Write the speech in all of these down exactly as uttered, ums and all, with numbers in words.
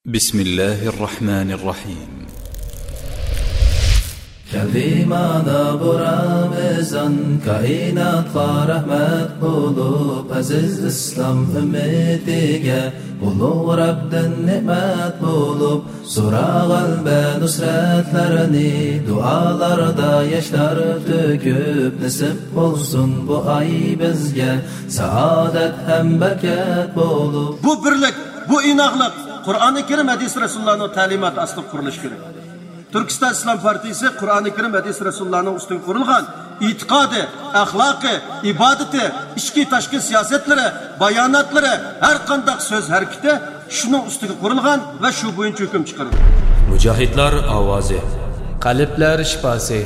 بسم الله الرحمن الرحيم. كەلدى مانا بۇ رامىزان، كائىناتقا رەھمەت بولۇپ، ئەزىز ئىسلام ئۈممىتىگە ئۇلۇغ رەبدىن نېمەت بولۇپ، سورا غەلىبە نۇسرەتلەرنى دۇئالاردا ياشلار تۆكۈپ، نېسىپ بولسۇن بۇ ئاي بىزگە سائادەت ھەم بەرىكەت بولۇپ. بۇ بىرلىك، بۇ ئىناقلىق قۇرئانى كەرىم، ھەدىس رەسۇلۇللانىڭ تەلىماتى ئاستىدا قۇرۇلۇشى كېرەك. تۈركىستان ئىسلام پارتىيىسى قۇرئانى كەرىم، ھەدىس رەسۇلۇللانىڭ ئۈستىگە قۇرۇلغان ئېتىقادى، ئەخلاقى، ئىبادىتى، ئىچكى تاشقى سىياسەتلىرى، باياناتلىرى، ھەر قانداق سۆز ھەرىكىتى شۇنىڭ ئۈستىگە قۇرۇلغان ۋە شۇ بويىچە ھۆكۈم چىقىرىدۇ. مۇجاھىدلار ئاۋازى. قەلبلەر شىپاسى.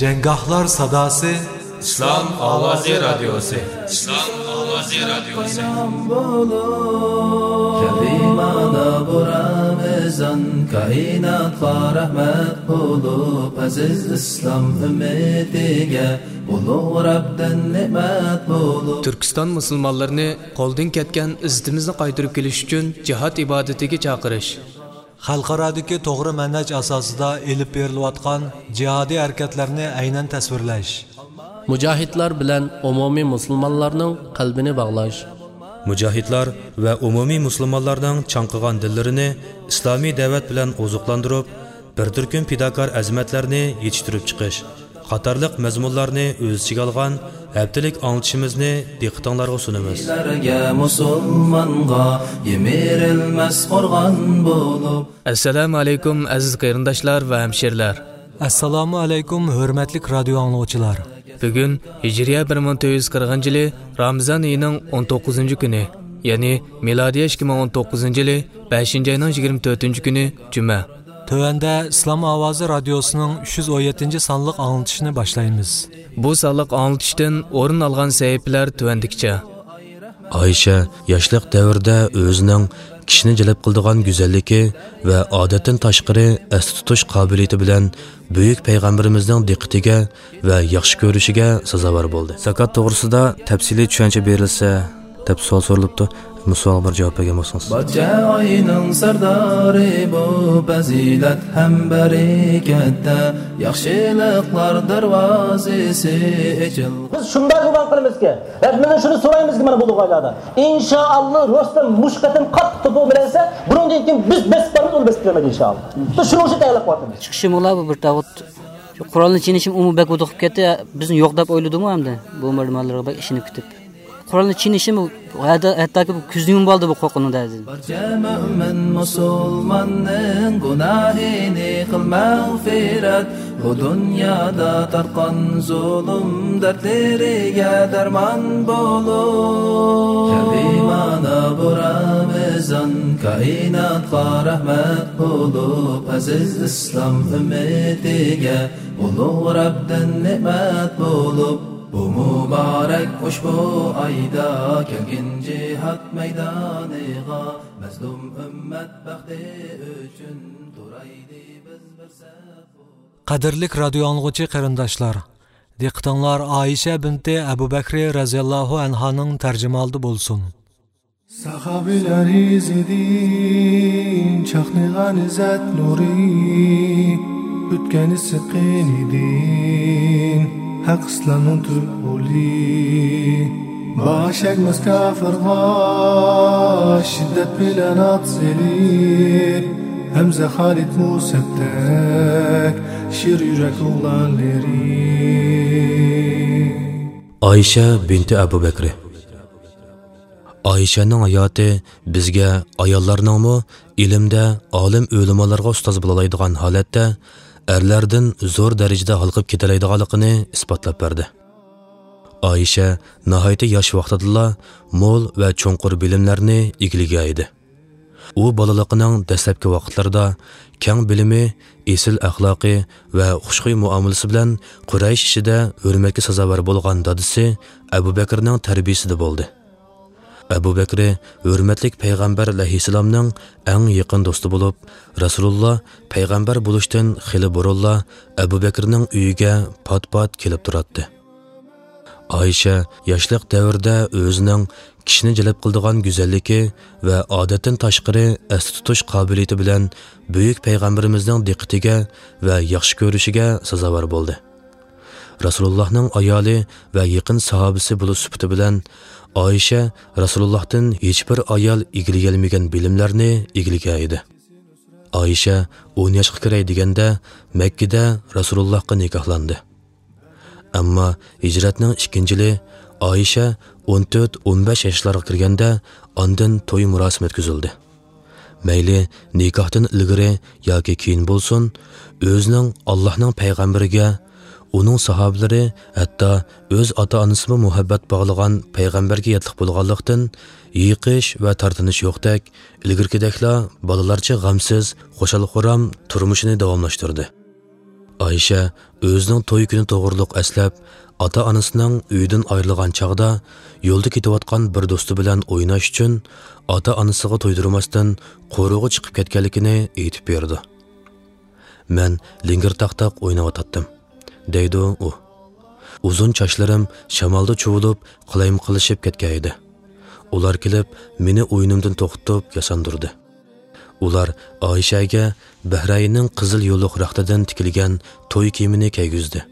جەڭگاھلار ساداسى. ئىسلام ئاۋازى رادىيوسى. ئىسلام ئاۋازى رادىيوسى. كەلدى مانا بۇ رامىزان، كائىناتقا رەھمەت بولۇپ، ئەزىز ئىسلام ئۈممىتىگە ئۇلۇغ رەبدىن نېمەت بولۇپ. تۈركىستان مۇسۇلمانلىرىنى قولدىن كەتكەن ئىززىتىمىزنى قايتۇرۇپ كېلىش ئۈچۈن جىھاد ئىبادىتىگە چاقىرىش. خەلقئارادىكى توغرا مەنھەج ئاساسىدا ئېلىپ بېرىلىۋاتقان جىھادىي ھەرىكەتلەرنى ئەينەن تەسۋىرلەش. مۇجاھىدلار بىلەن ئومۇمىي مۇسۇلمانلارنىڭ قەلبىنى باغلاش. مۇجاھىدلار ۋە ئومۇمىي مۇسۇلمانلارنىڭ چاڭقىغان دىللىرىنى ئىسلامىي دەۋەت بىلەن ئوزۇقلاندۇرۇپ، بىر تۈركۈم پىداكار ئەزىمەتلەرنى يېتىشتۈرۈپ چىقىش قاتارلىق مەزمۇنلارنى ئۆز ئىچىگە ئالغان ھەپتىلىك ئاڭلىتىشىمىزنى دىققىتىڭلارغا سۇنىمىز. مۇسۇلمانغا يىمىرىلمەس قورغان بولۇپ. ئەسسالامۇ ئەلەيكۇم، ئەزىز قېرىنداشلار ۋە ھەمشىرىلەر! ئەسسالامۇ ئەلەيكۇم، ھۆرمەتلىك رادىيو ئاڭلىغۇچىلار! بۈگۈن ھىجرىيە بىر مىڭ تۆت يۈز قىرىقىنچى يىلى رامىزان ئېيىنىڭ ئون توققۇزىنچى كۈنى، يەنى مىلادىيە ئىككى مىڭ ئون توققۇزىنچى يىلى بەشىنچى ئاينىڭ يىگىرمە تۆتىنچى كۈنى جۈمە. تۆۋەندە ئىسلام ئاۋازى رادىيوسىنىڭ ئۈچ يۈز ئون يەتتىنچى سانلىق ئاڭلىتىشىنى باشلايمىز. بۇ سانلىق ئاڭلىتىشتىن ئورۇن ئالغان سەھىپىلەر تۆۋەندىكىچە. ئائىشە ياشلىق دەۋرىدە ئۆزىنىڭ كىشىنى جەلپ قىلىدىغان گۈزەللىكى ۋە ئادەتتىن تاشقىرى ئەستە تۇتۇش قابىلىيىتى بىلەن بۈيۈك پەيغەمبىرىمىزنىڭ دىققىتىگە ۋە ياخشى كۆرۈشىگە سازاۋەر بولدى. زاكات توغرىسىدا تەپسىلىي چۈشەنچە بېرىلسە، دەپ سوئال سورىلىپتۇ. بۇ سوئالغا بىر جاۋاب بەرگەن بولسىڭىز. بارچە ئاينىڭ سەردارى بۇ پەزىلەت ھەم بەرىكەتتە، ياخشىلىقلار دەرۋازىسى ئېچىلغان. بىز شۇنداق گۇمان قىلىمىزكى، رەببىمىزدىن شۇنى سورايمىزكى، مانا بۇ ئايلاردا، ئىنشائاللا، رۇستەم مۇشۇ قېتىم قاتتىق توپا بىلەنسە، بۇنىڭدىن كېيىن بىز بېسىپ بارىمىز، ئۇنى بېسىپ بېرەلمەيدۇ، ئىنشائاللا. بىز شۇنىڭ ئۈچۈن تەييارلىق قىلىۋاتىمىز. چىقىشىمۇلا بۇ بىر تاغۇت. شۇ قورالنى چىينىشىم ئۇمۇ بەك ھودۇقۇپ كەتتى. بىزنى يوق دەپ ئويلىدىمۇ ئەمدى؟ بۇ مەلۇماتلارغا بەك ئىشىنىپ كېتىپ. قورالنى چىينىشىم ھەتتا، ھەتتاكى بۇ كۆزنى يۇمۇۋالدى بۇ قورقۇنىڭ دەردىدىن. بارچە مۆمىن مۇسۇلماننىڭ گۇناھىنى قىل مەغپىرەت، بۇ دۇنيادا تارتقان زۇلۇم دەردلىرىگە دەرمان بولۇپ. كەلدى مانا بۇ رامىزان، كائىناتقا رەھمەت بولۇپ، ئەزىز ئىسلام ئۈممىتىگە ئۇلۇغ رەبدىن نېمەت بولۇپ، بۇ مۇبارەك ئۇشبۇ ئايدا كەلگىن جىھاد مەيدانىغا، مەزلۇم ئۈممەت بەختى ئۈچۈن تۇرايلى بىز بىر سەپ بولۇپ. قەدىرلىك رادىيو ئاڭلىغۇچى قېرىنداشلار، دىققىتىڭلار ئائىشە بىنتى ئەبۇ بەكرى رەزىياللاھۇ ئەنھانىڭ تەرجىمىھالىدا بولسۇن. ساھابىلەر ئىزىدىن چاقنىغان ئىززەت نۇرى، ئۆتكەن ئىسسىق قېنىدىن ھەق ئىسلامنىڭ تۈپ غولى. باش ئەگمەس كاپىرغا شىددەت بىلەن ئات سېلىپ، ھەمزە خالىد مۇسەبدەك شىر يۈرەك ئوغلانلىرى. ئائىشە بىنتى ئەبۇ بەكرى. ئائىشەنىڭ ھاياتى بىزگە ئاياللارنىڭمۇ ئىلىمدە ئالىم ئۆلىمالارغا ئۇستاز بولالايدىغان ھالەتتە، ئەرلەردىن زور دەرىجىدە ھالقىپ كېتەلەيدىغانلىقىنى ئىسپاتلاپ بەردى. ئائىشە ناھايىتى ياش ۋاقتىدىلا مول ۋە چوڭقۇر بىلىملەرنى ئىگىلىگەن ئىدى. ئۇ بالىلىقىنىڭ دەسلەپكى ۋاقىتلىرىدا كەڭ بىلىمى، ئېسىل ئەخلاقى ۋە خۇشخۇي مۇئامىلىسى بىلەن قۇرەيش ئىچىدە ھۆرمەتكە سازاۋەر بولغان دادىسى ئەبۇ بەكرىنىڭ تەربىيىسىدە بولدى. ئەبۇ بەكرى ھۆرمەتلىك پەيغەمبەر ئەلەيھىسسالامنىڭ ئەڭ يېقىن دوستى بولۇپ، رەسۇلۇللا پەيغەمبەر بولۇشتىن خېلى بۇرۇنلا ئەبۇ بەكرىنىڭ ئۆيىگە پات-پات كېلىپ تۇراتتى. ئائىشە ياشلىق دەۋرىدە ئۆزىنىڭ كىشىنى جەلپ قىلىدىغان گۈزەللىكى ۋە ئادەتتىن تاشقىرى ئەستە تۇتۇش قابىلىيىتى بىلەن بۈيۈك پەيغەمبىرىمىزنىڭ دىققىتىگە ۋە ياخشى كۆرۈشىگە سازاۋەر بولدى. رەسۇلۇللاھنىڭ ئايالى ۋە يېقىن ساھابىسى بولۇش سۈپىتى بىلەن ئائىشە رەسۇلۇللاھتىن ھېچبىر ئايال ئىگىلىيەلمىگەن بىلىملەرنى ئىگىلىگەن ئىدى. ئائىشە ئون ياشقا كىرەي دېگەندە مەككىدە رەسۇلۇللاھقا نىكاھلاندى. ئەمما ھىجرەتنىڭ ئىككىنچى يىلى ئائىشە ئون تۆت، ئون بەش ياشلارغا كىرگەندە ئاندىن توي مۇراسىمى ئۆتكۈزۈلدى. مەيلى نىكاھتىن ئىلگىرى ياكى كېيىن بولسۇن، ئۆزىنىڭ ئاللاھنىڭ پەيغەمبىرىگە، ئۇنىڭ ساھابىلىرى، ھەتتا ئۆز ئاتا-ئانىسىمۇ مۇھەببەت باغلىغان پەيغەمبەرگە ياتلىق بولغانلىقتىن، يېقىش ۋە تارتىنىش يوقتەك، ئىلگىرىكىدەكلا بالىلارچە غەمسىز، خۇشال-خۇرام تۇرمۇشىنى داۋاملاشتۇردى. ئائىشە ئۆزىنىڭ توي كۈنى توغرۇلۇق ئەسلەپ، ئاتا-ئانىسىنىڭ ئۆيىدىن ئايرىلغان چاغدا يولدا كېتىۋاتقان بىر دوستى بىلەن ئويناش ئۈچۈن ئاتا-ئانىسىغا تۇيدۇرماستىن قورۇغا چىقىپ كەتكەنلىكىنى ئېيتىپ بېرىدۇ. مەن لىڭگىرتاقتاق ئويناۋاتاتتىم، دەيدۇ ئۇ. ئۇزۇن چاچلىرىم شامالدا چۇۋۇلۇپ، قالايمىقانلىشىپ كەتكەن ئىدى. ئۇلار كېلىپ، مېنى ئويۇنۇمدىن توختىتىپ ياساندۇردى. ئۇلار ئائىشەگە بەھرەيننىڭ قىزىل يۇلۇق رەختىدىن تىكىلگەن توي كىيىمىنى كىيگۈزدى.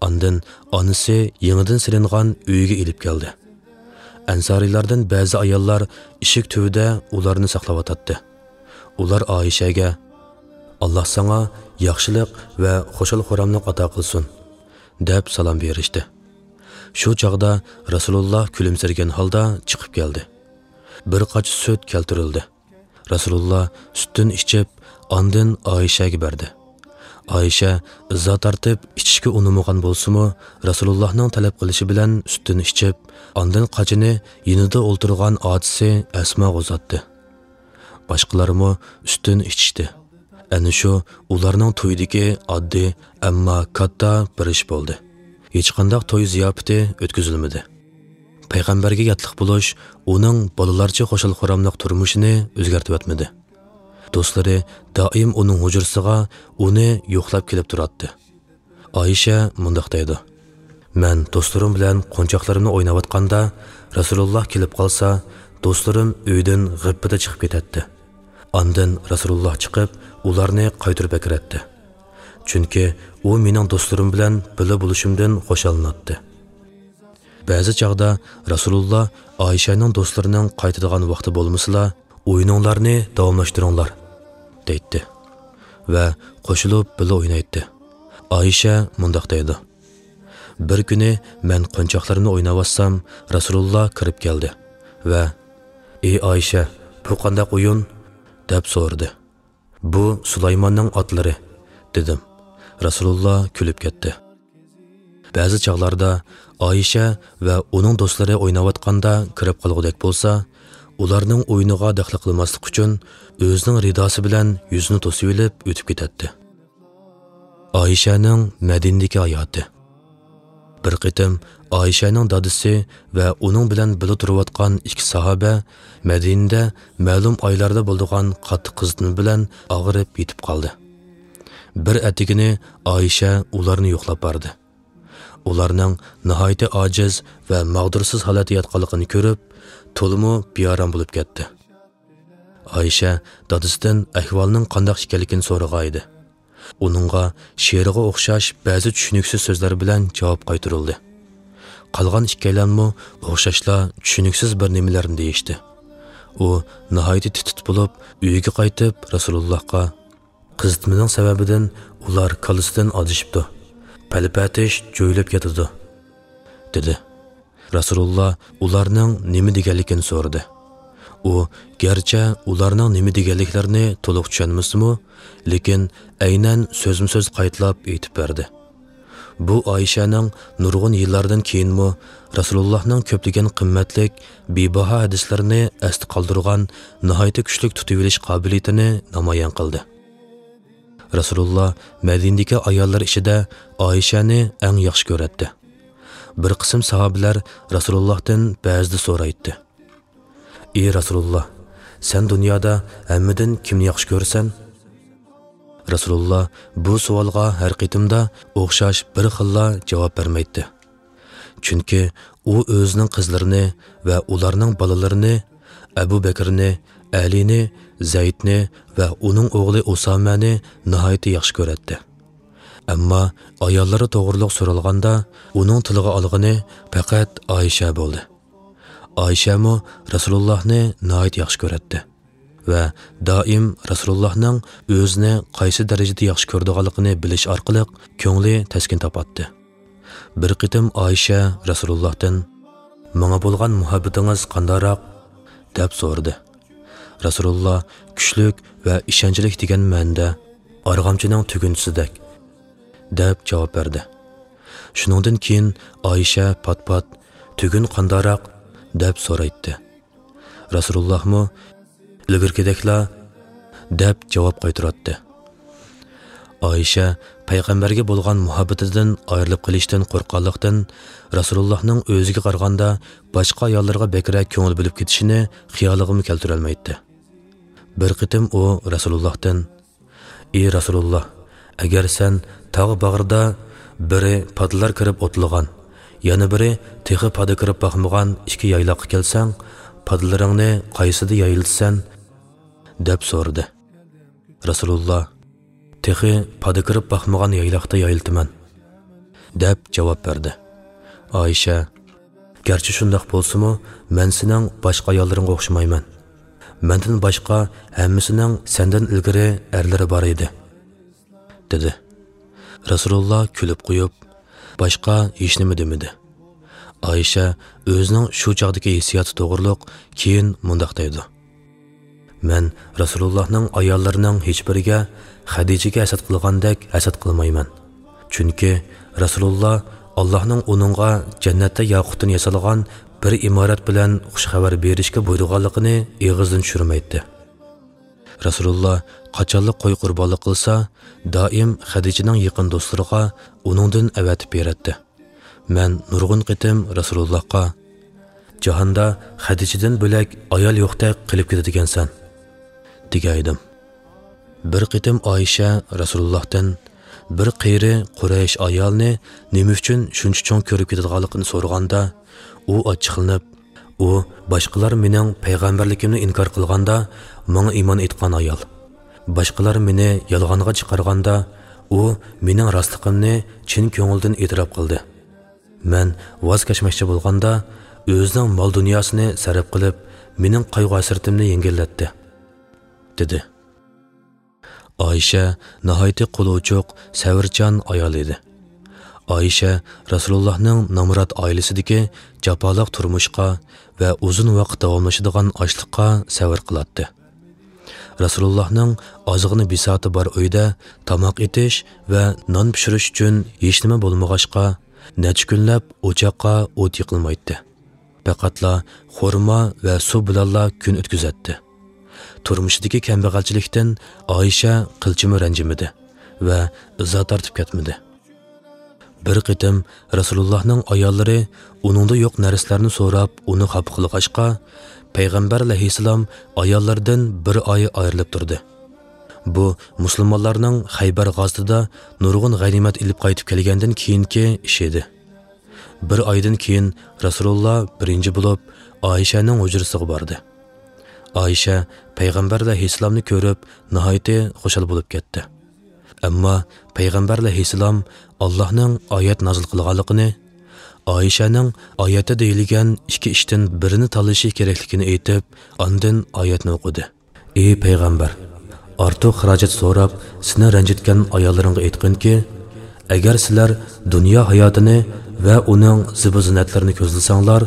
ئاندىن ئانىسى يېڭىدىن سېلىنغان ئۆيىگە ئېلىپ كەلدى. ئەنسارىيلاردىن بەزى ئاياللار ئىشىك تۈۋىدە ئۇلارنى ساقلاۋاتاتتى. ئۇلار ئائىشەگە، «ئاللاھ ساڭا ياخشىلىق ۋە خۇشال-خۇراملىق ئاتا قىلسۇن» دەپ سالام بېرىشتى. شۇ چاغدا رەسۇلۇللاھ كۈلۈمسىرىگەن ھالدا چىقىپ كەلدى. بىر قاچا سۈت كەلتۈرۈلدى. رەسۇلۇللاھ سۈتتىن ئىچىپ، ئاندىن ئائىشەگە بەردى. ئائىشە ئىزا تارتىپ ئىچىشكە ئۇنىمىغان بولسىمۇ، رەسۇلۇللاھنىڭ تەلەپ قىلىشى بىلەن سۈتتىن ئىچىپ، ئاندىن قاچىنى يېنىدا ئولتۇرغان ئاچىسى ئەسماغا ئۇزاتتى. باشقىلارمۇ سۈتتىن ئىچىشتى. ئەنە شۇ ئۇلارنىڭ تويىدىكى ئاددىي، ئەمما كاتتا بىر ئىش بولدى. ھېچقانداق توي زىياپىتى ئۆتكۈزۈلمىدى. پەيغەمبەرگە ياتلىق بولۇش ئۇنىڭ بالىلارچە خۇشال-خۇراملىق تۇرمۇشىنى ئۆزگەرتىۋەتمىدى. دوستلىرى دائىم ئۇنىڭ ھۇجرىسىغا ئۇنى يوقلاپ كېلىپ تۇراتتى. ئائىشە مۇنداق دەيدۇ، «مەن دوستلىرىم بىلەن قونچاقلىرىمنى ئويناۋاتقاندا، رەسۇلۇللاھ كېلىپ قالسا، دوستلىرىم ئۆيدىن غىپپىدە چىقىپ كېتەتتى. ئاندىن رەسۇلۇللاھ چىقىپ، ئۇلارنى قايتۇرۇپ ئەكىرەتتى. چۈنكى ئۇ مېنىڭ دوستلىرىم بىلەن بىللە بولۇشۇمدىن خۇشاللىناتتى.» بەزى چاغدا رەسۇلۇللاھ ئائىشەنىڭ دوستلىرىنىڭ قايتىدىغان ۋاقتى بولمىسىلا، «ئويۇنۇڭلارنى داۋاملاشتۇرۇڭلار» دەيتتى ۋە قوشۇلۇپ بىللە ئوينايتتى. ئائىشە مۇنداق دەيدۇ، «بىر كۈنى مەن قونچاقلىرىمنى ئويناۋاتسام، رەسۇلۇللاھ كىرىپ كەلدى ۋە، 'ئى ئائىشە، بۇ قانداق ئويۇن؟' دەپ سورىدى. 'بۇ سۇلايماننىڭ ئاتلىرى' دېدىم. رەسۇلۇللاھ كۈلۈپ كەتتى. بەزى چاغلاردا ئائىشە ۋە ئۇنىڭ دوستلىرى ئويناۋاتقاندا كىرىپ قالغۇدەك بولسا، ئۇلارنىڭ ئويۇنىغا دەخلى قىلماسلىق ئۈچۈن ئۆزىنىڭ رىداسى بىلەن يۈزىنى توسۇۋېلىپ ئۆتۈپ كېتەتتى. ئائىشەنىڭ مەدىنىدىكى ھاياتى. بىر قېتىم ئائىشەنىڭ دادىسى ۋە ئۇنىڭ بىلەن بىللە تۇرۇۋاتقان ئىككى ساھابە مەدىنىدە مەلۇم ئايلاردا بولىدىغان قاتتىق قىزىتما بىلەن ئاغرىپ يېتىپ قالدى. بىر ئەتىگىنى ئائىشە ئۇلارنى يوقلاپ باردى. ئۇلارنىڭ ناھايىتى ئاجىز ۋە ماغدۇرسىز ھالەتتە ياتقانلىقىنى كۆرۈپ، تولىمۇ بىئارام بولۇپ كەتتى. ئائىشە دادىسىدىن ئەھۋالنىڭ قانداق ئىكەنلىكىنى سورىغان ئىدى. ئۇنىڭغا شېئىرغا ئوخشاش بەزى چۈشىنىكسىز سۆزلەر بىلەن جاۋاب قايتۇرۇلدى. قالغان ئىككىيلەنمۇ ئوخشاشلا چۈشىنىكسىز بىر نېمىلەرنى دېيىشتى. ئۇ ناھايىتى تىت-تىت بولۇپ، ئۆيىگە قايتىپ، رەسۇلۇللاھقا، «قىزىتمىنىڭ سەۋەبىدىن ئۇلار كاللىسىدىن ئادىشىپتۇ. پەلىپەتىش جۆيلۈپ كېتىدۇ» دېدى. رەسۇلۇللاھ ئۇلارنىڭ نېمە دېگەنلىكىنى سورىدى. ئۇ گەرچە ئۇلارنىڭ نېمە دېگەنلىكلىرىنى تولۇق چۈشەنمىسىمۇ، لېكىن ئەينەن سۆزمۇ سۆز قايتىلاپ ئېيتىپ بەردى. بۇ ئائىشەنىڭ نۇرغۇن يىللاردىن كېيىنمۇ رەسۇلۇللاھنىڭ كۆپلىگەن قىممەتلىك، بىباھا ھەدىسلىرىنى ئەستە قالدۇرغان ناھايىتى كۈچلۈك تۇتۇۋېلىش قابىلىيىتىنى نامايان قىلدى. رەسۇلۇللاھ مەدىنىدىكى ئاياللار ئىچىدە ئائىشەنى ئەڭ ياخشى كۆرەتتى. بىر قىسىم ساھابىلەر رەسۇلۇللاھتىن بەزىدە سورايتتى، «ئى رەسۇلۇللاھ، سەن دۇنيادا ھەممىدىن كىمنى ياخشى كۆرىسەن؟» رەسۇلۇللاھ بۇ سوئالغا ھەر قېتىمدا ئوخشاش بىر خىللا جاۋاب بەرمەيتتى. چۈنكى ئۇ ئۆزىنىڭ قىزلىرىنى ۋە ئۇلارنىڭ بالىلىرىنى، ئەبۇ بەكرىنى، ئەلىنى، زەيدنى ۋە ئۇنىڭ ئوغلى ئۇسامەنى ناھايىتى ياخشى كۆرەتتى. ئەمما ئاياللىرى توغرۇلۇق سورالغاندا، ئۇنىڭ تىلغا ئالغىنى پەقەت ئائىشە بولدى. ئائىشەمۇ رەسۇلۇللاھنى ناھايىتى ياخشى كۆرەتتى ۋە دائىم رەسۇلۇللاھنىڭ ئۆزىنى قايسى دەرىجىدە ياخشى كۆرىدىغانلىقىنى بىلىش ئارقىلىق كۆڭلى تەسكىن تاپاتتى. بىر قېتىم ئائىشە رەسۇلۇللاھتىن، «ماڭا بولغان مۇھەببىتىڭىز قانداقراق؟» دەپ سورىدى. رەسۇلۇللا، «كۈچلۈك ۋە ئىشەنچلىك» دېگەن مەنىدە، «ئارغامچىنىڭ تۈگۈنچىسىدەك» دەپ جاۋاب بەردى. شۇنىڭدىن كېيىن ئائىشە پات-پات، «تۈگۈن قانداقراق؟» دەپ سورايتتى. رەسۇلۇللاھمۇ، «ئىلگىرىكىدەكلا» دەپ جاۋاب قايتۇراتتى. ئائىشە پەيغەمبەرگە بولغان مۇھەببىتىدىن ئايرىلىپ قېلىشتىن قورققانلىقتىن، رەسۇلۇللاھنىڭ ئۆزىگە قارىغاندا باشقا ئاياللىرىغا بەكرەك كۆڭۈل بۆلۈپ كېتىشىنى خىيالىغىمۇ كەلتۈرەلمەيتتى. بىر قېتىم ئۇ رەسۇلۇللاھتىن، «ئى رەسۇلۇللا، ئەگەر سەن تاغ باغرىدا بىرى پادىلار كىرىپ ئوتلىغان، يەنە بىرى تېخى پادا كىرىپ باقمىغان ئىككى يايلاققا كەلسەڭ، پادىلىرىڭنى قايسىدا يايلىتىسەن؟» دەپ سورىدى. رەسۇلۇللا، «تېخى پادا كىرىپ باقمىغان يايلاقتا يايلىتىمەن» دەپ جاۋاب بەردى. ئائىشە، «گەرچە شۇنداق بولسىمۇ، مەن سېنىڭ باشقا ئاياللىرىڭغا ئوخشىمايمەن. مەندىن باشقا ھەممىسىنىڭ سەندىن ئىلگىرى ئەرلىرى بار ئىدى» دېدى. رەسۇلۇللا كۈلۈپ قويۇپ، باشقا ھېچنېمە دېمىدى. ئائىشە ئۆزىنىڭ شۇ چاغدىكى ھېسسىياتى توغرۇلۇق كېيىن مۇنداق دەيدۇ: «مەن رەسۇلۇللاھنىڭ ئاياللىرىنىڭ ھېچبىرىگە خەدىچىگە ھەسەت قىلغاندەك ھەسەت قىلمايمەن. چۈنكى رەسۇلۇللا ئاللاھنىڭ ئۇنىڭغا جەننەتتە ياقۇتتىن ياسالغان بىر ئىمارەت بىلەن خۇش خەۋەر بېرىشكە بۇيرۇغانلىقىنى ئېغىزدىن چۈشۈرمەيتتى. رەسۇلۇللا قاچانلا قوي قۇربانلىق قىلسا، دائىم خەدىچىنىڭ يېقىن دوستلىرىغا ئۇنىڭدىن ئەۋەتىپ بېرەتتى. مەن نۇرغۇن قېتىم رەسۇلۇللاھقا، جاھاندا خەدىچىدىن بۆلەك ئايال يوقتەك قىلىپ كېتىدىكەنسەن» دېگەن ئىدىم. بىر قېتىم ئائىشە رەسۇلۇللاھتىن بىر قېرى قۇرەيش ئايالىنى نېمە ئۈچۈن شۇنچە چوڭ كۆرۈپ كېتىدىغانلىقىنى سورىغاندا، ئۇ ئاچچىقلىنىپ، «ئۇ باشقىلار مېنىڭ پەيغەمبەرلىكىمنى ئىنكار قىلغاندا، ماڭا ئىمان ئېيتقان ئايال. باشقىلار مېنى يالغانغا چىقارغاندا، ئۇ مېنىڭ راستلىقىمنى چىن كۆڭۈلدىن ئېتىراپ قىلدى. مەن ۋاز كەچمەكچى بولغاندا، ئۆزىنىڭ مال-دۇنياسىنى سەرپ قىلىپ، مېنىڭ قايغۇ-ھەسرىتىمنى يەڭگىللەتتى» دېدى. ئائىشە ناھايىتى قولى ئوچۇق، سەۋرچان ئايال ئىدى. ئائىشە رەسۇلۇللاھنىڭ نامرات ئائىلىسىدىكى جاپالىق تۇرمۇشقا ۋە ئۇزۇن ۋاقىت داۋاملىشىدىغان ئاچلىققا سەۋر قىلاتتى. رەسۇلۇللاھنىڭ ئازغىنە بىساتى بار ئۆيدە تاماق ئېتىش ۋە نان پىشۇرۇش ئۈچۈن ھېچنېمە بولمىغاچقا، نەچچە كۈنلەپ ئوچاققا ئوت يېقىلمايتتى. پەقەتلا خورما ۋە سۇ بىلەنلا كۈن ئۆتكۈزەتتى. تۇرمۇشىدىكى كەمبەغەلچىلىكتىن ئائىشە قىلچىمۇ رەنجىمىدى ۋە ئىزا تارتىپ كەتمىدى. بىر قېتىم رەسۇلۇللاھنىڭ ئاياللىرى ئۇنىڭدا يوق نەرسىلەرنى سوراپ، ئۇنى خاپا قىلغاچقا، پەيغەمبەر ئەلەيھىسسالام ئاياللىرىدىن بىر ئاي ئايرىلىپ تۇردى. بۇ مۇسۇلمانلارنىڭ خەيبەر غازىتىدا نۇرغۇن غەنىيمەت ئېلىپ قايتىپ كەلگەندىن كېيىنكى ئىشى ئىدى. بىر ئايدىن كېيىن رەسۇلۇللا بىرىنچى بولۇپ ئائىشەنىڭ ھۇجرىسىغا باردى. ئائىشە پەيغەمبەر ئەلەيھىسسالامنى كۆرۈپ ناھايىتى خۇشال بولۇپ كەتتى. ئەمما پەيغەمبەر ئەلەيھىسسالام ئاللاھنىڭ ئايەت نازىل قىلغانلىقىنى، ئائىشەنىڭ ئايەتتە دېيىلگەن ئىككى ئىشتىن بىرىنى تاللىشى كېرەكلىكىنى ئېيتىپ، ئاندىن ئايەتنى ئوقۇدى. ئى پەيغەمبەر، ئارتۇق خىراجەت سوراپ، سېنى رەنجىتكەن ئاياللىرىڭغا ئېيتقىنكى، ئەگەر سىلەر دۇنيا ھاياتىنى ۋە ئۇنىڭ زىبۇ-زىننەتلىرىنى كۆزلىسەڭلار،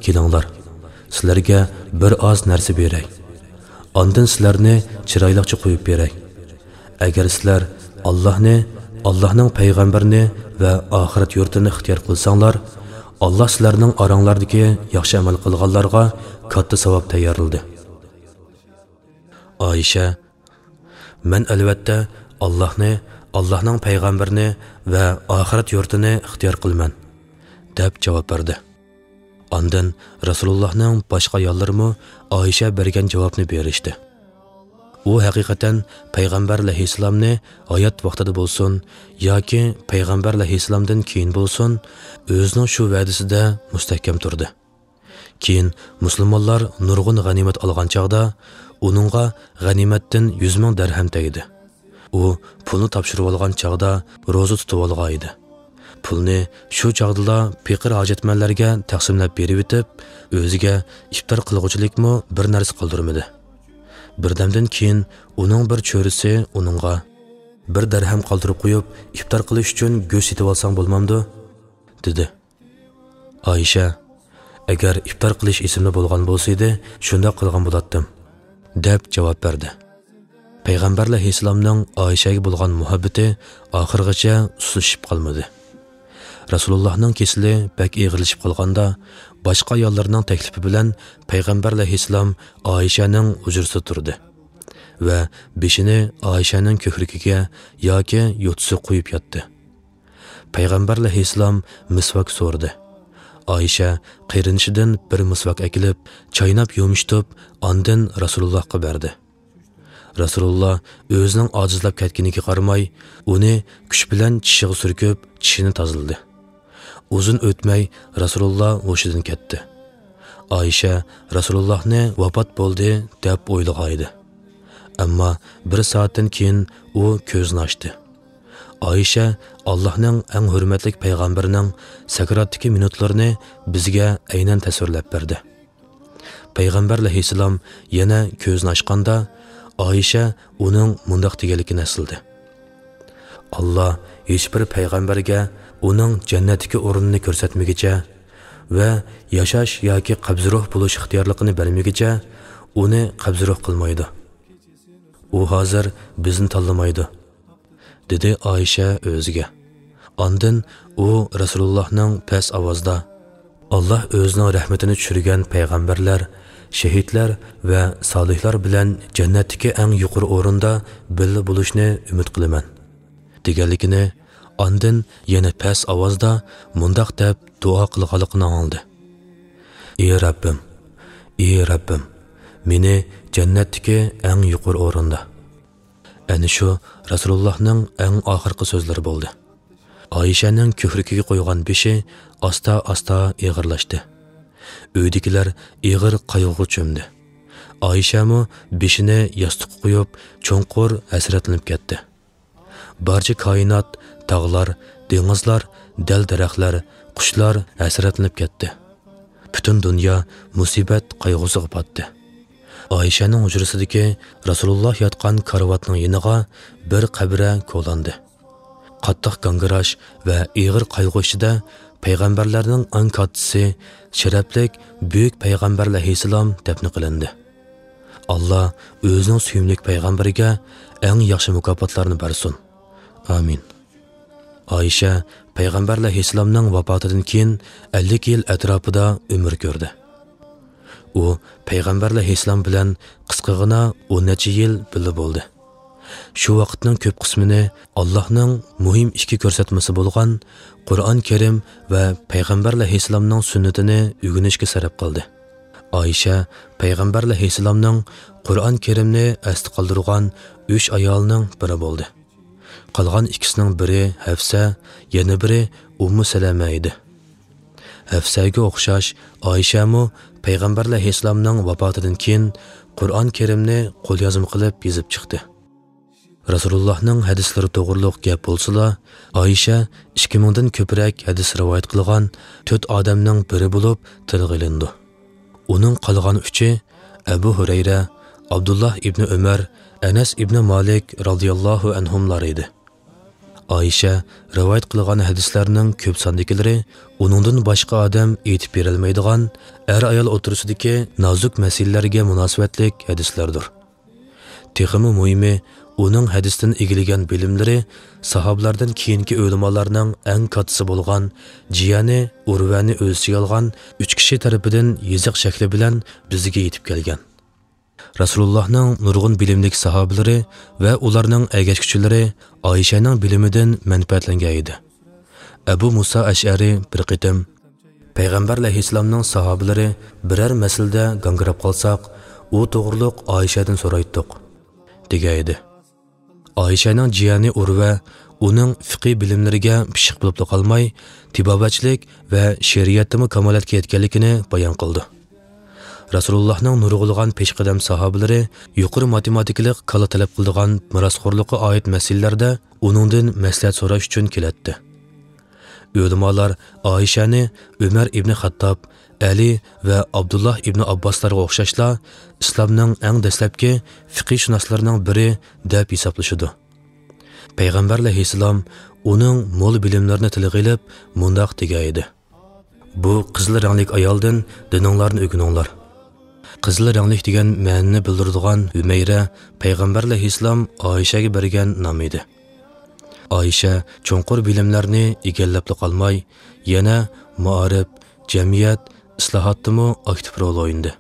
كېلىڭلار، سىلەرگە بىر ئاز نەرسە بېرەي. ئاندىن سىلەرنى چىرايلىقچە قويۇپ بېرەي. ئەگەر سىلەر ئاللاھنى، ئاللاھنىڭ پەيغەمبىرىنى ۋە ئاخىرەت يۇرتىنى ئىختىيار قىلساڭلار، ئاللاھ سىلەرنىڭ ئاراڭلاردىكى ياخشى ئەمەل قىلغانلارغا كاتتا ساۋاب تەييارلىدى. ئائىشە، مەن ئەلۋەتتە ئاللاھنى، ئاللاھنىڭ پەيغەمبىرىنى ۋە ئاخىرەت يۇرتىنى ئىختىيار قىلىمەن، دەپ جاۋاب بەردى. ئاندىن رەسۇلۇللاھنىڭ باشقا ئاياللىرىمۇ ئائىشە بەرگەن جاۋابنى بېرىشتى. ئۇ ھەقىقەتەن پەيغەمبەر ئەلەيھىسسالامنى ھايات ۋاقتىدا بولسۇن ياكى پەيغەمبەر ئەلەيھىسسالامدىن كېيىن بولسۇن، ئۆزىنىڭ شۇ ۋەدىسىدە مۇستەھكەم تۇردى. كېيىن مۇسۇلمانلار نۇرغۇن غەنىيمەت ئالغان چاغدا، ئۇنىڭغا غەنىيمەتتىن يۈز مىڭ دەرھەم تەگدى. ئۇ پۇلنى تاپشۇرۇۋالغان چاغدا روزا تۇتۇۋالغان ئىدى. پۇلنى شۇ چاغدىلا پېقىر ھاجەتمەنلەرگە تەقسىملەپ بېرىۋېتىپ، ئۆزىگە ئىپتار قىلغۇچىلىكمۇ بىر نەرسە قالدۇرمىدى. بىردەمدىن كېيىن ئۇنىڭ بىر چۆرىسى ئۇنىڭغا، «بىر دەرھەم قالدۇرۇپ قويۇپ، ئىپتار قىلىش ئۈچۈن گۆش سېتىۋالساڭ بولمامدۇ؟» دېدى. ئائىشە، «ئەگەر ئىپتار قىلىش ئېسىمدە بولغان بولسىدى، شۇنداق قىلغان بولاتتىم» دەپ جاۋاب بەردى. پەيغەمبەر ئەلەيھىسسالامنىڭ ئائىشەگە بولغان مۇھەببىتى ئاخىرغىچە سۇسلىشىپ قالمىدى. رەسۇلۇللاھنىڭ كېسىلى بەك ئېغىرلىشىپ قالغاندا، باشقا ئاياللارنىڭ تەكلىپى بىلەن پەيغەمبەر ئەلەيھىسسالام ئائىشەنىڭ ھۇجرىسىدا تۇردى ۋە بېشىنى ئائىشەنىڭ كۆكرىكىگە ياكى يوتىسىغا قويۇپ ياتتى. پەيغەمبەر ئەلەيھىسسالام مىسۋاك سورىدى. ئائىشە قېرىندىشىدىن بىر مىسۋاك ئەكېلىپ، چايناپ يۇمشىتىپ، ئاندىن رەسۇلۇللاھقا بەردى. رەسۇلۇللا ئۆزىنىڭ ئاجىزلاپ كەتكىنىگە قارىماي، ئۇنى كۈچ بىلەن چىشىغا سۈركۈپ، چىشىنى تازىلىدى. ئۇزۇن ئۆتمەي رەسۇلۇللا ھوشىدىن كەتتى. ئائىشە رەسۇلۇللاھنى ۋاپات بولدى دەپ ئويلىغان ئىدى. ئەمما بىر سائەتتىن كېيىن ئۇ كۆزىنى ئاچتى. ئائىشە ئاللاھنىڭ ئەڭ ھۆرمەتلىك پەيغەمبىرىنىڭ سەكراتتىكى مىنۇتلىرىنى بىزگە ئەينەن تەسۋىرلەپ بەردى. پەيغەمبەر ئەلەيھىسسالام يەنە كۆزىنى ئاچقاندا، ئائىشە ئۇنىڭ مۇنداق دېگەنلىكىنى ئەسلىدى: «ئاللا ھېچبىر پەيغەمبەرگە ئۇنىڭ جەننەتتىكى ئورنىنى كۆرسەتمىگىچە ۋە ياشاش ياكى قەبزى روھ بولۇش ئىختىيارلىقىنى بەرمىگىچە ئۇنى قەبزى روھ قىلمايدۇ. ئۇ ھازىر بىزنى تاللىمايدۇ» دېدى ئائىشە ئۆزىگە. ئاندىن ئۇ رەسۇلۇللاھنىڭ پەس ئاۋازدا، «ئاللا ئۆزىنىڭ رەھمىتىنى چۈشۈرگەن پەيغەمبەرلەر، شېھىتلەر ۋە سالىھلار بىلەن جەننەتتىكى ئەڭ يۇقىرى ئورۇندا بىللە بولۇشنى ئۈمىد قىلىمەن» دېگەنلىكىنى، ئاندىن يەنە پەس ئاۋازدا مۇنداق دەپ دۇئا قىلغانلىقىنى ئاڭلىدى: «ئى رەببىم، ئى رەببىم، مېنى جەننەتتىكى ئەڭ يۇقىرى ئورۇندا.» ئەنە شۇ رەسۇلۇللاھنىڭ ئەڭ ئاخىرقى سۆزلىرى بولدى. ئائىشەنىڭ كۆكرىكىگە قويغان بېشى ئاستا-ئاستا ئېغىرلاشتى. ئۆيدىكىلەر ئېغىر قايغۇغا چۆمدى. ئائىشەمۇ بېشىنى ياستۇققا قويۇپ، چوڭقۇر ھەسرەتلىنىپ كەتتى. بارچە كائىنات، تاغلار، دېڭىزلار، دەل-دەرەخلەر، قۇشلار ھەسرەتلىنىپ كەتتى. پۈتۈن دۇنيا مۇسىبەت قايغۇسىغا پاتتى. ئائىشەنىڭ ھۇجرىسىدىكى رەسۇلۇللا ياتقان كارىۋاتنىڭ يېنىغا بىر قەبرە كولاندى. قاتتىق گاڭگىراش ۋە ئېغىر قايغۇ ئىچىدە پەيغەمبەرلەرنىڭ ئەڭ كاتتىسى، شەرەپلىك بۈيۈك پەيغەمبەر ئەلەيھىسسالام دەپنە قىلىندى. ئاللا ئۆزىنىڭ سۆيۈملۈك پەيغەمبىرىگە ئەڭ ياخشى مۇكاپاتلارنى بەرسۇن. ئامىن. ئائىشە پەيغەمبەر ئەلەيھىسسالامنىڭ ۋاپاتىدىن كېيىن ئەللىك يىل ئەتراپىدا ئۆمۈر كۆردى. ئۇ پەيغەمبەر ئەلەيھىسسالام بىلەن قىسقىغىنا ئون نەچچە يىل بىللە بولدى. شۇ ۋاقىتنىڭ كۆپ قىسمىنى ئاللاھنىڭ مۇھىم ئىككى كۆرسەتمىسى بولغان قۇرئان كەرىم ۋە پەيغەمبەر ئەلەيھىسسالامنىڭ سۈننىتىنى ئۆگىنىشكە سەرپ قىلدى. ئائىشە پەيغەمبەر ئەلەيھىسسالامنىڭ قۇرئان كەرىمنى ئەستە قالدۇرغان ئۈچ ئايالنىڭ بىرى بولدى. قالغان ئىككىسىنىڭ بىرى ھەفسە، يەنە بىرى ئۇممۇ سەلەمە ئىدى. ھەفسەگە ئوخشاش ئائىشەمۇ پەيغەمبەر ئەلەيھىسسالامنىڭ ۋاپاتىدىن كېيىن قۇرئان كەرىمنى قوليازما قىلىپ يېزىپ چىقتى. رەسۇلۇللاھنىڭ ھەدىسلىرى توغرۇلۇق گەپ بولسىلا، ئائىشە ئىككى مىڭدىن كۆپرەك ھەدىس رىۋايەت قىلغان تۆت ئادەمنىڭ بىرى بولۇپ تىلغا ئېلىنىدۇ. ئۇنىڭ قالغان ئۈچى ئەبۇ ھۇرەيرە، ئابدۇللاھ ئىبنى ئۆمەر، ئەنەس ئىبنى مالىك رازىياللاھۇ ئەنھۇملار ئىدى. ئائىشە رىۋايەت قىلغان ھەدىسلەرنىڭ كۆپ ساندىكىلىرى ئۇنىڭدىن باشقا ئادەم ئېيتىپ بېرەلمەيدىغان ئەر-ئايال ئوتتۇرىسىدىكى نازۇك مەسىلىلەرگە مۇناسىۋەتلىك ھەدىسلەردۇر. تېخىمۇ مۇھىمى، ئۇنىڭ ھەدىستىن ئىگىلىگەن بىلىملىرى ساھابىلاردىن كېيىنكى ئۆلىمالارنىڭ ئەڭ كاتتىسى بولغان جىيەنى ئۇرۋەنى ئۆز ئىچىگە ئالغان ئۈچ كىشى تەرىپىدىن يېزىق شەكلى بىلەن بىزگە يېتىپ كەلگەن. رەسۇلۇللاھنىڭ نۇرغۇن بىلىملىك ساھابىلىرى ۋە ئۇلارنىڭ ئەگەشكۈچىلىرى ئائىشەنىڭ بىلىمىدىن مەنپەئەتلەنگەن ئىدى. ئەبۇ مۇسا ئەشئەرى بىر قېتىم، پەيغەمبەر ئەلەيھىسسالامنىڭ ساھابىلىرى بىرەر مەسىلىدە گاڭگىراپ قالساق، ئۇ توغرۇلۇق ئائىشەدىن سورايتتۇق. دېگەن ئىدى. ئائىشەنىڭ جىيەنى ئۇرۋە ئۇنىڭ فىقھىي بىلىملىرىگە پىششىق بولۇپلا قالماي، تېبابەتچىلىك ۋە شېئىرىيەتتىمۇ كامالەتكە يەتكەنلىكىنى بايان قىلىدۇ. رەسۇلۇللاھنىڭ نۇرغۇنلىغان پېشقەدەم ساھابىلىرى يۇقىرى ماتېماتىكىلىق كاللا تەلەپ قىلىدىغان مىراسخورلۇققا ئائىت مەسىلىلەردە ئۇنىڭدىن مەسلىھەت سوراش ئۈچۈن كېلەتتى. ئۆلىمالار ئائىشەنى ئۆمەر ئىبنى خەتتاب، ئەلى ۋە ئابدۇللاھ ئىبنى ئابباسلارغا ئوخشاشلا ئىسلامنىڭ ئەڭ دەسلەپكى فىقىھشۇناسلىرىنىڭ بىرى دەپ ھېسابلىشىدۇ. پەيغەمبەر ئەلەيھىسسالام ئۇنىڭ مول بىلىملىرىنى تىلغا ئېلىپ مۇنداق دېگەن ئىدى: «بۇ قىزىل رەڭلىك ئايالدىن دىنىڭلارنى ئۆگىنىڭلار.» قىزىل رەڭلىك دېگەن مەنىنى بىلدۈرىدىغان ھۈمەيرە پەيغەمبەر ئەلەيھىسسالام ئائىشەگە بەرگەن نام ئىدى. ئائىشە چوڭقۇر بىلىملەرنى ئىگىلەپلا قالماي، يەنە مائارىپ، جەمئىيەت ئىسلاھاتتىمۇ ئاكتىپ رول ئوينىدى.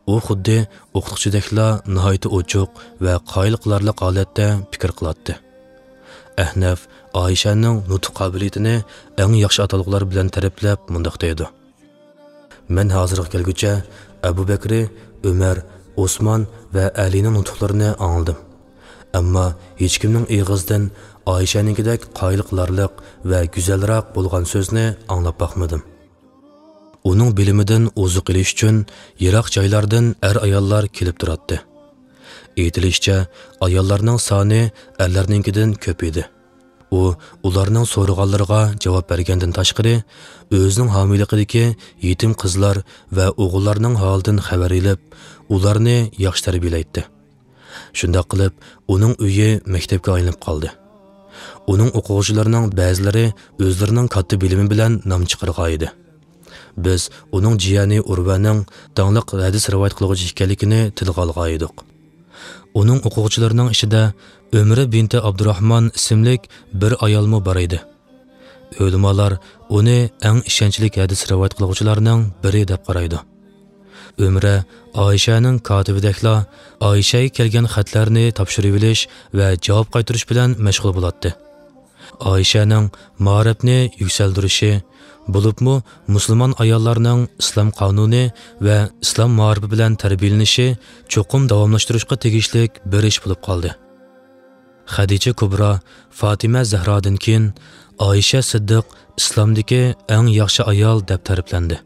ئۇ خۇددى ئوقۇتقۇچىدەكلا ناھايىتى ئوچۇق ۋە قايىل قىلارلىق ھالەتتە پىكىر قىلاتتى. ئەھنەف ئائىشەنىڭ نۇتۇق قابىلىيىتىنى ئەڭ ياخشى ئاتالغۇلار بىلەن تەرىپلەپ مۇنداق دەيدۇ: «مەن ھازىرغا كەلگۈچە ئەبۇ بەكرى، ئۆمەر، ئوسمان ۋە ئەلىنىڭ نۇتۇقلىرىنى ئاڭلىدىم. ئەمما ھېچكىمنىڭ ئېغىزىدىن ئائىشەنىڭكىدەك قايىل قىلارلىق ۋە گۈزەلراق بولغان سۆزنى ئاڭلاپ باقمىدىم.» ئۇنىڭ بىلىمىدىن ئوزۇق ئېلىش ئۈچۈن يىراق جايلاردىن ئەر-ئاياللار كېلىپ تۇراتتى. ئېيتىلىشىچە، ئاياللارنىڭ سانى ئەرلەرنىڭكىدىن كۆپ ئىدى. ئۇ ئۇلارنىڭ سورىغانلىرىغا جاۋاب بەرگەندىن تاشقىرى، ئۆزىنىڭ ھامىيلىقىدىكى يېتىم قىزلار ۋە ئوغۇللارنىڭ ھالىدىن خەۋەر ئېلىپ، ئۇلارنى ياخشى تەربىيەلەيتتى. شۇنداق قىلىپ، ئۇنىڭ ئۆيى مەكتەپكە ئايلىنىپ قالدى. ئۇنىڭ ئوقۇغۇچىلىرىنىڭ بەزىلىرى ئۆزلىرىنىڭ كاتتا بىلىمى بىلەن نام چىقارغان ئىدى. بىز ئۇنىڭ جىيەنى ئۇرۋەنىڭ داڭلىق ھەدىس رىۋايەت قىلغۇچى ئىكەنلىكىنى تىلغا ئالغان ئىدۇق. ئۇنىڭ ئوقۇغۇچىلىرىنىڭ ئىچىدە ئۆمرە بىنتى ئابدۇراھمان ئىسىملىك بىر ئايالمۇ بار ئىدى. ئۆلىمالار ئۇنى ئەڭ ئىشەنچلىك ھەدىس رىۋايەت قىلغۇچىلارنىڭ بىرى دەپ قارايدۇ. ئۆمرە ئائىشەنىڭ كاتىپىدەكلا ئائىشەگە كەلگەن خەتلەرنى تاپشۇرۇۋېلىش ۋە جاۋاب قايتۇرۇش بىلەن مەشغۇل بولاتتى. ئائىشەنىڭ مائارىپنى يۈكسەلدۈرۈشى، بولۇپمۇ مۇسۇلمان ئاياللارنىڭ ئىسلام قانۇنى ۋە ئىسلام مائارىپى بىلەن تەربىيەلىنىشى چوقۇم داۋاملاشتۇرۇشقا تېگىشلىك بىر ئىش بولۇپ قالدى. خەدىچە كۇبرا، فاتىمە زەھرادىن كېيىن ئائىشە سىددىق ئىسلامدىكى ئەڭ ياخشى ئايال دەپ تەرىپلەندى.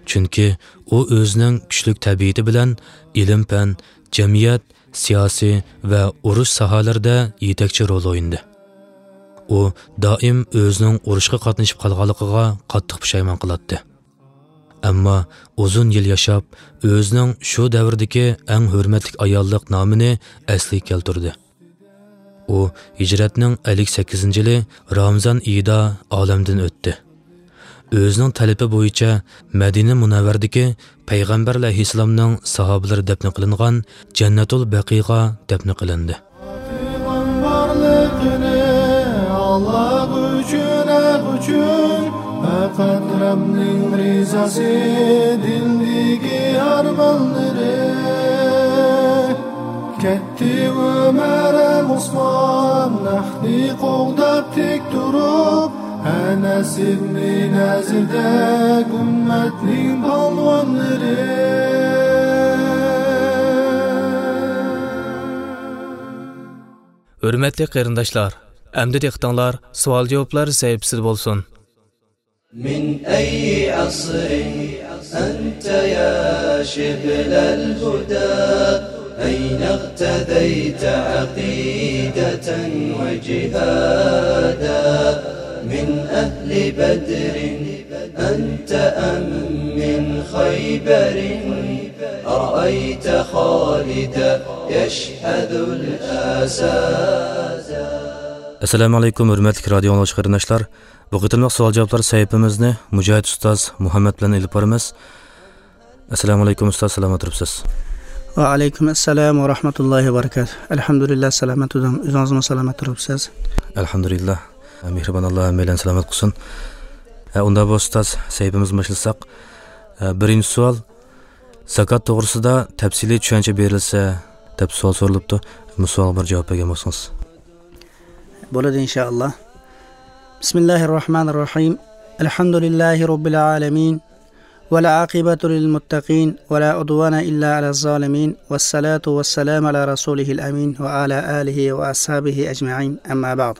چۈنكى ئۇ ئۆزىنىڭ كۈچلۈك تەبىئىتى بىلەن ئىلىم-پەن، جەمئىيەت، سىياسىي ۋە ئۇرۇش ساھەلىرىدە يېتەكچى رول ئوينىدى. ئۇ دائىم ئۆزىنىڭ ئۇرۇشقا قاتنىشىپ قالغانلىقىغا قاتتىق پۇشايمان قىلاتتى. ئەمما ئۇزۇن يىل ياشاپ، ئۆزىنىڭ شۇ دەۋردىكى ئەڭ ھۆرمەتلىك ئاياللىق نامىنى ئەسلىگە كەلتۈردى. ئۇ ھىجرەتنىڭ ئەللىك سەككىزىنچى يىلى رامىزان ئېيىدا ئالەمدىن ئۆتتى. ئۆزىنىڭ تەلىپى بويىچە مەدىنە مۇنەۋۋەردىكى پەيغەمبەر ئەلەيھىسسالامنىڭ ساھابىلىرى دەپنە قىلىنغان جەننەتۇل بەقىغا دەپنە قىلىندى. پاكلىقىم بارلىقىنى ئاللاھ ئۈچۈن، ھەق ئۈچۈن، پەقەت رەبنىڭ رىزاسى، دىلدىكى ئارمانلىرى. كەتتى ئۆمەر ھەم ئوسمان، ھەقنى قوغداپ تىك تۇرۇپ، ئەنەس ئىبنى نەزىردەك ئۈممەتنىڭ پالۋانلىرى. ھۆرمەتلىك قېرىنداشلار، ئەمدى دىققىتىڭلار سوئال-جاۋابلار سەھىپىسىدە بولسۇن. من أي عصر أنت يا شبل الهدى؟ أين اغتديت عقيدة وجهادا؟ من أهل بدر أنت أم من خيبر؟ أرأيت خالدا يشحذ الأسادا؟ ئەسسالامۇ ئەلەيكۇم، ھۆرمەتلىك رادىيو ئاڭلىغۇچى قېرىنداشلار. بۇ قېتىملىق سوئال-جاۋابلار سەھىپىمىزنى مۇجاھىد ئۇستاز مۇھەممەد بىلەن ئېلىپ بارىمىز. ئەسسالامۇ ئەلەيكۇم ئۇستاز، سالامەت تۇرۇپسىز؟ ۋەئەلەيكۇم ئەسسالام ۋە رەھمەتۇللاھى ۋە بەرىكاتۇھ. ئەلھەمدۇلىللا، سالامەت تۇردۇم. ئۆزىڭىزمۇ سالامەت تۇرۇپسىز؟ ئەلھەمدۇلىللا. مېھرىبان ئاللا ھەممەيلەننى سالامەت قىلسۇن. ھە، ئۇنداق بولسا ئۇستاز، سەھىپىمىزنى باشلىساق. ھە، بىرىنچى سوئال، زاكات توغرىسىدا تەپسىلىي چۈشەنچە بېرىلسە، دەپ سوئال سورىلىپتۇ. بۇ سوئالغا بىر جاۋاب بەرگەن بولسىڭىز. بولىدۇ، ئىنشائاللا. بىسمىللاھىررەھمانىررەھىم. ئەلھەمدۇلىللاھى رەببىل ئالەمىن. والعاقبة للمتقين، ولا عدوان إلا على الظالمين، والصلاة والسلام على رسوله الأمين، وعلى آله وأصحابه أجمعين، أما بعد.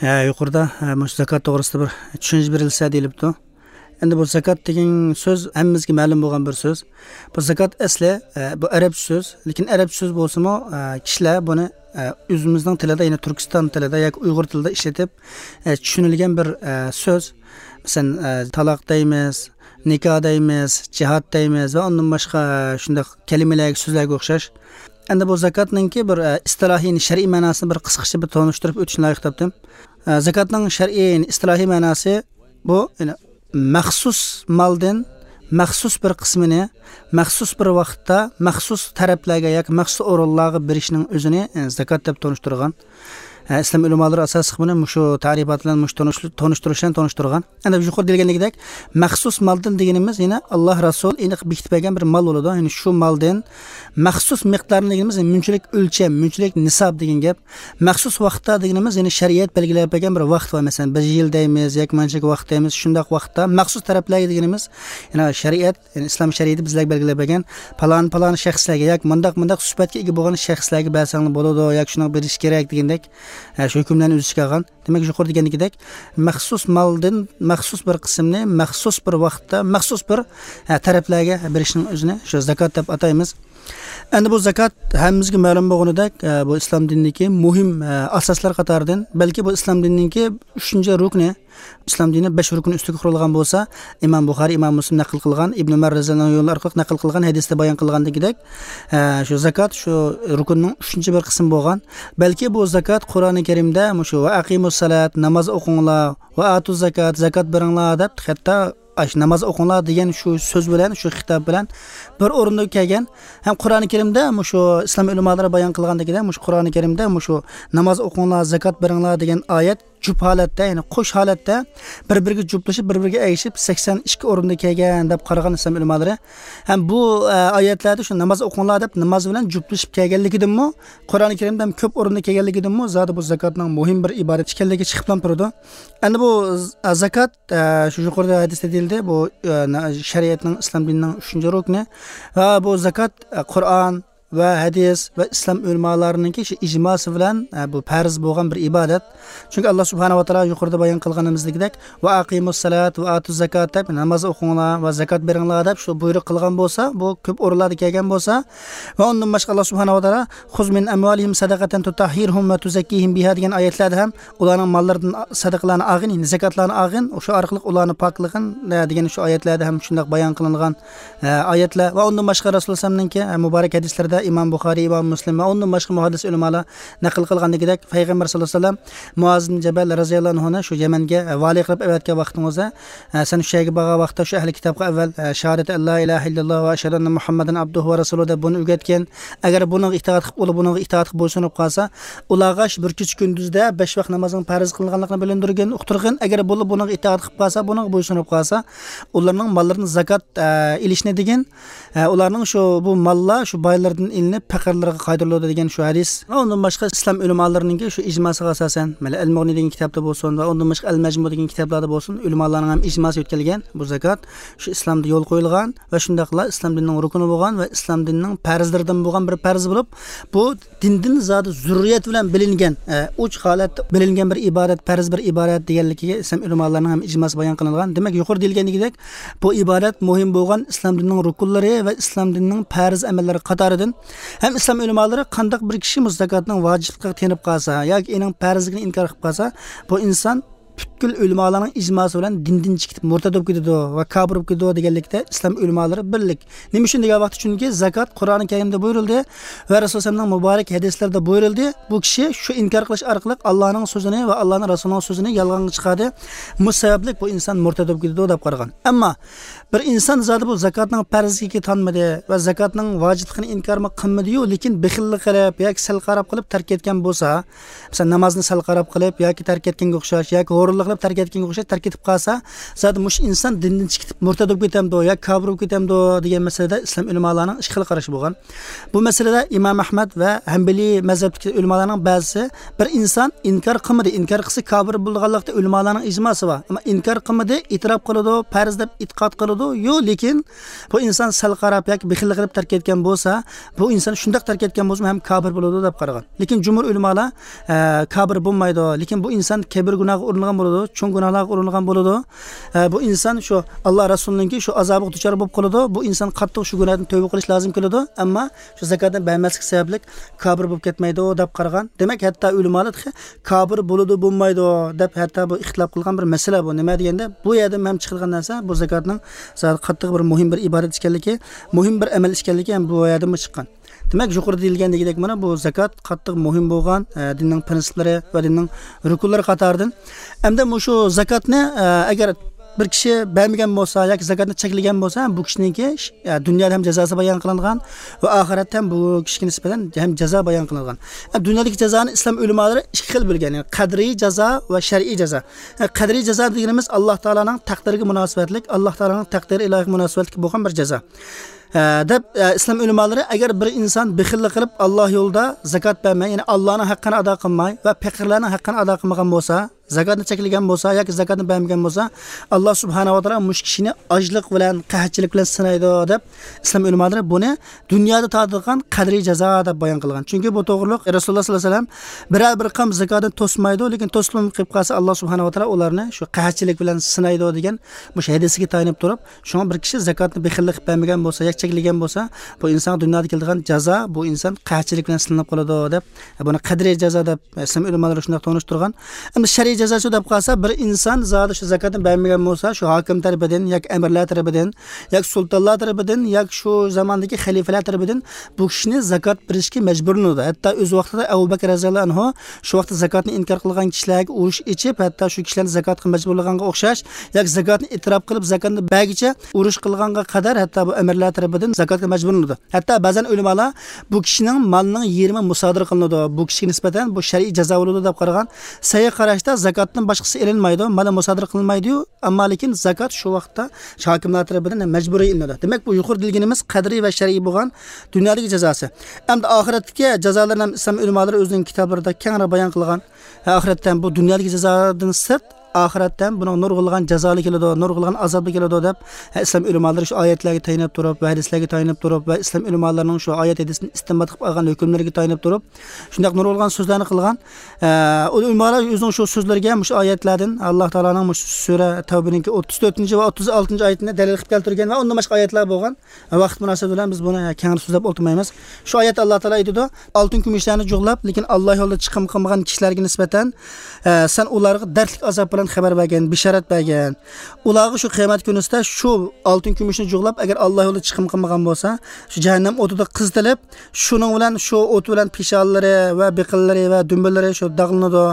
ھە، يۇقىرىدا، ھە، مۇشۇ زاكات توغرىسىدا بىر چۈشەنچە بېرىلسە دېيىلىپتۇ. ئەمدى بۇ زاكات دېگەن سۆز ھەممىمىزگە مەلۇم بولغان بىر سۆز. بۇ زاكات ئەسلى، ھە، بۇ ئەرەبچە سۆز. لېكىن ئەرەبچە سۆز بولسىمۇ، ھە، كىشىلەر بۇنى، ھە، ئۆزىمىزنىڭ تىلىدا، يەنى تۈركىستان تىلىدا ياكى ئۇيغۇر تىلىدا ئىشلىتىپ، ھە، چۈشىنىلگەن بىر، ھە، سۆز. مەسىلەن، ھە، تالاق دەيمىز، نىكاھ دەيمىز، جىھاد دەيمىز ۋە ئۇندىن باشقا، ھە، شۇنداق كەلىمىلەرگە، سۆزلەرگە ئوخشاش. ئەمدى بۇ زاكاتنىڭكى بىر، ئە، ئىستىلاھىي، شەرئىي مەناسىنى بىر قىسقىچە بىر تونۇشتۇرۇپ ئۆتۈشنى لايىق تاپتىم. ئە، زاكاتنىڭ شەرئىي، ئىستىلاھىي مەناسى بۇ، يەنى مەخسۇس مالدىن مەخسۇس بىر قىسمىنى مەخسۇس بىر ۋاقىتتا مەخسۇس تەرەپلەرگە ياكى مەخسۇس ئورۇنلارغا بېرىشنىڭ ئۆزىنى، ئە، زاكات دەپ تونۇشتۇرغان. ئە، ئىسلام ئۆلىمالىرى ئاساسلىق بۇنى مۇشۇ تەرىپات بىلەن مۇشۇ تونۇش-، تونۇشتۇرۇش بىلەن تونۇشتۇرغان. ئەنە يۇقىرىدا دېگەندىكىدەك، مەخسۇس مالدىن دېگىنىمىز يەنە ئاللا رەسۇل ئېنىق بېكىتىپ بەرگەن بىر مال بولىدۇ. يەنى شۇ مالدىن مەخسۇس مىقدارنى دېگىنىمىز، يەنى مۇنچىلىك ئۆلچەم، مۇنچىلىك نىساب دېگەن گەپ. مەخسۇس ۋاقىتتا دېگىنىمىز، يەنى شەرىئەت بەلگىلەپ بەرگەن بىر ۋاقىت بار. مەسىلەن، بىر يىل دەيمىز ياكى مانچىلىك ۋاقىت دەيمىز. شۇنداق ۋاقىتتا مەخسۇس تەرەپلەرگە دېگىنىمىز، يەنى شەرىئەت، يەنى ئىسلام شەرىئىتى بىزلەرگە بەلگىلەپ بەرگەن پالان، پالان شەخسلەرگە ياكى مۇنداق، مۇنداق سۈپەتكە ئىگە بولغان شەخسلەرگە بەرسەڭلار بولىدۇ ياكى شۇنىڭ بېرىش كېرەك دېگەندەك، ھە، شۇ ھۆكۈملەرنى ئۆز ئىچىگە ئالغان. دېمەك، يۇقىرىدا دېگەندىكىدەك، مەخسۇس مالدىن مەخسۇس بىر قىسىمنى مەخسۇس بىر ۋاقىتتا، مەخسۇس بىر، ھە، تەرەپلەرگە بېرىشنىڭ ئۆزىنى شۇ زاكات دەپ ئاتايمىز. ئەمدى بۇ زاكات ھەممىمىزگە مەلۇم بولغىنىدەك، ھە، بۇ ئىسلام دىنىدىكى مۇھىم، ھە، ئاساسلار قاتارىدىن، بەلكى بۇ ئىسلام دىنىنىڭكى ئۈچىنچى رۇكنى. ئىسلام دىنى بەش رۇكۇن ئۈستىگە قۇرۇلغان بولسا، ئىمام بۇخارىي، ئىمام مۇسلىم نەقىل قىلغان، ئىبن ئۆمەر رەزىياللاھۇ ئەنھۇ يولى ئارقىلىق نەقىل قىلغان ھەدىستە بايان قىلغاندىكىدەك، ھە، شۇ زاكات شۇ رۇكۇننىڭ ئۈچىنچى بىر قىسمى بولغان. بەلكى بۇ زاكات قۇرئانى كەرىمدە مۇشۇ «ۋە ئەقىمۇس سالات»، ناماز ئوقۇڭلار، «ۋە ئاتۇز زاكات»، زاكات بېرىڭلار دەپ، ھەتتا ئاش، «ناماز ئوقۇڭلار» دېگەن شۇ سۆز بىلەن، شۇ خىتاب بىلەن بىر ئورۇندا كەلگەن. ھەم قۇرئانى كەرىمدە مۇشۇ ئىسلام ئۆلىمالىرى بايان قىلغاندىكىدەك، مۇشۇ قۇرئانى كەرىمدە مۇشۇ «ناماز ئوقۇڭلار، زاكات بېرىڭلار» دېگەن ئايەت جۈپ ھالەتتە، يەنى قوش ھالەتتە بىر-بىرىگە جۈپلىشىپ، بىر-بىرىگە ئەگىشىپ، سەكسەن ئىككى ئورۇندا كەلگەن دەپ قارىغان ئىسلام ئۆلىمالىرى. ھەم بۇ، ئە، ئايەتلەردە شۇ «ناماز ئوقۇڭلار» دەپ ناماز بىلەن جۈپلىشىپ كەلگەنلىكىدىنمۇ، قۇرئانى كەرىمدە ھەم كۆپ ئورۇندا كەلگەنلىكىدىنمۇ زادى بۇ زاكاتنىڭ مۇھىم بىر ئىبادەت ئىكەنلىكى چىقىپلا تۇرىدۇ. ئەمدى بۇ ز-، ئە، زاكات، ئە، شۇ يۇقىرىدا ھەدىستە دېيىلدى، بۇ، ئە، نە-، شەرىئەتنىڭ، ئىسلام دىنىنىڭ ئۈچىنچى رۇكنى. ۋە بۇ زاكات، ئە، قۇرئان، ۋە ھەدىس ۋە ئىسلام ئۆلىمالارنىڭكى شۇ ئىجماسى بىلەن، ئە، بۇ پەرز بولغان بىر ئىبادەت. چۈنكى ئاللا سۇبھانەھۇ ۋە تائالا يۇقىرىدا بايان قىلغىنىمىزدىكىدەك، «ۋە ئەقىمۇس سالات ۋە ئاتۇز زاكات» دەپ، «ناماز ئوقۇڭلار ۋە زاكات بېرىڭلار» دەپ شۇ بۇيرۇق قىلغان بولسا، بۇ كۆپ ئورۇنلاردا كەلگەن بولسا، ۋە ئۇندىن باشقا ئاللا سۇبھانەھۇ ۋە تائالا «خۇز مىن ئەمۋالىھىم سەدەقەتەن تۇتەھھىرۇھۇم ۋە تۇزەككىھىم بىھا» دېگەن ئايەتلەردە ھەم «ئۇلارنىڭ ماللىرىدىن سەدىقىلەرنى ئالغىن، يەنى زاكاتلارنى ئالغىن، شۇ ئارقىلىق ئۇلارنى پاكلىغىن» دېگەن شۇ ئايەتلەردە ھەم شۇنداق بايان قىلىنغان ئە، ئايەتلەر ۋە ئۇندىن باشقا رەسۇلۇللا ئەلەيھىسسالامنىڭكى، ئە، مۇبارەك ھەدىسلىرىدە ئىمام بۇخارىي، ئىمام مۇسلىم ۋە ئۇندىن باشقا مۇھەددىس ئۆلىمالار نەقىل قىلغاندىكىدەك، پەيغەمبەر ساللاللاھۇ ئەلەيھى ۋەسەللەم مۇئاز ئىبن جەبەل رەزىياللاھۇ ئەنھۇنى شۇ يەمەنگە، ئە، ۋالىي قىلىپ ئەۋەتكەن ۋاقتىڭىزدا، ئە، سەن شۇ يەرگە بارغان ۋاقىتتا شۇ ئەھلى كىتابقا ئەۋۋەل، ئە، شاھادەتى ئەللا ئىلاھە ئىللاللاھ ۋە ئەشھەدۇ ئەننە مۇھەممەدەن ئابدۇھۇ ۋە رەسۇلۇھ دەپ بۇنى ئۆگەتكىن. ئەگەر بۇنىڭغا ئىتائەت قىلىپ، ئۇلار بۇنىڭغا ئىتائەت قىلىپ بويسۇنۇپ قالسا، ئۇلارغا شۇ بىر كېچە كۈندۈزدە بەش ۋاق نامازنىڭ پەرز قىلىنغانلىقىنى بىلىندۈرگىن، ئۇقتۇرغىن. ئەگەر بۇلار بۇنىڭغا ئىتائەت قىلىپ قالسا، بۇنىڭغا بويسۇنۇپ قالسا، ئۇلارنىڭ ماللىرىدىن زاكات، ئە، ئېلىشنى دېگىن. ئە، ئۇلارنىڭ شۇ، بۇ ماللار شۇ بايلىرىدىن ئېلىنىپ پەقىرلەرگە قايتۇرۇلىدۇ دېگەن شۇ ھەدىس. ۋە ئۇندىن باشقا ئىسلام ئۆلىمالىرىنىڭكى شۇ ئىجماسىغا ئاساسەن، مەيلى ئەل مۇغنى دېگەن كىتابتا بولسۇن ۋە ئۇندىن باشقا ئەل مەجمۇ دېگەن كىتابلاردا بولسۇن، ئۆلىمالارنىڭ ھەم ئىجماسى يۆتكەلگەن بۇ زاكات شۇ ئىسلامدا يول قويۇلغان ۋە شۇنداقلا ئىسلام دىنىنىڭ رۇكنى بولغان ۋە ئىسلام دىنىنىڭ پەرزلىرىدىن بولغان بىر پەرز بولۇپ، بۇ دىندىن زادى زۆرۈرىيەت بىلەن بىلىنگەن، ئە، ئوچۇق ھالەتتە بىلىنگەن بىر ئىبادەت، پەرز بىر ئىبادەت دېگەنلىكىگە ئىسلام ئۆلىمالارنىڭ ھەم ئىجماسى بايان قىلىنغان. دېمەك، يۇقىرىدا دېيىلگەندىكىدەك، بۇ ئىبادەت مۇھىم بولغان ئىسلام دىنىنىڭ رۇكۇنلىرى ۋە ئىسلام دىنىنىڭ پەرز ئەمەللىرى قاتارىدىن. ھەم ئىسلام ئۆلىمالىرى قانداق بىر كىشى مۇشۇ زاكاتنىڭ ۋاجىپلىقىغا تېنىپ قالسا ياكى ئېنىڭ پەرزلىكىنى ئىنكار قىلىپ قالسا، بۇ ئىنسان پۈتكۈل ئۆلىمالارنىڭ ئىجماسى بىلەن دىندىن چىقىپ مۇرتەد بولۇپ كېتىدۇ ۋە كاپىر بولۇپ كېتىدۇ دېگەنلىكتە ئىسلام ئۆلىمالىرى بىرلىك. نېمە ئۈچۈن دېگەن ۋاقىتتا، چۈنكى زاكات قۇرئانى كەرىمدە بۇيرۇلدى ۋە رەسۇلۇللانىڭ مۇبارەك ھەدىسلىرىدە بۇيرۇلدى. بۇ كىشى شۇ ئىنكار قىلىش ئارقىلىق ئاللانىڭ سۆزىنى ۋە ئاللانىڭ رەسۇلىنىڭ سۆزىنى يالغانغا چىقاردى. مۇشۇ سەۋەبلىك بۇ ئىنسان مۇرتەد بولۇپ كېتىدۇ دەپ قارىغان. ئەمما بىر ئىنسان زادى بۇ زاكاتنىڭ پەرزلىكىگە تانمىدى ۋە زاكاتنىڭ ۋاجىپلىقىنى ئىنكارمۇ قىلمىدىيۇ، لېكىن بېخىللىق قىلىپ ياكى سەل قاراپ قىلىپ تەرك ئەتكەن بولسا، مەسىلەن، نامازنى سەل قاراپ قىلىپ ياكى تەرك ئەتكەنگە ئوخشاش ياكى غۇرۇرلۇق قىلىپ تەرك ئەتكەنگە ئوخشاش تەرك ئېتىپ قالسا، زادى مۇشۇ ئىنسان دىندىن چىقىپ مۇرتەد بولۇپ كېتەمدۇ يا كاپىر بولۇپ كېتەمدۇ دېگەن مەسىلىدە ئىسلام ئۆلىمالارنىڭ ئىككى خىل قارىشى بولغان. بۇ مەسىلىدە ئىمام ئەھمەد ۋە ھەمبىلىي مەزھەپتىكى ئۆلىمالارنىڭ بەزىسى، بىر ئىنسان ئىنكار قىلمىدى، ئىنكار قىلسا كاپىر بولىدىغانلىقتا ئۆلىمالارنىڭ ئىجماسى بار. ئەمما ئىنكار قىلمىدى، ئېتىراپ قىلىدۇ، پەرز دەپ ئېتىقاد قىلىدۇ، يو، لېكىن بۇ ئىنسان سەل قاراپ ياكى بېخىللىق قىلىپ تەرك ئەتكەن بولسا، بۇ ئىنسان شۇنداق تەرك ئەتكەن بولسىمۇ ھەم كاپىر بولىدۇ دەپ قارىغان. لېكىن جۇمھۇر ئۆلىمالار، ئە، كاپىر بولمايدۇ. لېكىن بۇ ئىنسان كەبىرە گۇناھقا ئۇرۇنغان بولىدۇ، چوڭ گۇناھلارغا ئۇرۇنغان بولىدۇ. ئە، بۇ ئىنسان شۇ ئاللا رەسۇلىنىڭكى شۇ ئازابىغا دۇچار بولۇپ قالىدۇ. بۇ ئىنسان قاتتىق شۇ گۇناھتىن تەۋبە قىلىش لازىم كېلىدۇ. ئەمما شۇ زاكاتنى بەرمەسلىك سەۋەبلىك كاپىر بولۇپ كەتمەيدۇ دەپ قارىغان. دېمەك، ھەتتا ئۆلىمالار تېخى كاپىر بولىدۇ، بولمايدۇ دەپ ھەتتا بۇ ئىختىلاپ قىلغان بىر مەسىلە بۇ. نېمە دېگەندە، بۇ يەردىن ھەم چىقىدىغان نەرسە، بۇ زاكاتنىڭ زادى قاتتىق بىر مۇھىم بىر ئىبادەت ئىكەنلىكى، مۇھىم بىر ئەمەل ئىكەنلىكى ھەم بۇ يەردىنمۇ چىققان. دېمەك، يۇقىرىدا دېيىلگەندىكىدەك، مانا بۇ زاكات قاتتىق مۇھىم بولغان، ئە، دىننىڭ پىرىنسىپلىرى ۋە دىننىڭ رۇكۇنلىرى قاتارىدىن. ئەمدى مۇشۇ زاكاتنى، ئە، ئەگەر بىر كىشى بەرمىگەن بولسا ياكى زاكاتنى چەكلىگەن بولسا، بۇ كىشىنىڭكى، ئە، دۇنيادا ھەم جازاسى بايان قىلىنغان ۋە ئاخىرەتتە ھەم بۇ كىشىگە نىسبەتەن ھەم جازا بايان قىلىنغان. ئە، دۇنيادىكى جازانى ئىسلام ئۆلىمالىرى ئىككى خىل بۆلگەن، يەنى قەدرىي جازا ۋە شەرئىي جازا. ئە، قەدرىي جازا دېگىنىمىز ئاللا تائالانىڭ تەقدىرىگە مۇناسىۋەتلىك، ئاللا تائالانىڭ تەقدىرى ئىلاھىغا مۇناسىۋەتلىك بولغان بىر جازا. ئە، دەپ، ئە، ئىسلام ئۆلىمالىرى، ئەگەر بىر ئىنسان بېخىللىق قىلىپ، ئاللا يولىدا زاكات بەرمەي، يەنى ئاللانىڭ ھەققىنى ئادا قىلماي ۋە پەقىرلەرنىڭ ھەققىنى ئادا قىلمىغان بولسا، زاكاتنى چەكلىگەن بولسا ياكى زاكاتنى بەرمىگەن بولسا، ئاللا سۇبھانەھۇ ۋە تائالا مۇشۇ كىشىنى ئاجلىق بىلەن، قەھەتچىلىك بىلەن سىنايدۇ، دەپ ئىسلام ئۆلىمالىرى بۇنى دۇنيادا تارتىدىغان قەدرىي جازا دەپ بايان قىلغان. چۈنكى بۇ توغرۇلۇق رەسۇلۇللا ساللاللاھۇ ئەلەيھى ۋەسەللەم بىرەر بىر قەۋم زاكاتنى توسمايدۇ، لېكىن توسۇلۇپ قېلىپ قالسا، ئاللا سۇبھانەھۇ ۋە تائالا ئۇلارنى شۇ قەھەتچىلىك بىلەن سىنايدۇ دېگەن مۇشۇ ھەدىسىگە تايىنىپ تۇرۇپ، شۇڭا بىر كىشى زاكاتنى بېخىللىق قىلىپ بەرمىگەن بولسا ياكى چەكلىگەن بولسا، بۇ ئىنسانغا دۇنيادا كېلىدىغان جازا، بۇ ئىنسان قەھەتچىلىك بىلەن سىنىلىپ قالىدۇ، دەپ بۇنى قەدرىي جازا دەپ ئىسلام ئۆلىمالىرى شۇنداق تونۇشتۇرغان. ئەمدى شەرئىي جازاسى دەپ قالسا، بىر ئىنسان زادى شۇ زاكاتنى بەرمىگەن بولسا، شۇ ھاكىم تەرىپىدىن ياكى ئەمىرلەر تەرىپىدىن ياكى سۇلتانلار تەرىپىدىن ياكى شۇ زاماندىكى خەلىپىلەر تەرىپىدىن بۇ كىشىنى زاكات بېرىشكە مەجبۇرلىنىدۇ. ھەتتا ئۆز ۋاقتىدا ئەبۇ بەكىر رەزىياللاھۇ ئەنھۇ شۇ ۋاقىتتا زاكاتنى ئىنكار قىلغان كىشىلەرگە ئۇرۇش ئېچىپ، ھەتتا شۇ كىشىلەرنى زاكاتقا مەجبۇرلىغانغا ئوخشاش ياكى زاكاتنى ئېتىراپ قىلىپ، زاكاتنى بەرگىچە ئۇرۇش قىلغانغا قەدەر ھەتتا بۇ ئەمىرلەر تەرىپىدىن زاكاتقا مەجبۇرلىنىدۇ. ھەتتا بەزەن ئۆلىمالار بۇ كىشىنىڭ مالىنىڭ يېرىمى مۇسادىرە قىلىنىدۇ، بۇ كىشىگە نىسبەتەن بۇ شەرئىي جازا بولىدۇ دەپ قارىغان. سەھىھ قاراشتا زاكاتتىن باشقىسى ئېلىنمايدۇ، مالا مۇسادىرە قىلىنمايدۇ، ئەمما لېكىن زاكات شۇ ۋاقىتتا شۇ ھاكىملار تەرىپىدىن مەجبۇرىي ئېلىنىدۇ. دېمەك، بۇ يۇقىرىدا دېگىنىمىز قەدرىي ۋە شەرئىي بولغان دۇنيادىكى جازاسى. ئەمدى ئاخىرەتتىكى جازالارنى ھەم ئىسلام ئۆلىمالىرى ئۆزىنىڭ كىتابلىرىدا كەڭرى بايان قىلغان. ئاخىرەتتە ھەم بۇ دۇنيادىكى جازادىن سىرت، ئاخىرەتتە ھەم بۇنىڭ نۇرغۇنلىغان جازالىرى كېلىدۇ، نۇرغۇنلىغان ئازابلىرى كېلىدۇ دەپ، ئىسلام ئۆلىمالىرى شۇ ئايەتلەرگە تايىنىپ تۇرۇپ ۋە ھەدىسلەرگە تايىنىپ تۇرۇپ ۋە ئىسلام ئۆلىمالىرىنىڭ شۇ ئايەت ھەدىسنى ئىستىنبات قىلىپ ئالغان ھۆكۈملىرىگە تايىنىپ تۇرۇپ، شۇنداق نۇرغۇنلىغان سۆزلەرنى قىلغان. ئە، ئۇ ئۆلىمالار ئۆزىنىڭ شۇ سۆزلىرىگە مۇشۇ ئايەتلەردىن، ئاللا تائالانىڭ مۇشۇ سۈرە تەۋبىنىڭكى ئوتتۇز تۆتىنچى ۋە ئوتتۇز ئالتىنچى ئايىتىنى دەلىل قىلىپ كەلتۈرگەن ۋە ئۇندىن باشقا ئايەتلەر بولغان. ۋاقىت مۇناسىۋىتى بىلەن بىز بۇنى كەڭرى سۆزلەپ ئولتۇرمايمىز. شۇ ئايەتتە ئاللا تائالا ئېيتىدۇ، ئالتۇن كۈمۈشلەرنى جۇغلاپ، لېكىن ئاللا يولىدا چىقىم قىلمىغان كىشىلەرگە نىسبەتەن، ئە، سەن ئۇلارغا دەردلىك ئازاب بىلەن خەۋەر بەرگىن، بېشارەت بەرگىن. ئۇلارغا شۇ قىيامەت كۈنىسىدە شۇ ئالتۇن كۈمۈشنى جۇغلاپ، ئەگەر ئاللا يولىدا چىقىم قىلمىغان بولسا، شۇ جەھەننەم ئوتىدا قىزىتىلىپ، شۇنىڭ بىلەن شۇ ئوت بىلەن پېشانىلىرى ۋە بېقىنلىرى ۋە دۈمبىلىرى شۇ داغلىنىدۇ.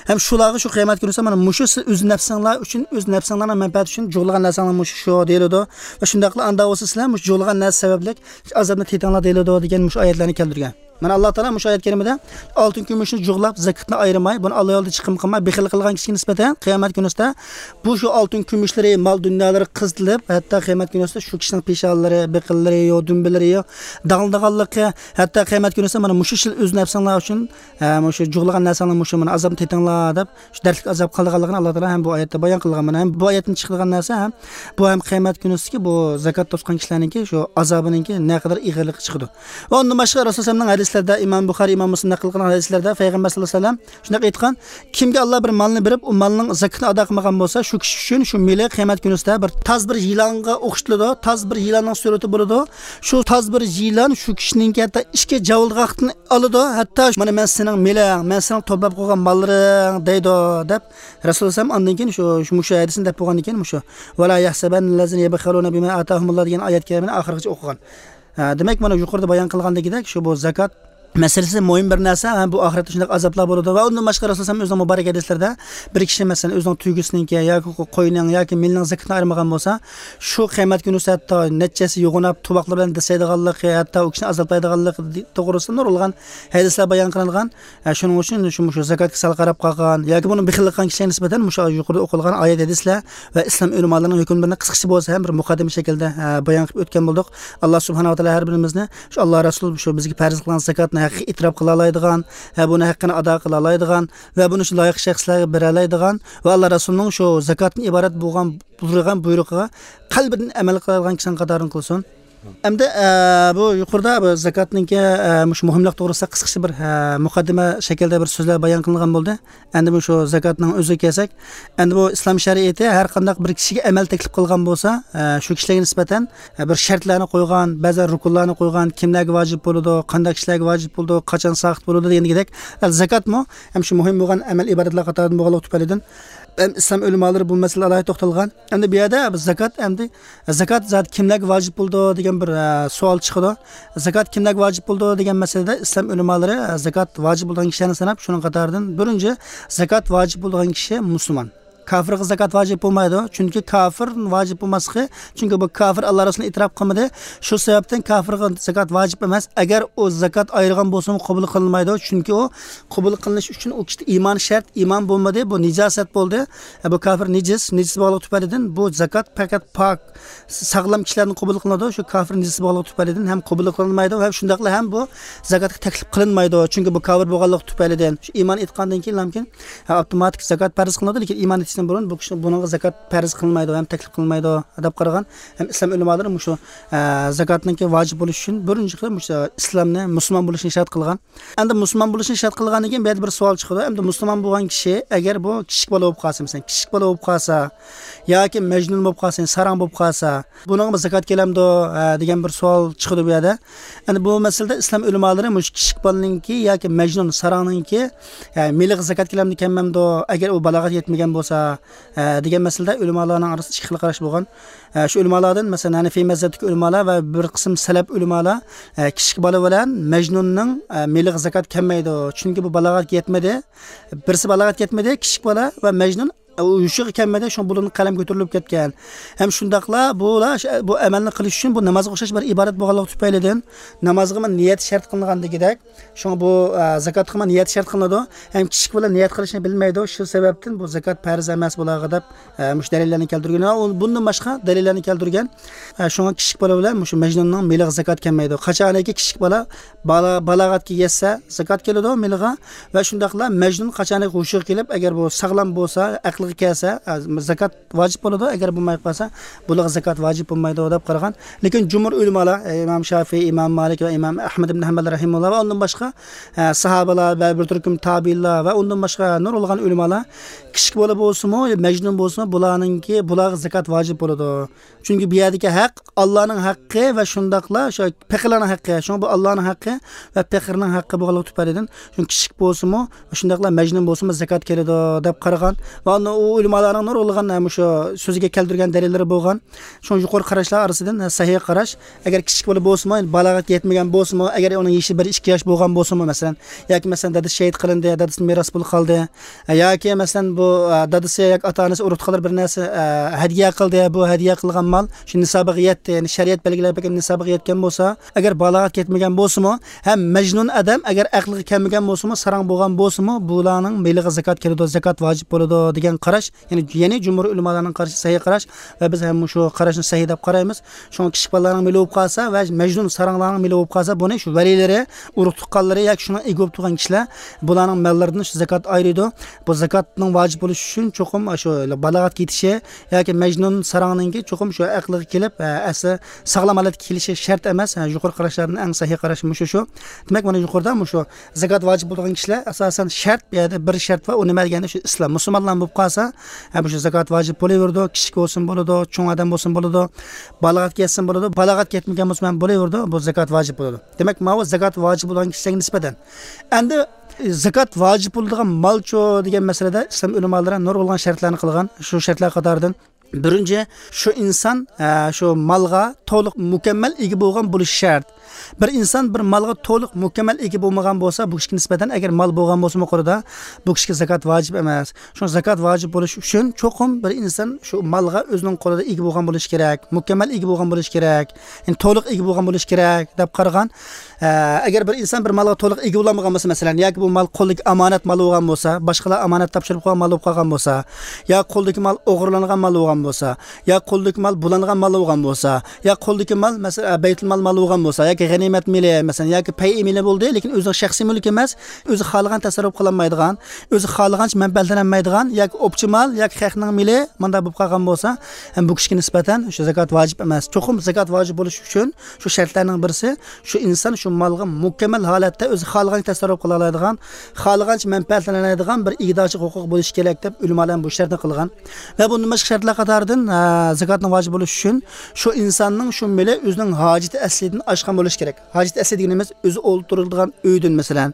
ھەم شۇلارغا شۇ قىيامەت كۈنىسى مانا مۇشۇ سىز ئۆز نەپسىڭلار ئۈچۈن، ئۆز نەپسىڭلارنىڭ مەنپەئەتى ئۈچۈن جۇغلىغان نەرسەڭلار مۇشۇ شۇ دېيىلىدۇ. ۋە شۇنداقلا ئاندا بولسا سىلەر مۇشۇ جۇغلىغان نەرسە سەۋەبلىك ئازابنى تېتىڭلار دېيىلىدۇ دېگەن مۇشۇ ئايەتلەرنى كەلتۈرگەن. مانا ئاللا تائالا مۇشۇ ئايەت كەرىمىدە ئالتۇن كۈمۈشنى جۇغلاپ، زاكىتنى ئايرىماي، بۇنى ئاللا يولىدا چىقىم قىلماي، بېخىل قىلغان كىشىگە نىسبەتەن قىيامەت كۈنىسىدە بۇ شۇ ئالتۇن كۈمۈشلىرى، مال دۇنيالىرى قىزىتىلىپ، ھەتتا قىيامەت كۈنىسىدە شۇ كىشىنىڭ پېشانىلىرى، بېقىنلىرى يو، دۈمبىلىرى يو، داغلىنىدىغانلىقى، ھەتتا قىيامەت كۈنىسىدە مانا مۇشۇ سىز ئۆز نەپسىڭلار ئۈچۈن، ھە، مۇشۇ جۇغلىغان نەرسەڭلار مۇشۇ مانا ئازابنى تېتىڭلار دەپ، شۇ دەردلىك ئازاب قالىدىغانلىقىنى ئاللا تائالا ھەم بۇ ئايەتتە بايان قىلغان. مانا ھەم بۇ ئايەتتىن چىقىدىغان نەرسە ھەم بۇ ھەم قىيامەت كۈنىسىدىكى بۇ زاكات توسقان كىشىلەرنىڭكى شۇ ئازابىنىڭكى نەقەدەر ئېغىرلىقى چىقىدۇ. ۋە ئۇندىن باشقا رەسۇل سەللەمنىڭ ھەدىسلىرىدە، ئىمام بۇخارى، ئىمام مۇسلىم نەقىل قىلغان ھەدىسلىرىدە پەيغەمبەر سەللەللاھۇ ئەلەيھى ۋەسەللەم شۇنداق ئېيتقان، كىمگە ئاللا بىر مالنى بېرىپ، ئۇ مالنىڭ زاكىتىنى ئادا قىلمىغان بولسا، شۇ كىشى ئۈچۈن شۇ مېلى قىيامەت كۈنىسىدە بىر تاز بىر يىلانغا ئوخشىتىلىدۇ، تاز بىر يىلاننىڭ سۈرىتى بولىدۇ. شۇ تاز بىر يىلان شۇ كىشىنىڭكى ھەتتا ئىككى جاۋىلغاقتىن ئالىدۇ، ھەتتا مانا مەن سېنىڭ مېلىڭ، مەن سېنىڭ توپلاپ قويغان ماللىرىڭ دەيدۇ، دەپ رەسۇلۇللاھ ئاندىن كېيىن شۇ، شۇ، مۇشۇ ھەدىسنى دەپ بولغاندىن كېيىن مۇشۇ، ۋەلا يەھسەبەننەللەزىنە يەبخەلۇنە بىما ئاتاھۇمۇللاھ دېگەن ئايەت كەرىمىنى ئاخىرغىچە ئوقۇغان. ھە، دېمەك، مانا يۇقىرىدا بايان قىلغاندىكىدەك، شۇ بۇ زاكات مەسىلىسى مۇھىم بىر نەرسە، ھە، بۇ ئاخىرەتتە شۇنداق ئازابلار بولىدۇ. ۋە ئۇندىن باشقا رەسۇل سەللەللاھۇ ئەلەيھى ۋەسەللەم ئۆزىنىڭ مۇبارەك ھەدىسلىرىدە، بىر كىشى، مەسىلەن، ئۆزىنىڭ تۆگىسىنىڭكى ياكى قوينىڭ ياكى مېلىنىڭ زاكىتىنى ئايرىمىغان بولسا، شۇ قىيامەت كۈنى ھەتتا نەچچىسى يوغىناپ، تۇۋاقلىرى بىلەن دىرسەيدىغانلىقى، ھەتتا ئۇ كىشىنى ئازابلايدىغانلىقى توغرىسىدا نۇرغۇنلىغان ھەدىسلەر بايان قىلىنغان. ھە، شۇنىڭ ئۈچۈن شۇ، شۇ زاكاتقا سەل قاراپ قالغان ياكى بۇنى بېخىللىق قىلغان كىشىلەرگە نىسبەتەن مۇشۇ يۇقىرىدا ئوقۇلغان ئايەت ھەدىسلەر ۋە ئىسلام ئۆلىمالىرىنىڭ ھۆكۈملىرىنى قىسقىچە بولسا ھەم بىر مۇقەددىمە شەكىلدە، ھە، بايان قىلىپ ئۆتكەن بولدۇق. ئاللا سۇبھانەھۇ ۋە تائالا ھەر بىرىمىزنى شۇ ئاللا رەسۇل شۇ بىزگە پەرز قىلغان زاكاتنى ھەققىي ئېتىراپ قىلالايدىغان، ھە، بۇنى ھەققىنى ئادا قىلالايدىغان ۋە بۇنى شۇ لايىق شەخسلەرگە بېرەلەيدىغان ۋە ئاللا رەسۇلنىڭ شۇ زاكاتتىن ئىبارەت بولغان بۇيرۇغان بۇيرۇقىغا قەلبىدىن ئەمەل قىلىدىغان كىشىنىڭ قاتارىدىن قىلسۇن. ئەمدى، ئە، بۇ يۇقىرىدا بۇ زاكاتنىڭكى، ئە، مۇشۇ مۇھىملىق توغرىسىدا قىسقىچە بىر، ئە، مۇقەددىمە شەكلىدە بىر سۆزلەر بايان قىلىنغان بولدى. ئەمدى مۇشۇ زاكاتنىڭ ئۆزىگە كەلسەك، ئەمدى بۇ ئىسلام شەرىئىتى ھەر قانداق بىر كىشىگە ئەمەل تەكلىپ قىلغان بولسا، ئە، شۇ كىشىلەرگە نىسبەتەن، ئە، بىر شەرتلەرنى قويغان، بەزى رۇكۇنلارنى قويغان، كىملەرگە ۋاجىپ بولىدۇ، قانداق كىشىلەرگە ۋاجىپ بولىدۇ، قاچان ساقىت بولىدۇ دېگەندىكىدەك، ئە، زاكاتمۇ ھەم شۇ مۇھىم بولغان ئەمەل ئىبادەتلەر قاتارىدىن بولغانلىقى تۈپەيلىدىن، ھەم ئىسلام ئۆلىمالىرى بۇ مەسىلىگە ئالاھىدە توختالغان. ئەمدى بۇ يەردە بىز زاكات، ئەمدى زاكات زادى كىملەرگە ۋاجىپ بولىدۇ دېگەن بىر، ئە، سوئال چىقىدۇ. زاكات كىملەرگە ۋاجىپ بولىدۇ دېگەن مەسىلىدە ئىسلام ئۆلىمالىرى، ئە، زاكات ۋاجىپ بولىدىغان كىشىلەرنى ساناپ، شۇنىڭ قاتارىدىن بىرىنچى زاكات ۋاجىپ بولىدىغان كىشى مۇسۇلمان. كاپىرغا زاكات ۋاجىپ بولمايدۇ. چۈنكى كاپىر ۋاجىپ بولماسلىقى، چۈنكى بۇ كاپىر ئاللا رەسۇلىنى ئېتىراپ قىلمىدى. شۇ سەۋەبتىن كاپىرغا زاكات ۋاجىپ ئەمەس. ئەگەر ئۇ زاكات ئايرىغان بولسىمۇ قوبۇل قىلىنمايدۇ. چۈنكى ئۇ قوبۇل قىلىنىش ئۈچۈن ئۇ كىشىدە ئىمان شەرت، ئىمان بولمىدى، بۇ نىجاسەت بولدى. ئە، بۇ كاپىر نىجىس، نىجىس بولغانلىقى تۈپەيلىدىن بۇ زاكات پەقەت پاك، ساغلام كىشىلەردىن قوبۇل قىلىنىدۇ. شۇ كاپىر نىجىس بولغانلىقى تۈپەيلىدىن ھەم قوبۇل قىلىنمايدۇ ھەم شۇنداقلا ھەم بۇ زاكاتقا تەكلىپ قىلىنمايدۇ. چۈنكى بۇ كاپىر بولغانلىقى تۈپەيلىدىن. شۇ ئىمان ئېيتقاندىن كېيىن لامكىن، ئە، ئاپتوماتىك زاكات پەرز قىلىنىدۇ، لېكىن ئىمان ئېيتىشتىن بۇرۇن بۇ كىشى، بۇنىڭغا زاكات پەرز قىلىنمايدۇ ھەم تەكلىپ قىلىنمايدۇ دەپ قارىغان. ھەم ئىسلام ئۆلىمالىرى مۇشۇ، ئە، زاكاتنىڭكى ۋاجىپ بولۇشى ئۈچۈن بىرىنچى قىلىپ مۇشۇ ئىسلامنى، مۇسۇلمان بولۇشنى شەرت قىلغان. ئەمدى مۇسۇلمان بولۇشنى شەرت قىلغاندىن كېيىن بۇ يەردە بىر سوئال چىقىدۇ. ئەمدى مۇسۇلمان بولغان كىشى ئەگەر بۇ كىچىك بالا بولۇپ قالسا، مەسىلەن، كىچىك بالا بولۇپ قالسا ياكى مەجنۇن بولۇپ قالسا، ساراڭ بولۇپ قالسا، بۇنىڭغا زاكات كېلەمدۇ، ھە، دېگەن بىر سوئال چىقىدۇ بۇ يەردە. ئەمدى بۇ مەسىلىدە ئىسلام ئۆلىمالىرى مۇشۇ كىچىك بالىنىڭكى ياكى مەجنۇن ساراڭنىڭكى، ھە، مېلىغا زاكات كېلەمدۇ، كەلمەمدۇ، ئەگەر ئۇ بالاغەتكە يەتمىگەن بولسا، ھە، دېگەن مەسىلىدە ئۆلىمالارنىڭ ئارىسىدا ئىككى خىل قاراش بولغان. ھە، شۇ ئۆلىمالاردىن، مەسىلەن، ھەنىفىي مەزھەپتىكى ئۆلىمالار ۋە بىر قىسىم سەلەپ ئۆلىمالار، ھە، كىچىك بالا بىلەن مەجنۇننىڭ، ھە، مېلىغا زاكات كەلمەيدۇ. چۈنكى بۇ بالاغەتكە يەتمىدى. بىرسى بالاغەتكە يەتمىدى، كىچىك بالا ۋە مەجنۇن ئۇ ھوشىغا كەلمىدى، شۇڭا بۇلارنىڭ قەلەم كۆتۈرۈلۈپ كەتكەن. ھەم شۇنداقلا بۇلار ش-، بۇ ئەمەلنى قىلىش ئۈچۈن بۇ نامازغا ئوخشاش بىر ئىبادەت بولغانلىقى تۈپەيلىدىن، نامازغىمۇ نىيەت شەرت قىلىنغان دېگۈدەك، شۇڭا بۇ، ئە، زاكاتقىمۇ نىيەت شەرت قىلىنىدۇ. ھەم كىچىك بالا نىيەت قىلىشنى بىلمەيدۇ، شۇ سەۋەبتىن بۇ زاكات پەرز ئەمەس بۇلارغا دەپ، ئە، مۇشۇ دەلىللەرنى كەلتۈرگەن. ۋە ئۇ، بۇندىن باشقا دەلىللەرنى كەلتۈرگەن. ئە، شۇڭا كىچىك بالا بىلەن مۇشۇ مەجنۇننىڭ مېلىغا زاكات كەلمەيدۇ. قاچانكى كىچىك بالا بالا-، بالاغەتكە يەتسە، زاكات كېلىدۇ مېلىغا. ۋە شۇنداقلا مەجنۇن قاچانكى ھوشىغا كېلىپ، ئەگەر بۇ ساغلام بولسا، ئەقلىگە كەلسە، ئە، زاكات ۋاجىپ بولىدۇ. ئەگەر بولماي قالسا، بۇلارغا زاكات ۋاجىپ بولمايدۇ دەپ قارىغان. لېكىن جۇمھۇر ئۆلىمالار، ئە، ئىمام شافىي، ئىمام مالىك ۋە ئىمام ئەھمەد ئىبن ھەمبەل رەھىمەھۇللا ۋە ئۇندىن باشقا، ئە، ساھابىلار ۋە بىر تۈركۈم تابىئىنلار ۋە ئۇندىن باشقا نۇرغۇنلىغان ئۆلىمالار كىچىك بالا بولسىمۇ، مەجنۇن بولسىمۇ، بۇلارنىڭكى، بۇلارغا زاكات ۋاجىپ بولىدۇ. چۈنكى بۇ يەردىكى ھەق ئاللانىڭ ھەققى ۋە شۇنداقلا شۇ پېقىرلارنىڭ ھەققى. شۇڭا بۇ ئاللانىڭ ھەققى ۋە پېقىرنىڭ ھەققى بولغانلىقى تۈپەيلىدىن، شۇ كىچىك بولسىمۇ، شۇنداقلا مەجنۇن بولسىمۇ زاكات كېلىدۇ دەپ قارىغان. ۋە ئۇ ئۆلىمالارنىڭ نۇرغۇنلىغان مۇشۇ سۆزىگە كەلتۈرگەن دەلىللىرى بولغان. شۇڭا يۇقىرى قاراشلار ئارىسىدىن سەھىھ قاراش، ئەگەر كىچىك بالا بولسىمۇ، بالاغەتكە يەتمىگەن بولسىمۇ، ئەگەر ئۇنىڭ يېشى بىر ئىككى ياش بولغان بولسىمۇ، مەسىلەن، ياكى مەسىلەن، دادىسى شېھىت قىلىندى، دادىسىدىن مىراس پۇل قالدى، ياكى مەسىلەن، بۇ، ئە، دادىسى ياكى ئاتا-ئانىسى ئۇرۇق-تۇغقانلار بىر نەرسە، ئە، ھەدىيە قىلدى، بۇ ھەدىيە قىلغان مال شۇ نىسابىغا يەتتى، يەنى شەرىئەت بەلگىلەپ بەرگەن نىسابىغا يەتكەن بولسا، ئەگەر بالاغەتكە يەتمىگەن بولسىمۇ، ھەم مەجنۇن ئادەم ئەگەر ئەقلىگە كەلمىگەن بولسىمۇ، ساراڭ بولغان بولسىمۇ، بۇلارنىڭ مېلىغا زاكات كېلىدۇ، زاكات ۋاجىپ بولىدۇ دېگەن قاراش، يەنى، يەنى جۇمھۇر ئۆلىمالارنىڭ قارىشى سەھىھ قاراش ۋە بىز ھەم مۇشۇ قاراشنى سەھىھ دەپ قارايمىز. شۇڭا كىچىك بالىلارنىڭ مېلى بولۇپ قالسا ۋە مەجنۇن ساراڭلارنىڭ مېلى بولۇپ قالسا، بۇنى شۇ ۋەلىيلىرى، ئۇرۇق-تۇغقانلىرى ياكى شۇنىڭ ئىگە بولۇپ تۇرغان كىشىلەر بۇلارنىڭ ماللىرىدىن شۇ زاكات ئايرىيدۇ. بۇ زاكاتنىڭ ۋاجىپ بولۇشى ئۈچۈن چوقۇم شۇ بالاغەتكە يېتىشى ياكى مەجنۇن ساراڭنىڭكى چوقۇم شۇ ئەقلىگە كېلىپ، ئە، ئەسلى ساغلام ھالەتكە كېلىشى شەرت ئەمەس. ھە، يۇقىرى قاراشلاردىن ئەڭ سەھىھ قاراش مۇشۇ شۇ. دېمەك، مانا يۇقىرىدا مۇشۇ زاكات ۋاجىپ بولىدىغان كىشىلەر ئاساسەن شەرت، بۇ يەردە بىر شەرت بار، ئۇ نېمە دېگەندە شۇ ئىسلام، مۇسۇلمانلار بولۇپ قالسا، ھە، مۇشۇ زاكات ۋاجىپ بولۇۋېرىدۇ، كىچىك بولسىمۇ بولىدۇ، چوڭ ئادەم بولسىمۇ بولىدۇ، بالاغەتكە يەتسىمۇ بولىدۇ، بالاغەتكە يەتمىگەن بولسىمۇ ھەم بولىۋېرىدۇ، بۇ زاكات ۋاجىپ بولىدۇ. دېمەك، ماۋۇ زاكات ۋاجىپ بولغان كىشىلەرگە نىسبەتەن. ئەمدى زاكات ۋاجىپ بولىدىغان مالچۇ دېگەن مەسىلىدە ئىسلام ئۆلىمالىرى نۇرغۇنلىغان شەرتلەرنى قىلغان. شۇ شەرتلەر قاتارىدىن بىرىنچى، شۇ ئىنسان، ئە، شۇ مالغا تولۇق مۇكەممەل ئىگە بولغان بولۇشى شەرت. بىر ئىنسان بىر مالغا تولۇق مۇكەممەل ئىگە بولمىغان بولسا، بۇ كىشىگە نىسبەتەن، ئەگەر مال بولغان بولسىمۇ قولىدا، بۇ كىشىگە زاكات ۋاجىپ ئەمەس. شۇڭا زاكات ۋاجىپ بولۇش ئۈچۈن چوقۇم بىر ئىنسان شۇ مالغا ئۆزىنىڭ قولىدا ئىگە بولغان بولۇشى كېرەك، مۇكەممەل ئىگە بولغان بولۇشى كېرەك، يەنى تولۇق ئىگە بولغان بولۇشى كېرەك دەپ قارىغان. ئە، ئەگەر بىر ئىنسان بىر مالغا تولۇق ئىگە بولالمىغان بولسا، مەسىلەن، ياكى بۇ مال قولدىكى ئامانەت مال بولغان بولسا، باشقىلار ئامانەت تاپشۇرۇپ قويغان مال بولۇپ قالغان بولسا، يا قولدىكى مال ئوغرىلانغان مال بولغان بولسا، يا قولدىكى مال بۇلانغان مال بولغان بولسا، يا قولدىكى مال، مەسىلەن، بەيتۇلمال مال بولغان بولسا، ياكى غەنىيمەت مېلى، مەسىلەن، ياكى پەيئى مېلى بولدى، لېكىن ئۆزىنىڭ شەخسىي مۈلكى ئەمەس، ئۆزى خالىغان تەسەررۇپ قىلالمايدىغان، ئۆزى خالىغانچە مەنپەئەتلەنەلمەيدىغان ياكى ئوپچە مال ياكى خەقنىڭ مېلى مۇنداق بولۇپ قالغان بولسا، ھەم بۇ كىشىگە نىسبەتەن شۇ زاكات ۋاجىپ ئەمەس. چوقۇم زاكات ۋاجىپ بولۇش ئۈچۈن شۇ شەرتلەرنىڭ بىرسى، شۇ ئىنسان شۇ مالغا مۇكەممەل ھالەتتە ئۆزى خالىغانچە تەسەررۇپ قىلالايدىغان، خالىغانچە مەنپەئەتلىنەلەيدىغان بىر ئىگىدارچىلىق ھوقۇقى بولۇشى كېرەك دەپ ئۆلىمالار ھەم بۇ شەرتنى قىلغان. ۋە بۇندىن باشقا شەرتلەر قاتارىدىن، ئە، زاكاتنىڭ ۋاجىپ بولۇشى ئۈچۈن شۇ ئىنساننىڭ شۇ مېلى ئۆزىنىڭ ھاجىتى ئەسلىدىن ئاشقان بولۇشى كېرەك. ھاجىتى ئەسلى دېگىنىمىز ئۆزى ئولتۇرىدىغان ئۆيدىن، مەسىلەن،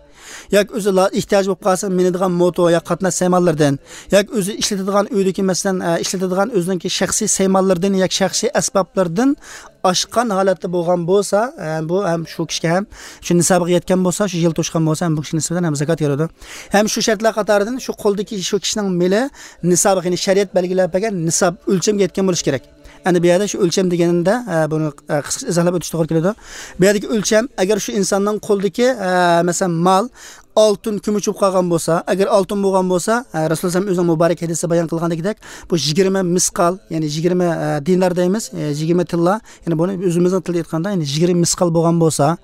ياكى ئۆزى لا-، ئېھتىياجى بولۇپ قالسا مىنىدىغان موتور ياكى قاتناش سايمانلىرىدىن، ياكى ئۆزى ئىشلىتىدىغان ئۆيدىكى، مەسىلەن، ئە، ئىشلىتىدىغان ئۆزىنىڭكى شەخسىي سايمانلىرىدىن ياكى شەخسىي ئەسبابلىرىدىن ئاشقان ھالەتتە بولغان بولسا، ئە، بۇ ھەم شۇ كىشىگە ھەم شۇ نىسابىغا يەتكەن بولسا، شۇ يىل توشقان بولسا، ھەم بۇ كىشىگە نىسبەتەن ھەم زاكات كېلىدۇ. ھەم شۇ شەرتلەر قاتارىدىن شۇ قولدىكى شۇ كىشىنىڭ مېلى نىسابىغا، يەنى شەرىئەت بەلگىلەپ بەرگەن نىساب ئۆلچەمگە يەتكەن بولۇشى كېرەك. ئەنە بۇ يەردە شۇ ئۆلچەم دېگىنىمدە، ئە، بۇنى، ئە، قىسقىچە ئىزاھلاپ ئۆتۈش توغرا كېلىدۇ. بۇ يەردىكى ئۆلچەم، ئەگەر شۇ ئىنساننىڭ قولىدىكى، ئە، مەسىلەن، مال ئالتۇن، كۈمۈش بولۇپ قالغان بولسا، ئەگەر ئالتۇن بولغان بولسا، ئە، رەسۇلۇللاھ ئۆزىنىڭ مۇبارەك ھەدىسىدە بايان قىلغاندەكدەك، بۇ يىگىرمە مىسقال، يەنى يىگىرمە، ئە، دىنار دەيمىز، ئە، يىگىرمە تىللا، يەنى بۇنى ئۆزىمىزنىڭ تىلىدا ئېيتقاندا، يەنى يىگىرمە مىسقال بولغان بولسا،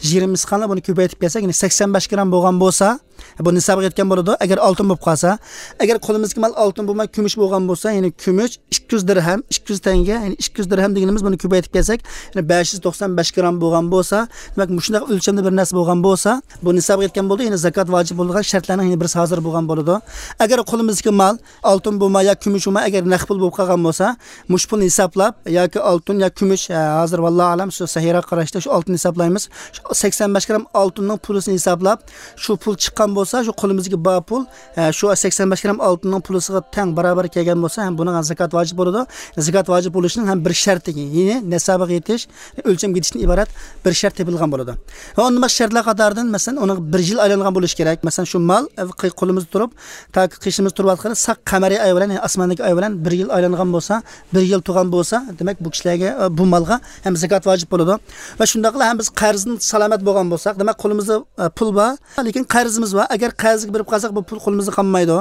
يىگىرمە مىسقالنى بۇنى كۆپەيتىپ كەلسەك، يەنى سەكسەن بەش گرام بولغان بولسا، بۇ نىسابىغا يەتكەن بولىدۇ. ئەگەر ئالتۇن بولۇپ قالسا، ئەگەر قولىمىزدىكى مال ئالتۇن بولماي كۈمۈش بولغان بولسا، يەنى كۈمۈش ئىككى يۈز دىرھەم، ئىككى يۈز تەڭگە، يەنى ئىككى يۈز دىرھەم دېگىنىمىز، بۇنى كۆپەيتىپ كەلسەك، يەنى بەش يۈز توقسان بەش گرام بولغان بولسا، دېمەك، مۇشۇنداق ئۆلچەمدە بىر نەرسە بولغان بولسا، بۇ نىسابقا يەتكەن بولدى. يەنى زاكات ۋاجىپ بولىدىغان شەرتلەرنىڭ يەنە بىرسى ھازىر بولغان بولىدۇ. ئەگەر قولىمىزدىكى مال ئالتۇن بولماي يا كۈمۈش بولماي، ئەگەر نەق پۇل بولۇپ قالغان بولسا، مۇشۇ پۇلنى ھېسابلاپ، ياكى ئالتۇن يا كۈمۈش، ھە، ھازىر ۋاللاھۇ ئەلەم، شۇ سەھىيرەگە قاراشتا شۇ ئالتۇننى ھېسابلايمىز. شۇ سەكسەن بەش گرام ئالتۇننىڭ پۇلىسىنى ھېسابلاپ، شۇ پۇل چىققان بولسا، شۇ قولىمىزدىكى بار پۇل، ھە، شۇ سەكسەن بەش گرام ئالتۇننىڭ پۇلىسىغا تەڭ باراۋەر كەلگەن بولسا، ھەم بۇنىڭغا زاكات ۋاجىپ بولىدۇ. زاكات ۋاجىپ بولۇشنىڭ ھەم بىر شەرتى، يەنى نىسابىغا يېتىش، ئۆلچەمگە يېتىشتىن ئىبارەت بىر شەرت تېپىلغان بولىدۇ. ۋە ئۇندىن باشقا شەرتلەر قاتارىدىن، مەسىلەن، ئۇنىڭ بىر يىل ئايلانغان بولۇشى كېرەك. مەسىلەن، شۇ مال، ئە، قولىمىزدا تۇرۇپ، تاكى قېشىمىزدا تۇرۇۋاتقىنى ساق قەمەرىي ئاي بىلەن، يەنى ئاسماندىكى ئاي بىلەن بىر يىل ئايلانغان بولسا، بىر يىل تۇرغان بولسا، دېمەك، بۇ كىشىلەرگە، ئە، بۇ مالغا ھەم زاكات ۋاجىپ بولىدۇ. ۋە شۇنداقلا ھەم بىز قەرزدىن سالامەت بولغان بولساق، دېمەك، قولىمىزدا، ئە، پۇل بار، لېكىن قەرزىمىز بار. ئەگەر قەرزگە بېرىپ قالساق، بۇ پۇل قولىمىزدا قالمايدۇ.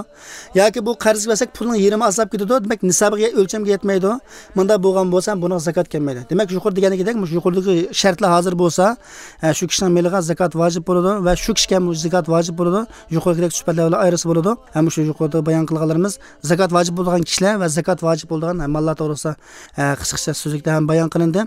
ياكى بۇ قەرزگە بەرسەك، پۇلنىڭ يېرىمى ئازلاپ كېتىدۇ، دېمەك، نىسابىغا، ئۆلچەمگە يەتمەيدۇ. مۇنداق بولغان بولسا، بۇنىڭغا زاكات كەلمەيدۇ. دېمەك، يۇقىرىدا دېگەندەك، مۇشۇ يۇقىرىدىكى شەرتلەر ھازىر بولسا، ئە، شۇ كىشىنىڭ مېلىغا زاكات ۋاجىپ بولىدۇ ۋە شۇ كىشىگە ھەم زاكات ۋاجىپ بولىدۇ. يۇقىرىدىكىدەك سۈپەتلەر بىلەن ئايرىسا بولىدۇ. ھەم شۇ يۇقىرىدا بايان قىلغانلىرىمىز زاكات ۋاجىپ بولىدىغان كىشىلەر ۋە زاكات ۋاجىپ بولىدىغان ماللار توغرىسىدا، ئە، قىسقىچە سۆزلۈكتە ھەم بايان قىلىندى.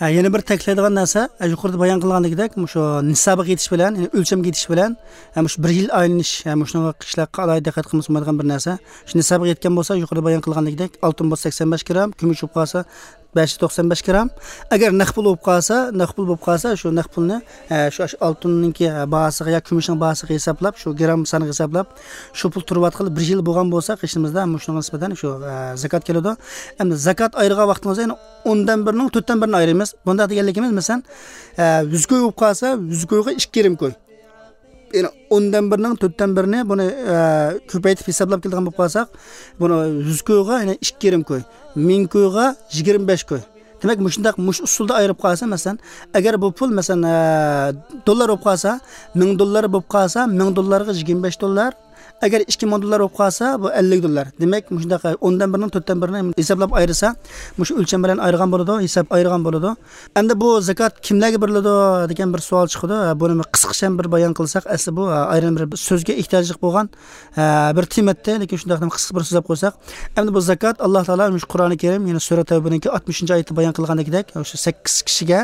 ھە، يەنە بىر تەكىتلەيدىغان نەرسە، ھە، يۇقىرىدا بايان قىلغاندىكىدەك، مۇشۇ نىسابىغا يېتىش بىلەن، يەنى ئۆلچەمگە يېتىش بىلەن، ھە، مۇشۇ بىر يىل ئايلىنىش، ھە، مۇشۇنىڭغا كىشىلەر ئالاھىدە دىققەت قىلمىسا بولمايدىغان بىر نەرسە. شۇ نىسابىغا يەتكەن بولسا، يۇقىرىدا بايان قىلغاندىكىدەك، ئالتۇن بولسا سەكسەن بەش گرام، كۈمۈش بولۇپ قالسا بەش يۈز توقسان بەش گرام. ئەگەر نەق پۇل بولۇپ قالسا، نەق پۇل بولۇپ قالسا، شۇ نەق پۇلنى، ھە، شۇ ئالتۇننىڭكى، ھە، باھاسىغا يا كۈمۈشنىڭ باھاسىغا ھېسابلاپ، شۇ گرام سانىغا ھېسابلاپ، شۇ پۇل تۇرۇۋاتقىلى بىر يىل بولغان بولسا، قېشىمىزدا مۇشۇنىڭغا نىسبەتەن شۇ، ھە، زاكات كېلىدۇ. ئەمدى زاكات ئايرىغان ۋاقتىڭىزدا، يەنى ئوندىن بىرنىڭ تۆتتىن بىرىنى ئايرىمىز. بۇنداق دېگەنلىكىمىز، مەسىلەن، ئە، يۈز كوي بولۇپ قالسا، يۈز كويغا ئىككى يېرىم كوي. يەنى ئوندىن بىرنىڭ تۆتتىن بىرىنى بۇنى، ئە، كۆپەيتىپ ھېسابلاپ كېلىدىغان بولۇپ قالساق، بۇنى يۈز كويغا، يەنى ئىككى يېرىم كوي، مىڭ كويغا يىگىرمە بەش كوي. دېمەك، مۇشۇنداق، مۇشۇ ئۇسۇلدا ئايرىپ قالسا، مەسىلەن، ئەگەر بۇ پۇل، مەسىلەن، ئە، دوللار بولۇپ قالسا، مىڭ دوللار بولۇپ قالسا، مىڭ دوللارغا يىگىرمە بەش دوللار، ئەگەر ئىككى مىڭ دوللار بولۇپ قالسا، بۇ ئەللىك دوللار. دېمەك، مۇشۇنداق ئوندىن بىرنىڭ تۆتتىن بىرىنى ھېسابلاپ ئايرىسا، مۇشۇ ئۆلچەم بىلەن ئايرىغان بولىدۇ، ھېساب ئايرىغان بولىدۇ. ئەمدى بۇ زاكات كىملەرگە بېرىلىدۇ دېگەن بىر سوئال چىقىدۇ. بۇنى بىر قىسقىچە بىر بايان قىلساق، ئەسلى بۇ، ئايرىم بىر سۆزگە ئېھتىياجلىق بولغان، بىر تېما ئىدى، لېكىن شۇنداق قىسقا بىر سۆزلەپ قويساق. ئەمدى بۇ زاكات، ئاللا تائالا مۇشۇ قۇرئانى كەرىم، يەنى سۈرە تەۋبىنىڭكى ئاتمىشىنچى ئايىتىدە بايان قىلغاندىكىدەك، شۇ سەككىز كىشىگە،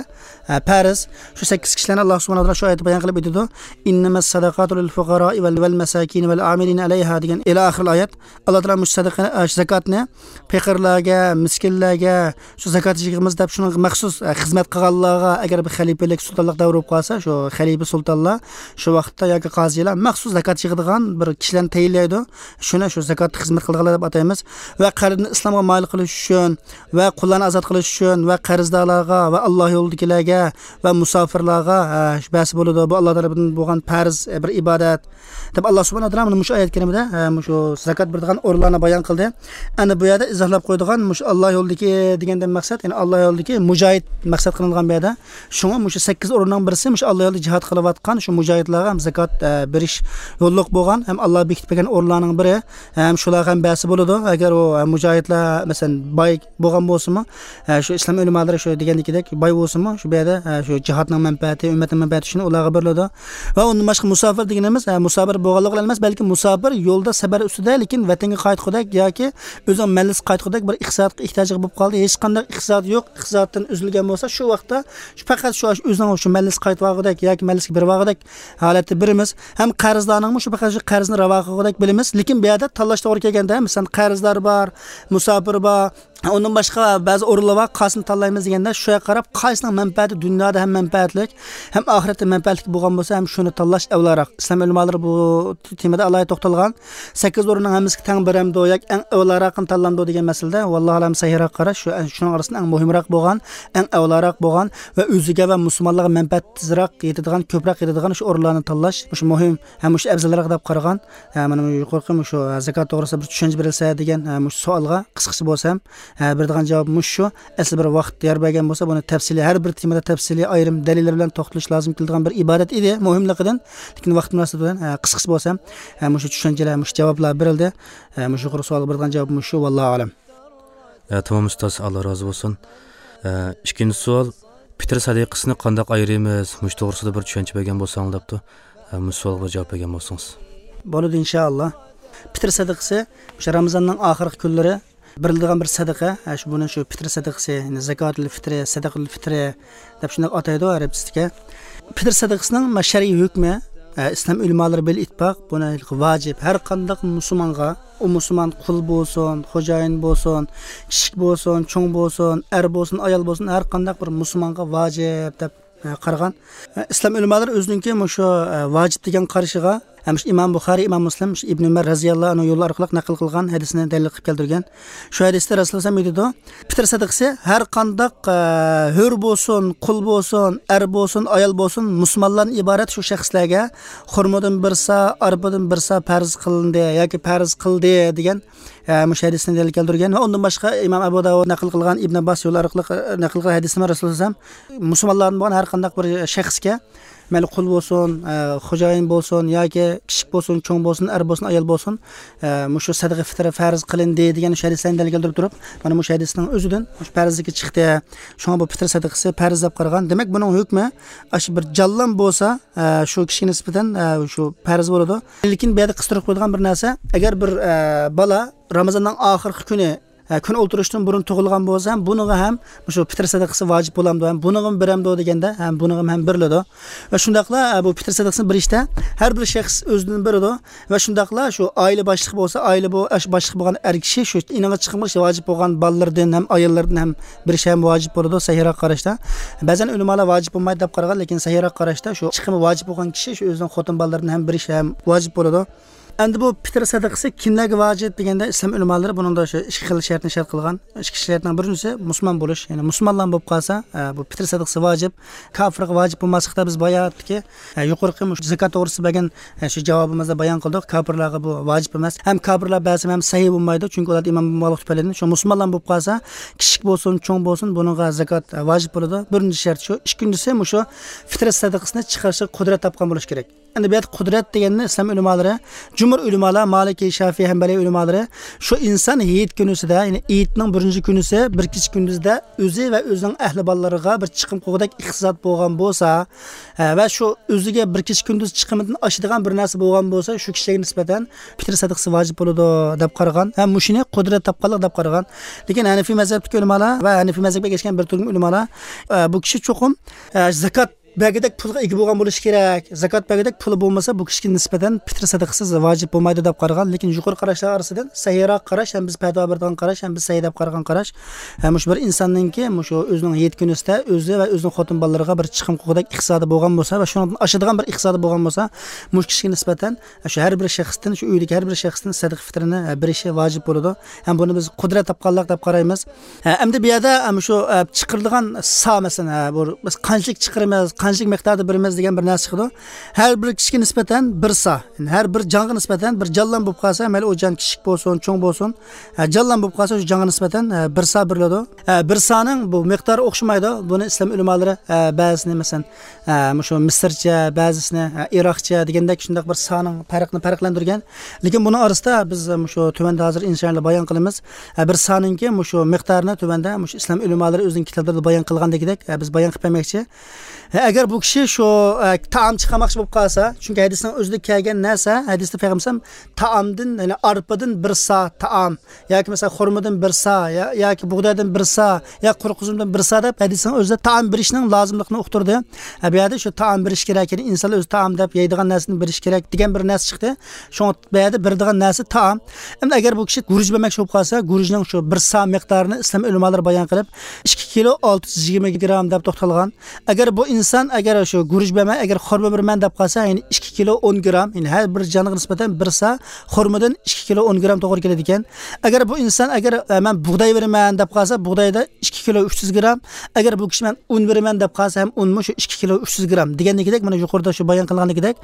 پەرز. شۇ سەككىز كىشىلەرنى ئاللا سۇبھانەھۇ ۋە تائالا شۇ ئايەتتە بايان قىلىپ ئۆتىدۇ. إنما الصدقات للفقراء والمساكين ئامىلىنە ئەلەيھا» دېگەن ئىلى ئاخىرىل ئايەت. ئاللا تائالا مۇشۇ سەدىقە، ئە، شۇ زاكاتنى پېقىرلارغا، مىسكىنلەرگە، شۇ زاكات يىغىمىز دەپ شۇنىڭغا مەخسۇس، ئە، خىزمەت قىلغانلارغا، ئەگەر بىر خەلىپىلىك، سۇلتانلىق دەۋرى بولۇپ قالسا، شۇ خەلىپە سۇلتانلار شۇ ۋاقىتتا ياكى قازىلار مەخسۇس زاكات يىغىدىغان بىر كىشىلەرنى تەيىنلەيدۇ. شۇنى شۇ زاكات خىزمەت قىلىدىغانلار دەپ ئاتايمىز. ۋە قەرزنى ئىسلامغا مايىل قىلىش ئۈچۈن ۋە قۇللارنى ئازاد قىلىش ئۈچۈن ۋە قەرزدارلارغا ۋە ئاللا يولىدىكىلەرگە ۋە مۇساپىرلارغا، ئە، شۇ بەرسە بولىدۇ. بۇ ئاللا تەرىپىدىن بولغان پەرز، ئە، بىر ئىبادەت. دەپ، ئاللا سۇبھانەھۇ ۋە تائالا مۇشۇ ئايەت كەرىمىدە، ئە، مۇشۇ زاكات بېرىدىغان ئورۇنلارنى بايان قىلدى. ئەنە بۇ يەردە ئىزاھلاپ قويىدىغان مۇشۇ ئاللا يولىدىكى دېگەندىن مەقسەت، يەنى ئاللا يولىدىكى مۇجاھىد مەقسەت قىلىنغان بۇ يەردە. شۇڭا مۇشۇ سەككىز ئورۇننىڭ بىرسى مۇشۇ ئاللا يولىدا جىھاد قىلىۋاتقان شۇ مۇجاھىدلارغا ھەم زاكات، ئە، بېرىش يوللۇق بولغان، ھەم ئاللا بېكىتىپ بەرگەن ئورۇنلارنىڭ بىرى، ھەم شۇلارغا ھەم بەرسە بولىدۇ. ئەگەر ئۇ، ئە، مۇجاھىدلار، مەسىلەن، باي بولغان بولسىمۇ، ئە، شۇ ئىسلام ئۆلىمالىرى شۇ دېگەندىكىدەك باي بولسىمۇ، شۇ بۇ يەردە، ئە، شۇ جىھادنىڭ مەنپەئەتى، ئۈممەتنىڭ مەنپەئەتى شۇنى ئۇلارغا بېرىلىدۇ. ۋە ئۇندىن باشقا مۇساپىر دېگىنىمىز، ئە، مۇساپىر بولغانلىقى بىلەن ئەمەس، بەلكى مۇساپىر يولدا سەپەر ئۈستىدە، لېكىن ۋەتەنگە قايتقۇدەك ياكى ئۆزىنىڭ مەنزىلىگە قايتقۇدەك بىر ئىقتىسادقا ئېھتىياجىغا بولۇپ قالدى. ھېچقانداق ئىقتىسادى يوق، ئىقتىسادتىن ئۈزۈلگەن بولسا، شۇ ۋاقىتتا شۇ پەقەت شۇ ئۆزىنىڭ شۇ مەنزىلىگە قايتىۋالغۇدەك ياكى مەنزىلىگە بېرىۋالغۇدەك ھالەتتە بېرىمىز. ھەم قەرزدارنىڭمۇ شۇ پەقەت شۇ قەرزنى راۋا قىلغۇدەك بىلىمىز. لېكىن بۇ يەردە تاللاش توغرا كەلگەندە، مەسىلەن، قەرزدار بار، مۇساپىر بار، ئۇندىن باشقا بەزى ئورۇنلار بار، قايسىنى تاللايمىز دېگەندە، شۇ يەرگە قاراپ، قايسىنىڭ مەنپەئەتى دۇنيادا ھەم مەنپەئەتلىك، ھەم ئاخىرەتتە مەنپەئەتلىك بولغان بولسا، ھەم شۇنى تاللاش ئەۋلاراق. ئىسلام ئۆلىمالىرى بۇ تېمىدا ئالاھىدە توختالغان. سەككىز ئورۇننىڭ ھەممىسىگە تەڭ بېرەمدۇ ياكى ئەڭ ئەۋلاراقىنى تاللامدۇ دېگەن مەسىلىدە، ۋاللاھۇ ئەلەم، سەھىھراق قاراش شۇ، شۇنىڭ ئارىسىدا ئەڭ مۇھىمراق بولغان، ئەڭ ئەۋلاراق بولغان ۋە ئۆزىگە ۋە مۇسۇلمانلارغا مەنپەئەت تېزراق يېتىدىغان، كۆپرەك يېتىدىغان شۇ ئورۇنلارنى تاللاش مۇشۇ مۇھىم ھەم مۇشۇ ئەۋزەلراق دەپ قارىغان. ھە، مانا يۇقىرىقى مۇشۇ زاكات توغرىسىدا بىر چۈشەنچە بېرىلسە دېگەن، ھە، مۇشۇ سوئالغا قىسقىچە بولسا ھەم، ھە، بېرىدىغان جاۋاب مۇشۇ. ئەسلى بىر ۋاقىت يار بەرگەن بولسا، بۇنى تەپسىلىي، ھەر بىر تېمىدا تەپسىلىي ئايرىم دەلىللەر بىلەن توختىلىش لازىم كېلىدىغان بىر ئىبادەت ئىدى، مۇھىملىقىدىن. لېكىن ۋاقىت مۇناسىۋىتى بىلەن، ھە، قىسقىچە بولسا ھەم، ھە، مۇشۇ چۈشەنچىلەر، مۇشۇ جاۋابلار بېرىلدى. ھە، مۇشۇ يۇقىرى سوئالغا بېرىدىغان جاۋاب مۇشۇ، ۋاللاھۇ ئەلەم. ھە، تامام ئۇستاز، ئاللا رازى بولسۇن. ھە، ئىككىنچى سوئال، پىتىر سەدىقىسىنى قانداق ئايرىيمىز؟ مۇشۇ توغرىسىدا بىر چۈشەنچە بەرگەن بولساڭ دەپتۇ. ھە، مۇشۇ سوئالغا بىر جاۋاب بەرگەن بولسىڭىز. بولىدۇ، ئىنشائاللا. پىتىر سەدىقىسى مۇشۇ رامىزاننىڭ ئاخىرقى كۈنلىرى بېرىلىدىغان بىر سەدىقە. ھە، شۇ، بۇنى شۇ پىتىر سەدىقىسى، يەنى زاكاتۇل فىترى، سەدىقىتۇل فىترى دەپ شۇنداق ئاتايدۇ ئەرەبچىسىدىكى. پىتىر سەدىقىسىنىڭ ما-، شەرئىي ھۆكمى، ئە، ئىسلام ئۆلىمالىرى بىل ئىتتىپاق، بۇنى ۋاجىپ، ھەر قانداق مۇسۇلمانغا، ئۇ مۇسۇلمان قۇل بولسۇن، خوجايىن بولسۇن، كىچىك بولسۇن، چوڭ بولسۇن، ئەر بولسۇن، ئايال بولسۇن، ھەر قانداق بىر مۇسۇلمانغا ۋاجىپ دەپ، ئە، قارىغان. ئە، ئىسلام ئۆلىمالىرى ئۆزىنىڭكى مۇشۇ، ئە، ۋاجىپ دېگەن قارىشىغا، ھەم شۇ ئىمام بۇخارىي، ئىمام مۇسلىم، شۇ ئىبن ئۆمەر رەزىياللاھۇ ئەنھۇ يولى ئارقىلىق نەقىل قىلغان ھەدىسنى دەلىل قىلىپ كەلتۈرگەن. شۇ ھەدىستە رەسۇلۇللاھ ئەلەيھىسسالام ئېيتىدۇ، پىتىر سەدىقىسى ھەر قانداق، ئە، ھۆر بولسۇن، قۇل بولسۇن، ئەر بولسۇن، ئايال بولسۇن، مۇسۇلمانلاردىن ئىبارەت شۇ شەخسلەرگە خورمىدىن بىر سا، ئارپىدىن بىر سا پەرز قىلىندى ياكى پەرز قىلدى دېگەن، ئە، مۇشۇ ھەدىسنى دەلىل كەلتۈرگەن. ۋە ئۇندىن باشقا ئىمام ئەبۇ داۋۇد نەقىل قىلغان، ئىبن ئابباس يولى ئارقىلىق، ئە، نەقىل قىلغان ھەدىستىمۇ رەسۇلۇللاھ ئەلەيھىسسالام مۇسۇلمانلاردىن بولغان ھەر قانداق بىر شەخسكە، مەيلى قۇل بولسۇن، ئە، خوجايىن بولسۇن ياكى كىچىك بولسۇن، چوڭ بولسۇن، ئەر بولسۇن، ئايال بولسۇن، ئە، مۇشۇ سەدىقە فىترى پەرز قىلىندى دېگەن شۇ ھەدىسلەرنى دەلىل كەلتۈرۈپ تۇرۇپ، مانا مۇشۇ ھەدىسنىڭ ئۆزىدىن مۇشۇ پەرزلىكى چىقتى. شۇڭا بۇ پىتىر سەدىقىسى پەرز دەپ قارىغان. دېمەك، بۇنىڭ ھۆكمى ئاشۇ بىر جانلام بولسا، ئە، شۇ كىشىگە نىسبەتەن، ئە، شۇ پەرز بولىدۇ. لېكىن بۇ يەردە قىستۇرۇپ قويىدىغان بىر نەرسە، ئەگەر بىر، ئە، بالا رامىزاننىڭ ئاخىرقى كۈنى، ئە، كۈن ئولتۇرۇشتىن بۇرۇن تۇغۇلغان بولسا، ھەم بۇنىڭغا ھەم مۇشۇ پىتىر سەدىقىسى ۋاجىپ بولامدۇ، ھەم بۇنىڭغىمۇ بېرەمدۇ دېگەندە، ھەم بۇنىڭغىمۇ ھەم بېرىلىدۇ. ۋە شۇنداقلا، ئە، بۇ پىتىر سەدىقىسىنى بېرىشتە ھەر بىر شەخس ئۆزىدىن بېرىدۇ. ۋە شۇنداقلا شۇ ئائىلە باشلىقى بولسا، ئائىلە بۇ، ئاشۇ باشلىق بولغان ئەر كىشى شۇ ئېنىغا چىقىمغا شۇ ۋاجىپ بولغان بالىلىرىدىن ھەم ئاياللىرىدىن ھەم بېرىشى ھەم ۋاجىپ بولىدۇ، سەھىھراق قاراشتا. بەزەن ئۆلىمالار ۋاجىپ بولمايدۇ دەپ قارىغان، لېكىن سەھىھراق قاراشتا شۇ چىقىمى ۋاجىپ بولغان كىشى شۇ ئۆزىنىڭ خوتۇن بالىلىرىدىن ھەم بېرىشى ھەم ۋاجىپ بولىدۇ. ئەمدى بۇ پىتىر سەدىقىسى كىملەرگە ۋاجىپ دېگەندە، ئىسلام ئۆلىمالىرى بۇنىڭدا شۇ ئىككى خىل شەرتنى شەرت قىلغان. ئىككى شەرتنىڭ بىرىنچىسى مۇسۇلمان بولۇش. يەنى مۇسۇلمانلار بولۇپ قالسا، ئە، بۇ پىتىر سەدىقىسى ۋاجىپ. كاپىرغا ۋاجىپ بولماسلىقتا بىز باياتتىكى، ئە، يۇقىرىقى مۇشۇ زاكات توغرىسىدا بەرگەن، ئە، شۇ جاۋابىمىزدا بايان قىلدۇق. كاپىرلارغا بۇ ۋاجىپ ئەمەس. ھەم كاپىرلار بەرسىمۇ ھەم سەھىھ بولمايدۇ. چۈنكى ئۇلار ئىمان بولمىغانلىق تۈپەيلىدىن. شۇ مۇسۇلمانلار بولۇپ قالسا، كىچىك بولسۇن، چوڭ بولسۇن، بۇنىڭغا زاكات، ئە، ۋاجىپ بولىدۇ. بىرىنچى شەرت شۇ. ئىككىنچىسى مۇشۇ پىتىر سەدىقىسىنى چىقىرىشقا قۇدرەت تاپقان بولۇش كېرەك. ئەمدى بۇ يەردە قۇدرەت دېگەننى ئىسلام ئۆلىمالىرى، جۇمھۇر ئۆلىمالار، مالىكىي، شافىئىي، ھەنبەلىي ئۆلىمالىرى، شۇ ئىنسان ھېيت كۈنىسىدە، يەنى ھېيتنىڭ بىرىنچى كۈنىسى بىر كېچە كۈندۈزدە ئۆزى ۋە ئۆزىنىڭ ئەھلى بالىلىرىغا بىر چىقىم قىلغۇدەك ئىقتىساد بولغان بولسا، ھە، ۋە شۇ ئۆزىگە بىر كېچە كۈندۈز چىقىمىدىن ئاشىدىغان بىر نەرسە بولغان بولسا، شۇ كىشىگە نىسبەتەن پىتىر سەدىقىسى ۋاجىپ بولىدۇ دەپ قارىغان. ھە، مۇشۇنى قۇدرەت تاپقانلىق دەپ قارىغان. لېكىن ھەنىفىي مەزھەپتىكى ئۆلىمالار ۋە ھەنىفىي مەزھەپكە ئەگەشكەن بىر تۈركۈم ئۆلىمالار، ئە، بۇ كىشى چوقۇم، ئە، زاكات بەرگۈدەك پۇلغا ئىگە بولغان بولۇشى كېرەك. زاكات بەرگۈدەك پۇلى بولمىسا، بۇ كىشىگە نىسبەتەن پىتر سەدىقىسى ۋاجىپ بولمايدۇ دەپ قارىغان. لېكىن يۇقىرى قاراشلار ئارىسىدىن سەھىيراق قاراش، ھەم بىز پەتىۋا بېرىدىغان قاراش، ھەم بىز سەھىي دەپ قارىغان قاراش، ھە، مۇشۇ بىر ئىنساننىڭكى مۇشۇ ئۆزىنىڭ ھېيت كۈنىسىدە ئۆزى ۋە ئۆزىنىڭ خوتۇن بالىلىرىغا بىر چىقىم قىلغۇدەك ئىقتىسادى بولغان بولسا ۋە شۇنىڭدىن ئاشىدىغان بىر ئىقتىسادى بولغان بولسا، مۇشۇ كىشىگە نىسبەتەن شۇ ھەر بىر شەخستىن، شۇ ئۆيدىكى ھەر بىر شەخستىن سەدىقە فىترىنى، ھە، بېرىشى ۋاجىپ بولىدۇ. ھەم بۇنى بىز قۇدرەت تاپقانلىق دەپ قارايمىز. ھە، ئەمدى بۇ يەردە، ھە، مۇشۇ، ھە، چىقىرىدىغان سا، مەسىلەن، ھە، بۇ بىز قانچىلىك چىقىرىمىز، قانچىلىك مىقداردا بېرىمىز دېگەن بىر نەرسە چىقىدۇ. ھەر بىر كىشىگە نىسبەتەن بىر سا، يەنى ھەر بىر جانغا نىسبەتەن، بىر جانلام بولۇپ قالسا، مەيلى ئۇ جان كىچىك بولسۇن، چوڭ بولسۇن، ھە، جانلام بولۇپ قالسا، شۇ جانغا نىسبەتەن، ھە، بىر سا بېرىلىدۇ. ھە، بىر سانىڭ بۇ مىقدارى ئوخشىمايدۇ. بۇنى ئىسلام ئۆلىمالىرى، ھە، بەزىسىنى، مەسىلەن، ھە، مۇشۇ مىسىرچە، بەزىسىنى، ھە، ئىراقچە دېگەندەك شۇنداق بىر سانىڭ پەرقىنى پەرقلەندۈرگەن. لېكىن بۇنىڭ ئارىسىدا بىز، ھە، مۇشۇ تۆۋەندە ھازىر ئىنشائاللا بايان قىلىمىز. ھە، بىر سانىڭكى مۇشۇ مىقدارىنى تۆۋەندە مۇشۇ ئىسلام ئۆلىمالىرى ئۆزىنىڭ كىتابلىرىدا بايان قىلغاندىكىدەك، ھە، بىز بايان قىلىپ بەرمەكچى. ھە، ئەگەر بۇ كىشى شۇ، ھە، تائام چىقارماقچى بولۇپ قالسا، چۈنكى ھەدىسنىڭ ئۆزىدە كەلگەن نەرسە، ھەدىستە پەيغەمبەر تائامدىن، يەنى ئارپىدىن بىر سا تائام ياكى مەسىلەن خورمىدىن بىر سا، يا، ياكى بۇغدايدىن بىر سا، يا قۇرۇق ئۈزۈمدىن بىر سا دەپ ھەدىسنىڭ ئۆزىدە تائام بېرىشنىڭ لازىملىقىنى ئۇقتۇردى. ھە، بۇ يەردە شۇ تائام بېرىش كېرەك، يەنى ئىنسانلار ئۆزى تائام دەپ يەيدىغان نەرسىنى بېرىش كېرەك دېگەن بىر نەرسە چىقتى. شۇڭا بۇ يەردە بېرىدىغان نەرسە تائام. ئەمدى ئەگەر بۇ كىشى گۈرۈچ بەرمەكچى بولۇپ قالسا، گۈرۈچنىڭ شۇ بىر سا مىقدارىنى ئىسلام ئۆلىمالىرى بايان قىلىپ، ئىككى كىلو ئالتە يۈز يىگىرمە گرام دەپ توختالغان. ئەگەر بۇ ئىنسان ئەگەر شۇ گۈرۈچ بەرمەي، ئەگەر خورما بېرىمەن دەپ قالسا، يەنى ئىككى كىلو ئون گرام، يەنى ھەر بىر جانغا نىسبەتەن بىر سا خورمىدىن ئىككى كىلو ئون گرام توغرا كېلىدىكەن. ئەگەر بۇ ئىنسان ئەگەر، ئە، مەن بۇغداي بېرىمەن دەپ قالسا، بۇغدايدا ئىككى كىلو ئۈچ يۈز گرام. ئەگەر بۇ كىشى مەن ئۇن بېرىمەن دەپ قالسا ھەم ئۇنمۇ شۇ ئىككى كىلو ئۈچ يۈز گرام دېگەندىكىدەك، مانا يۇقىرىدا شۇ بايان قىلغاندىكىدەك،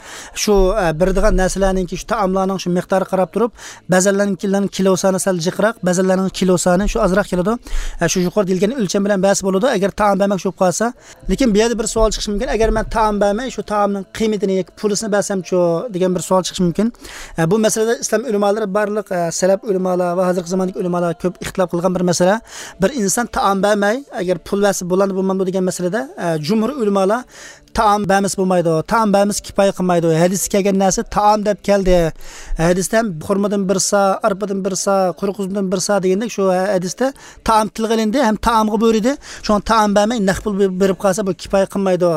شۇ، ئە، بېرىدىغان نەرسىلەرنىڭكى شۇ تائاملارنىڭ شۇ مىقدارىغا قاراپ تۇرۇپ، بەزەنلەرنىڭكىلەرنىڭ كىلو سانى سەل جىقراق، بەزەنلەرنىڭ كىلو سانى شۇ ئازراق كېلىدۇ. ئە، شۇ يۇقىرىدا دېيىلگەن ئۆلچەم بىلەن بەرسە بولىدۇ. ئەگەر تائام بەرمەكچى بولۇپ قالسا، لېكىن بۇ يەردە بىر سوئال چىقىشى مۇمكىن. ئەگەر مەن تائام بەرمەي، شۇ تائامنىڭ قىممىتىنى ياكى پۇلىسىنى بەرسەمچۇ دېگەن بىر سوئال چىقىشى مۇمكىن. ئە، بۇ مەسىلىدە ئىسلام ئۆلىمالىرى بارلىق، ئە، سەلەپ ئۆلىمالار ۋە ھازىرقى زاماندىكى ئۆلىمالار كۆپ ئىختىلاپ قىلغان بىر مەسىلە. بىر ئىنسان تائام بەرمەي، ئەگەر پۇل بەرسە بولامدۇ، بولمامدۇ دېگەن مەسىلىدە، ئە، جۇمھۇر ئۆلىمالار تائام بەرمىسە بولمايدۇ، تائام بەرمىسە كىپايە قىلمايدۇ. ھەدىستە كەلگەن نەرسە تائام دەپ كەلدى. ھەدىستە ھەم خورمىدىن بىر سا، ئارپىدىن بىر سا، قۇرۇق ئۈزۈمدىن بىر سا دېگەندەك شۇ ھەدىستە تائام تىلغا ئېلىندى ھەم تائامغا بۇيرۇدى. شۇڭا تائام بەرمەي نەق پۇل بېرىپ قالسا بۇ كىپايە قىلمايدۇ.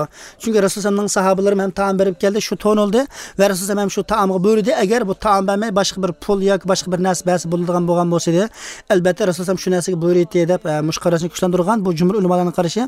چۈنكى رەسۇلۇللانىڭ ساھابىلىرىمۇ ھەم تائام بېرىپ كەلدى، شۇ تونۇلدى ۋە رەسۇلۇللا ھەم شۇ تائامغا بۇيرۇدى. ئەگەر بۇ تائام بەرمەي باشقا بىر پۇل ياكى باشقا بىر نەرسە بەرسە بولىدىغان بولغان بولسىدى، ئەلبەتتە رەسۇلۇللا شۇ نەرسىگە بۇيرۇيتتى دەپ، ئە، مۇشۇ قاراشنى كۈچلەندۈرگەن. بۇ جۇمھۇر ئۆلىمالارنىڭ قارىشى.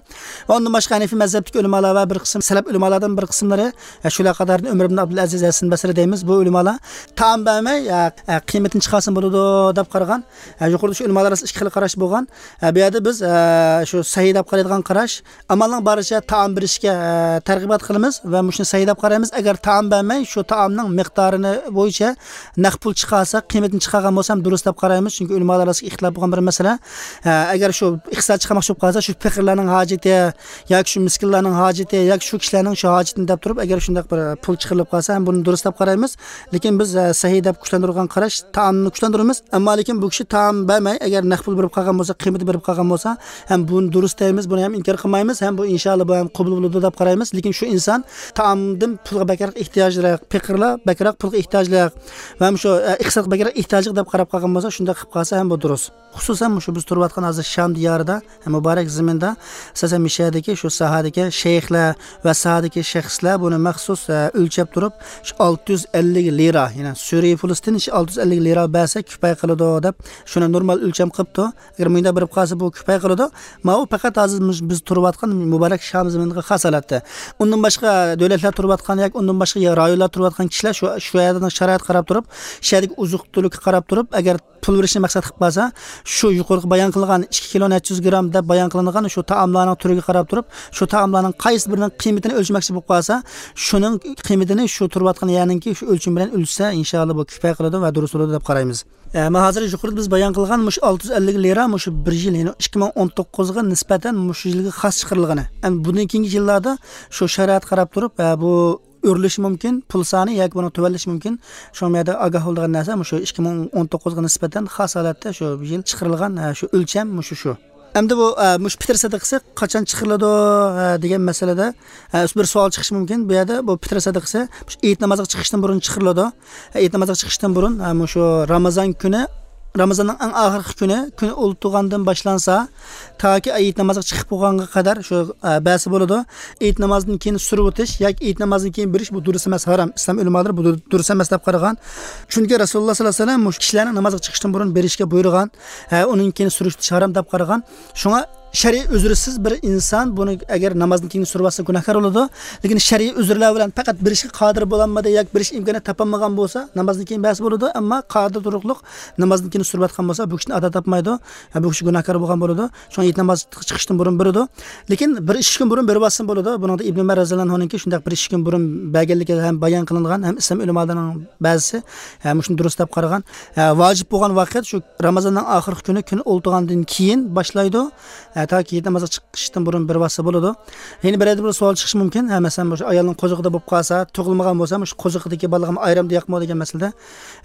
ۋە ئۇندىن باشقا ھەنىفىي مەزھەپتىكى ئۆلىمالار ۋە بىر قىسىم سەلەپ ئۆلىمالاردىن بىر قىسىملىرى، ئە، شۇلار قاتارىدىن ئۆمەر ئىبن ئابدۇلئەزىز ھەسەن بەسرى دەيمىز، بۇ ئۆلىمالار تائام بەرمەي، ئە، ئە، قىممىتىنى چىقارسىمۇ بولىدۇ دەپ قارىغان. ئە، يۇقىرىدا شۇ ئۆلىمالار ئارىسىدا ئىككى خىل قاراش بولغان. ئە، بۇ يەردە بىز، ئە، شۇ سەھىي دەپ قارايدىغان قاراش، ئامالنىڭ بارىچە تائام بېرىشكە، ئە، تەرغىبات قىلىمىز ۋە مۇشۇنى سەھىي دەپ قارايمىز. ئەگەر تائام بەرمەي، شۇ تائامنىڭ مىقدارىنى بويىچە نەق پۇل چىقارسا، قىممىتىنى چىقارغان بولسا ھەم دۇرۇس دەپ قارايمىز. چۈنكى ئۆلىمالار ئارىسىدا ئىختىلاپ بولغان بىر مەسىلە. ئە، ئەگەر شۇ ئىقتىساد چىقارماقچى بولۇپ قالسا، شۇ پېقىرلارنىڭ ھاجىتى ياكى شۇ مىسكىنلارنىڭ ھاجىتى ياكى شۇ كىشىلەرنىڭ شۇ ھاجىتىنى دەپ تۇرۇپ، ئەگەر شۇنداق بىر پۇل چىقىرىلىپ قالسا، ھەم بۇنى دۇرۇس دەپ قارايمىز. لېكىن بىز، ئە، سەھىي دەپ كۈچلەندۈرگەن قاراش تائامنى كۈچلەندۈرىمىز. ئەمما لېكىن بۇ كىشى تائام بەرمەي، ئەگەر نەق پۇل بېرىپ قالغان بولسا، قىممىتى بېرىپ قالغان بولسا، ھەم بۇنى دۇرۇس دەيمىز، بۇنى ھەم ئىنكار قىلمايمىز، ھەم بۇ ئىنشائاللا بۇ ھەم قوبۇل بولىدۇ دەپ قارايمىز. لېكىن شۇ ئىنسان تائامدىن پۇلغا بەكرەك ئېھتىياجلىق، پېقىرلار بەكرەك پۇلغا ئېھتىياجلىق ۋە شۇ، ئە، ئىقتىسادقا بەكرەك ئېھتىياجلىق دەپ قاراپ قالغان بولسا، شۇنداق قىلىپ قالسا ھەم بۇ دۇرۇس. خۇسۇسەن مۇشۇ بىز تۇرۇۋاتقان ھازىر شام دىيارىدا، مۇبارەك زېمىندا، ئاساسەن مۇشۇ يەردىكى شۇ ساھەدىكى شەيخلەر ۋە ساھەدىكى شەخسلەر بۇنى مەخسۇس، ئە، ئۆلچەپ تۇرۇپ، شۇ ئالتە يۈز ئەللىك لىرا، يەنى سۈرىي پۇلىسىدىن شۇ ئالتە يۈز ئەللىك لىرا بەرسە كۇپايە قىلىدۇ دەپ، شۇنى نورمال ئۆلچەم قىپتۇ. ئەگەر مۇنداق بېرىپ قالسا، بۇ كۇپايە قىلىدۇ. ماۋۇ پەقەت ھازىر مۇش-، بىز تۇرۇۋاتقان مۇبارەك شام زېمىنىغا خاس ھالەتتە. ئۇندىن باشقا دۆلەتلەر تۇرۇۋاتقان ياكى ئۇندىن باشقا رايونلار تۇرۇۋاتقان كىشىلەر شۇ، شۇ يەردە شارائىتقا قاراپ تۇرۇپ، شۇ يەردىكى ئوزۇق-تۈلۈككە قاراپ تۇرۇپ، ئەگەر پۇل بېرىشنى مەقسەت قىلىپ قالسا، شۇ يۇقىرىقى بايان قىلغان ئىككى كىلو نەچچە يۈز گرام دەپ بايان قىلىنغان شۇ تائاملارنىڭ تۈرىگە قاراپ تۇرۇپ، شۇ تائاملارنىڭ قايسى بىرىنىڭ قىممىتىنى ئۆلچىمەكچى بولۇپ قالسا، شۇنىڭ قىممىتىنى شۇ تۇرۇۋاتقان يەرنىڭكى شۇ ئۆلچىمى بىلەن ئۆلچىسە، ئىنشائاللا بۇ كۇپايە قىلىدۇ ۋە دۇرۇس بولىدۇ دەپ قارايمىز. ئە، مانا ھازىر يۇقىرىدا بىز بايان قىلغان مۇشۇ ئالتە يۈز ئەللىك لىرا مۇشۇ بىر يىل، يەنى ئىككى مىڭ ئون توققۇزغا نىسبەتەن مۇشۇ يىلغا خاس چىقىرىلغىنى. ئەمدى بۇندىن كېيىنكى يىللاردا شۇ شارائىتقا قاراپ تۇرۇپ، ئە، بۇ ئۆرلىشى مۇمكىن، پۇل سانى ياكى بۇنىڭ تۆۋەنلىشى مۇمكىن. شۇڭا بۇ يەردە ئاگاھ بولىدىغان نەرسە مۇشۇ ئىككى مىڭ ئون توققۇزغا نىسبەتەن خاس ھالەتتە شۇ يىل چىقىرىلغان، ئە، شۇ ئۆلچەم مۇشۇ شۇ. ئەمدى بۇ، ئە، مۇشۇ پىتىر سەدىقىسى قاچان چىقىرىلىدۇ، ئە، دېگەن مەسىلىدە، ئە، بىر سوئال چىقىشى مۇمكىن. بۇ يەردە بۇ پىتىر سەدىقىسى مۇشۇ ئېيت نامازىغا چىقىشتىن بۇرۇن چىقىرىلىدۇ. ئېيت نامازىغا چىقىشتىن بۇرۇن، ئە، مۇشۇ رامىزان كۈنى رامىزاننىڭ ئەڭ ئاخىرقى كۈنى، كۈن ئولتۇرغاندىن باشلانسا، تاكى ھېيت نامازىغا چىقىپ بولغانغا قەدەر شۇ، ئە، بەرسە بولىدۇ. ھېيت نامازدىن كېيىن سۈرۈۋېتىش ياكى ھېيت نامازدىن كېيىن بېرىش، بۇ دۇرۇس ئەمەس، ھارام. ئىسلام ئۆلىمالىرى بۇ دۇر-، دۇرۇس ئەمەس دەپ قارىغان. چۈنكى رەسۇلۇللا ساللاللاھۇ ئەلەيھى ۋەسەللەم مۇشۇ كىشىلەرنىڭ نامازغا چىقىشتىن بۇرۇن بېرىشكە بۇيرۇغان. ھە، ئۇنىڭ كېيىن سۈرۈشتۈرۈش ھارام دەپ قارىغان. شۇڭا شەرئىي ئۆزرىسىز بىر ئىنسان بۇنى ئەگەر نامازدىن كېيىن سۈرۈۋەتسە گۇناھكار بولىدۇ. لېكىن شەرئىي ئۆزرىلەر بىلەن پەقەت بېرىشكە قادىر بولالمىدى ياكى بېرىش ئىمكانى تاپالمىغان بولسا، نامازدىن كېيىن بەرسە بولىدۇ، ئەمما قادىر تۇرۇقلۇق نامازدىن كېيىن سۈرۈۋەتكەن بولسا، بۇ كىشىنى ئادا تاپمايدۇ. ھە، بۇ كىشى گۇناھكار بولغان بولىدۇ. شۇڭا ھېيت نامازغا چىقىشتىن بۇرۇن بېرىدۇ. لېكىن بىر ئىككى كۈن بۇرۇن بېرىۋاتسىمۇ بولىدۇ. بۇنىڭدا ئىبن ئۆمەر رەزىياللاھۇ ئەنھۇنىڭكى شۇنداق بىر ئىككى كۈن بۇرۇن بەرگەنلىكى ھەم بايان قىلىنغان، ھەم ئىسلام ئۆلىمالىرىنىڭ بەزىسى، ھە، مۇشۇنى دۇرۇس دەپ قارىغان. ھە، ۋاجىپ بولغان ۋاقىت شۇ رامىزاننىڭ ئاخىرقى كۈنى، كۈن ئولتۇرغاندىن كېيىن باشلايدۇ. ھە، تاكى ھېيت نامازغا چىقىشتىن بۇرۇن بېرىۋاتسا بولىدۇ. يەنە بىر يەردە بىر سوئال چىقىشى مۇمكىن. ھە، مەسىلەن، مۇشۇ ئايالنىڭ قوزىقىدا بولۇپ قالسا، تۇغۇلمىغان بولسا، مۇشۇ قوزۇقىدىكى بالىغىمۇ ئايرىمدا ياقمۇ دېگەن مەسىلىدە،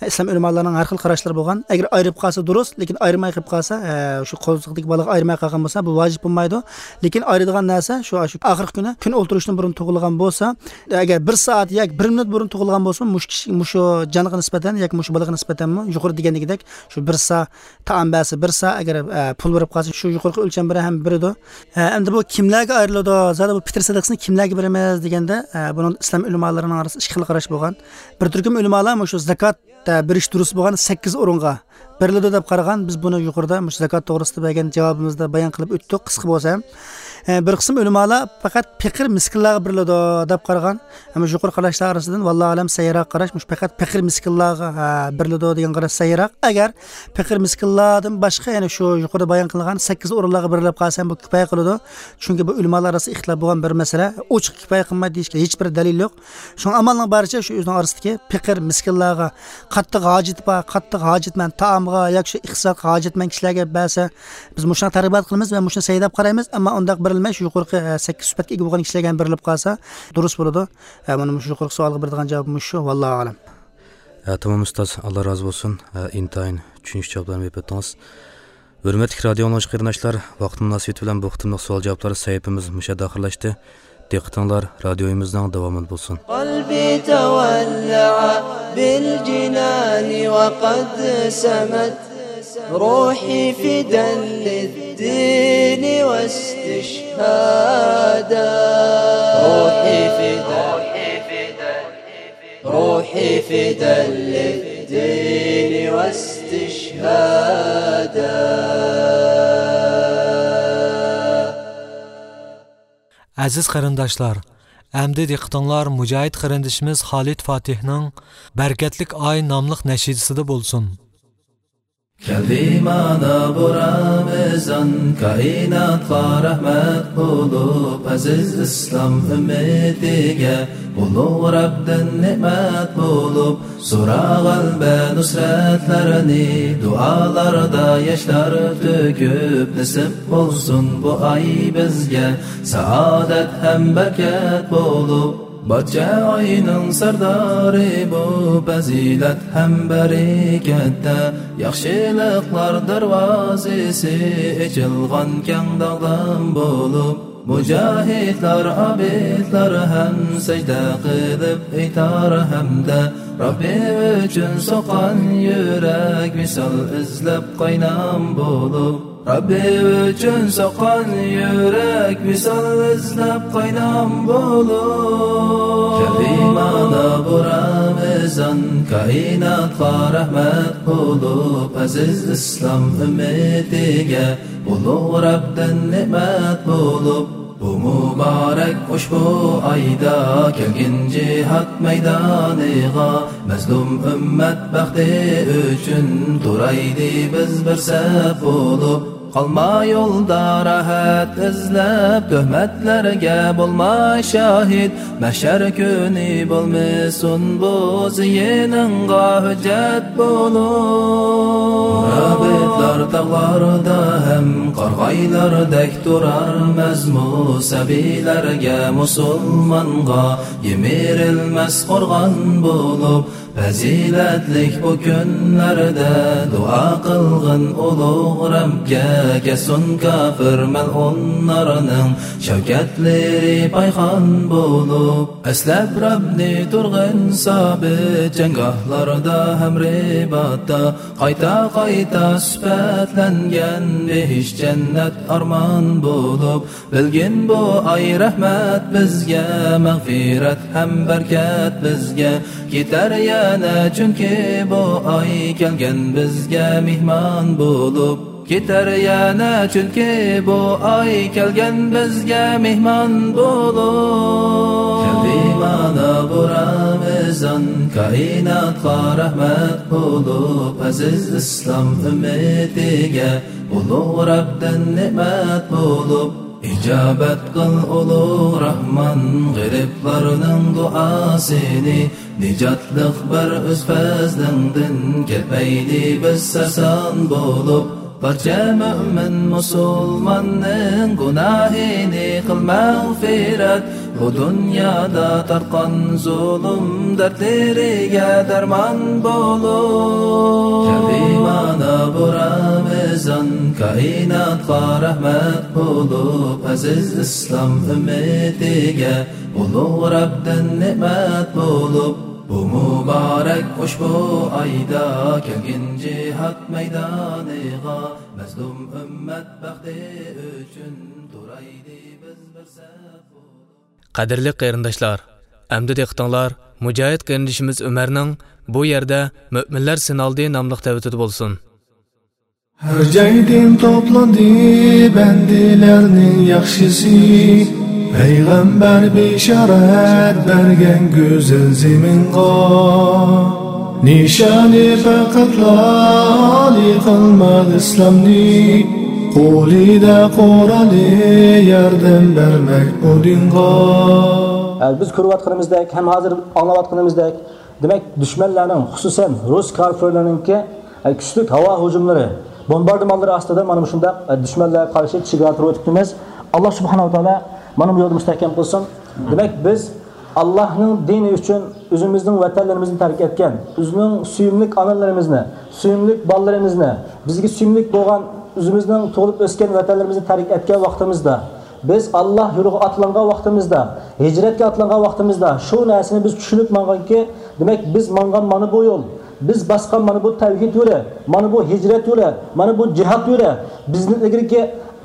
ئىسلام ئۆلىمالارنىڭ ھەر خىل قاراشلىرى بولغان. ئەگەر ئايرىپ قالسا دۇرۇس، لېكىن ئايرىماي قېلىپ قالسا، ھە، شۇ قوزۇقتىكى بالىغا ئايرىماي قالغان بولسا، بۇ ۋاجىپ بولمايدۇ. لېكىن ئايرىدىغان نەرسە شۇ، شۇ ئاخىرقى كۈنى، كۈن ئولتۇرۇشتىن بۇرۇن تۇغۇلغان بولسا، ئەگەر بىر سائەت ياكى بىر مىنۇت بۇرۇن تۇغۇلغان بولسا، مۇشۇ كىشى، مۇشۇ جانغا نىسبەتەن ياكى مۇشۇ بالىغا نىسبەتەنمۇ يۇقىرىدا دېگەندىكىدەك شۇ بىر سا تائام بەرسە، بىر سا، ئەگەر، ئە، پۇل بېرىپ قالسا، شۇ يۇقىرىقى ئۆلچەم بىلەن ھەم بېرىدۇ. ھە، ئەمدى بۇ كىملەرگە ئايرىلىدۇ؟ زادى بۇ پىتىر سەدىقىسىنى كىملەرگە بېرىمىز دېگەندە، ئە، بۇنىڭ ئىسلام ئۆلىمالىرىنىڭ ئارىسىدا ئىككى خىل قاراش بولغان. بىر تۈركۈم ئۆلىمالار مۇشۇ زاكات، ئە، بېرىش دۇرۇس بولغان سەككىز ئورۇنغا بېرىلىدۇ دەپ قارىغان. بىز بۇنى يۇقىرىدا مۇشۇ زاكات توغرىسىدا بەرگەن جاۋابىمىزدا بايان قىلىپ ئۆتتۇق، قىسقا بولسا ھەم. ئە، بىر قىسىم ئۆلىمالار پەقەت پېقىر مىسكىنلارغا بېرىلىدۇ دەپ قارىغان. ئەمما يۇقىرى قاراشلار ئارىسىدىن، ۋاللاھۇ ئەلەم، سەھىھراق قاراش مۇشۇ پەقەت پېقىر مىسكىنلارغا، ھە، بېرىلىدۇ دېگەن قاراش سەھىھراق. ئەگەر پېقىر مىسكىنلاردىن باشقا يەنە شۇ يۇقىرىدا بايان قىلغان سەككىز ئورۇنلارغا بېرىلىپ قالسا ھەم بۇ كۇپايە قىلىدۇ. چۈنكى بۇ ئۆلىمالار ئارىسىدا ئىختىلاپ بولغان بىر مەسىلە. ئوچۇق كۇپايە قىلمايدۇ دېيىشكە ھېچ بىر دەلىل يوق. شۇڭا ئامالنىڭ بارىچە شۇ ئۆزىنىڭ ئارىسىدىكى پېقىر مىسكىنلارغا، قاتتىق ھاجىتى بار، قاتتىق ھاجەتمەن تائامغا ياكى شۇ ئىقتىسادقا ھاجەتمەن كىشىلەرگە بەرسە، بىز مۇشۇنى تەرغىب قىلىمىز ۋە مۇشۇنى سەھىھ دەپ قارايمىز. ئەمما ئۇنداق بېرىلمەي، شۇ يۇقىرىقى، ئە، سەككىز سۈپەتكە ئىگە بولغان كىشىلەرگە ھەم بېرىلىپ قالسا دۇرۇس بولىدۇ. ئە، مانا مۇشۇ يۇقىرىقى سوئالغا بېرىدىغان جاۋاب مۇشۇ. ۋاللاھۇ ئەلەم. ئە، تامام ئۇستاز، ئاللا رازى بولسۇن. ئە، ئىنتايىن چۈشىنىشلىك جاۋابلارنى بېرىپ ئۆتتىڭىز. ھۆرمەتلىك رادىئو ئاڭلىغۇچى قېرىنداشلار، ۋاقىت مۇناسىۋىتى بىلەن بۇ قېتىملىق سوئال جاۋابلار سەھىپىمىز مۇشۇ يەردە ئاخىرلاشتى. دىققىتىڭلار رادىيومىزنىڭ داۋامىدا بولسۇن. قلبي تولع بالجنان وقد سمت، روحي فدا للدين واستشهادا. روحي فدا، روحي فدا للدين واستشهادا. ئەزىز قېرىنداشلار، ئەمدى دىققىتىڭلار مۇجاھىد قېرىندىشىمىز خالىد فاتىھنىڭ بەرىكەتلىك ئاي ناملىق نەشىدىسىدە بولسۇن. كەلدى مانا بۇ رامىزان، كائىناتقا رەھمەت بولۇپ، ئەزىز ئىسلام ئۈممىتىگە ئۇلۇغ رەبتىن نېمەت بولۇپ، زوراۋان ۋە نۇسرەتلەرنى دۇئالاردا ياشلار تۆكۈپ، نېسىپ بولسۇن بۇ ئاي بىزگە سائادەت ھەم بەرىكەت بولۇپ. بارچە ئاينىڭ سەردارى بۇ پەزىلەت ھەم بەرىكەتتە، ياخشىلىقلار دەرۋازىسى ئېچىلغان كەڭ داغدام بولۇپ. مۇجاھىدلار، ئابىدلار ھەم سەجدە قىلىپ ئېيتار ھەمدە، رەببى ئۈچۈن سوققان يۈرەك ۋىسال ئىزلەپ قاينام بولۇپ. رەببى ئۈچۈن سوققان يۈرەك ۋىسال ئىزلەپ قاينام بولۇپ. كەلدى مانا بۇ رامىزان، كائىناتقا رەھمەت بولۇپ، ئەزىز ئىسلام ئۈممىتىگە ئۇلۇغ رەبتىن نېمەت بولۇپ، بۇ مۇبارەك ئۇشبۇ ئايدا كەلگىن جىھاد مەيدانىغا، مەزلۇم ئۈممەت بەختى ئۈچۈن تۇرايلى بىز بىر سەپ بولۇپ. قالما يولدا راھەت ئىزلەپ، تۆھمەتلەرگە بولما شاھىت، مەھشەر كۈنى بولمىسۇن بۇ زىيىنىڭغا ھۆججەت بولۇپ. رابىتلار تاغلاردا ھەم قارىغايلاردەك تۇرار مەزمۇ سەبىيلەرگە، مۇسۇلمانغا يىمىرىلمەس قورغان بولۇپ. پەزىلەتلىك بۇ كۈنلەردە دۇئا قىلغىن ئۇلۇغ رەبكە، كەتسۇن كاپىر مەلئۇنلارنىڭ شەۋكەتلىرى پايخان بولۇپ. ئەسلەپ رەبنى تۇرغىن سابىت، جەڭگاھلاردا ھەم رىباتتا، قايتا-قايتا سۈپەتلەنگەن بېھىشت جەننەت ئارمان بولۇپ. بىلگىن بۇ ئاي رەھمەت بىزگە، مەغپىرەت ھەم بەرىكەت بىزگە. كېتەر يەنە چۈنكى بۇ ئاي، كەلگەن بىزگە مېھمان بولۇپ. كېتەر يەنە چۈنكى بۇ ئاي، كەلگەن بىزگە مېھمان بولۇپ. كەلدى مانا بۇ رامىزان، كائىناتقا رەھمەت بولۇپ. ئەزىز ئىسلام ئۈممىتىگە ئۇلۇغ رەبتىن نېمەت بولۇپ. ئىجابەت قىل ئۇلۇغ راھمان غېرىبلارنىڭ دۇئاسىنى، نىجاتلىق بەر ئۆز پەزلىڭدىن، كەتمەيلى بىز سەرسان بولۇپ. بارچە مۆمىن مۇسۇلماننىڭ گۇناھىنى قىل مەغپىرەت، بۇ دۇنيادا تارتقان زۇلۇم دەردلىرىگە دەرمان بولۇپ. كەلدى مانا بۇ رامىزان، كائىناتقا رەھمەت بولۇپ، ئەزىز ئىسلام ئۈممىتىگە ئۇلۇغ رەبتىن نېمەت بولۇپ. بۇ مۇبارەك ئۇشبۇ ئايدا، كەلگىن جىھاد مەيدانىغا، مەزلۇم ئۈممەت بەختى ئۈچۈن تۇرايلى بىز بىر سەپ بولۇپ. قەدىرلىك قېرىنداشلار، ئەمدى دىققىتىڭلار مۇجاھىد قېرىندىشىمىز ئۆمەرنىڭ بۇ يەردە مۆمىنلەر سىنالدى ناملىق تەۋىتىدە بولسۇن. ھەر جايدىن توپلاندى بەندىلەرنىڭ ياخشىسى، پەيغەمبەر بېشارەت بەرگەن گۈزەل زېمىنغا. نىشانى پەقەتلا ئالىي قىلماق ئىسلامنى، قولىدا قورالى ياردەم بەرمەك بۇ دىنغا. بىز كۆرۈۋاتقىنىمىزدەك ھەم ھازىر ئاڭلاۋاتقىنىمىزدەك، دېمەك، دۈشمەنلەرنىڭ، خۇسۇسەن رۇس كارفىرلىرىنىڭكى، ئە، كۈچلۈك ھاۋا ھۇجۇملىرى، بومباردىمانلىرى ئاستىدا مانا مۇشۇنداق، ئە، دۈشمەنلەرگە قارشى چېگرا تۇرۇۋېتىپتىمىز. ئاللا سۇبھانەھۇ ۋە تائالا مانا بۇ يولدا مۇستەھكەم قىلسۇن. دېمەك، بىز ئاللانىڭ دىنى ئۈچۈن ئۆزىمىزنىڭ ۋەتەنلىرىمىزنى تەرك ئەتكەن، ئۆزىنىڭ سۆيۈملۈك ئانىلىرىمىزنى، سۆيۈملۈك بالىلىرىمىزنى، بىزگە سۆيۈملۈك بولغان ئۆزىمىزنىڭ تۇغۇلۇپ ئۆسكەن ۋەتەنلىرىمىزنى تەرك ئەتكەن ۋاقتىمىزدا، بىز ئاللا يولىغا ئاتلانغان ۋاقتىمىزدا، ھىجرەتكە ئاتلانغان ۋاقتىمىزدا شۇ نەرسىنى بىز چۈشىنىپ ماڭغانكى، دېمەك، بىز ماڭغان مانا بۇ يول، بىز باسقان مانا بۇ تەۋھىد يولى، مانا بۇ ھىجرەت يولى، مانا بۇ جىھاد يولى بىزدىن ئىلگىرىكى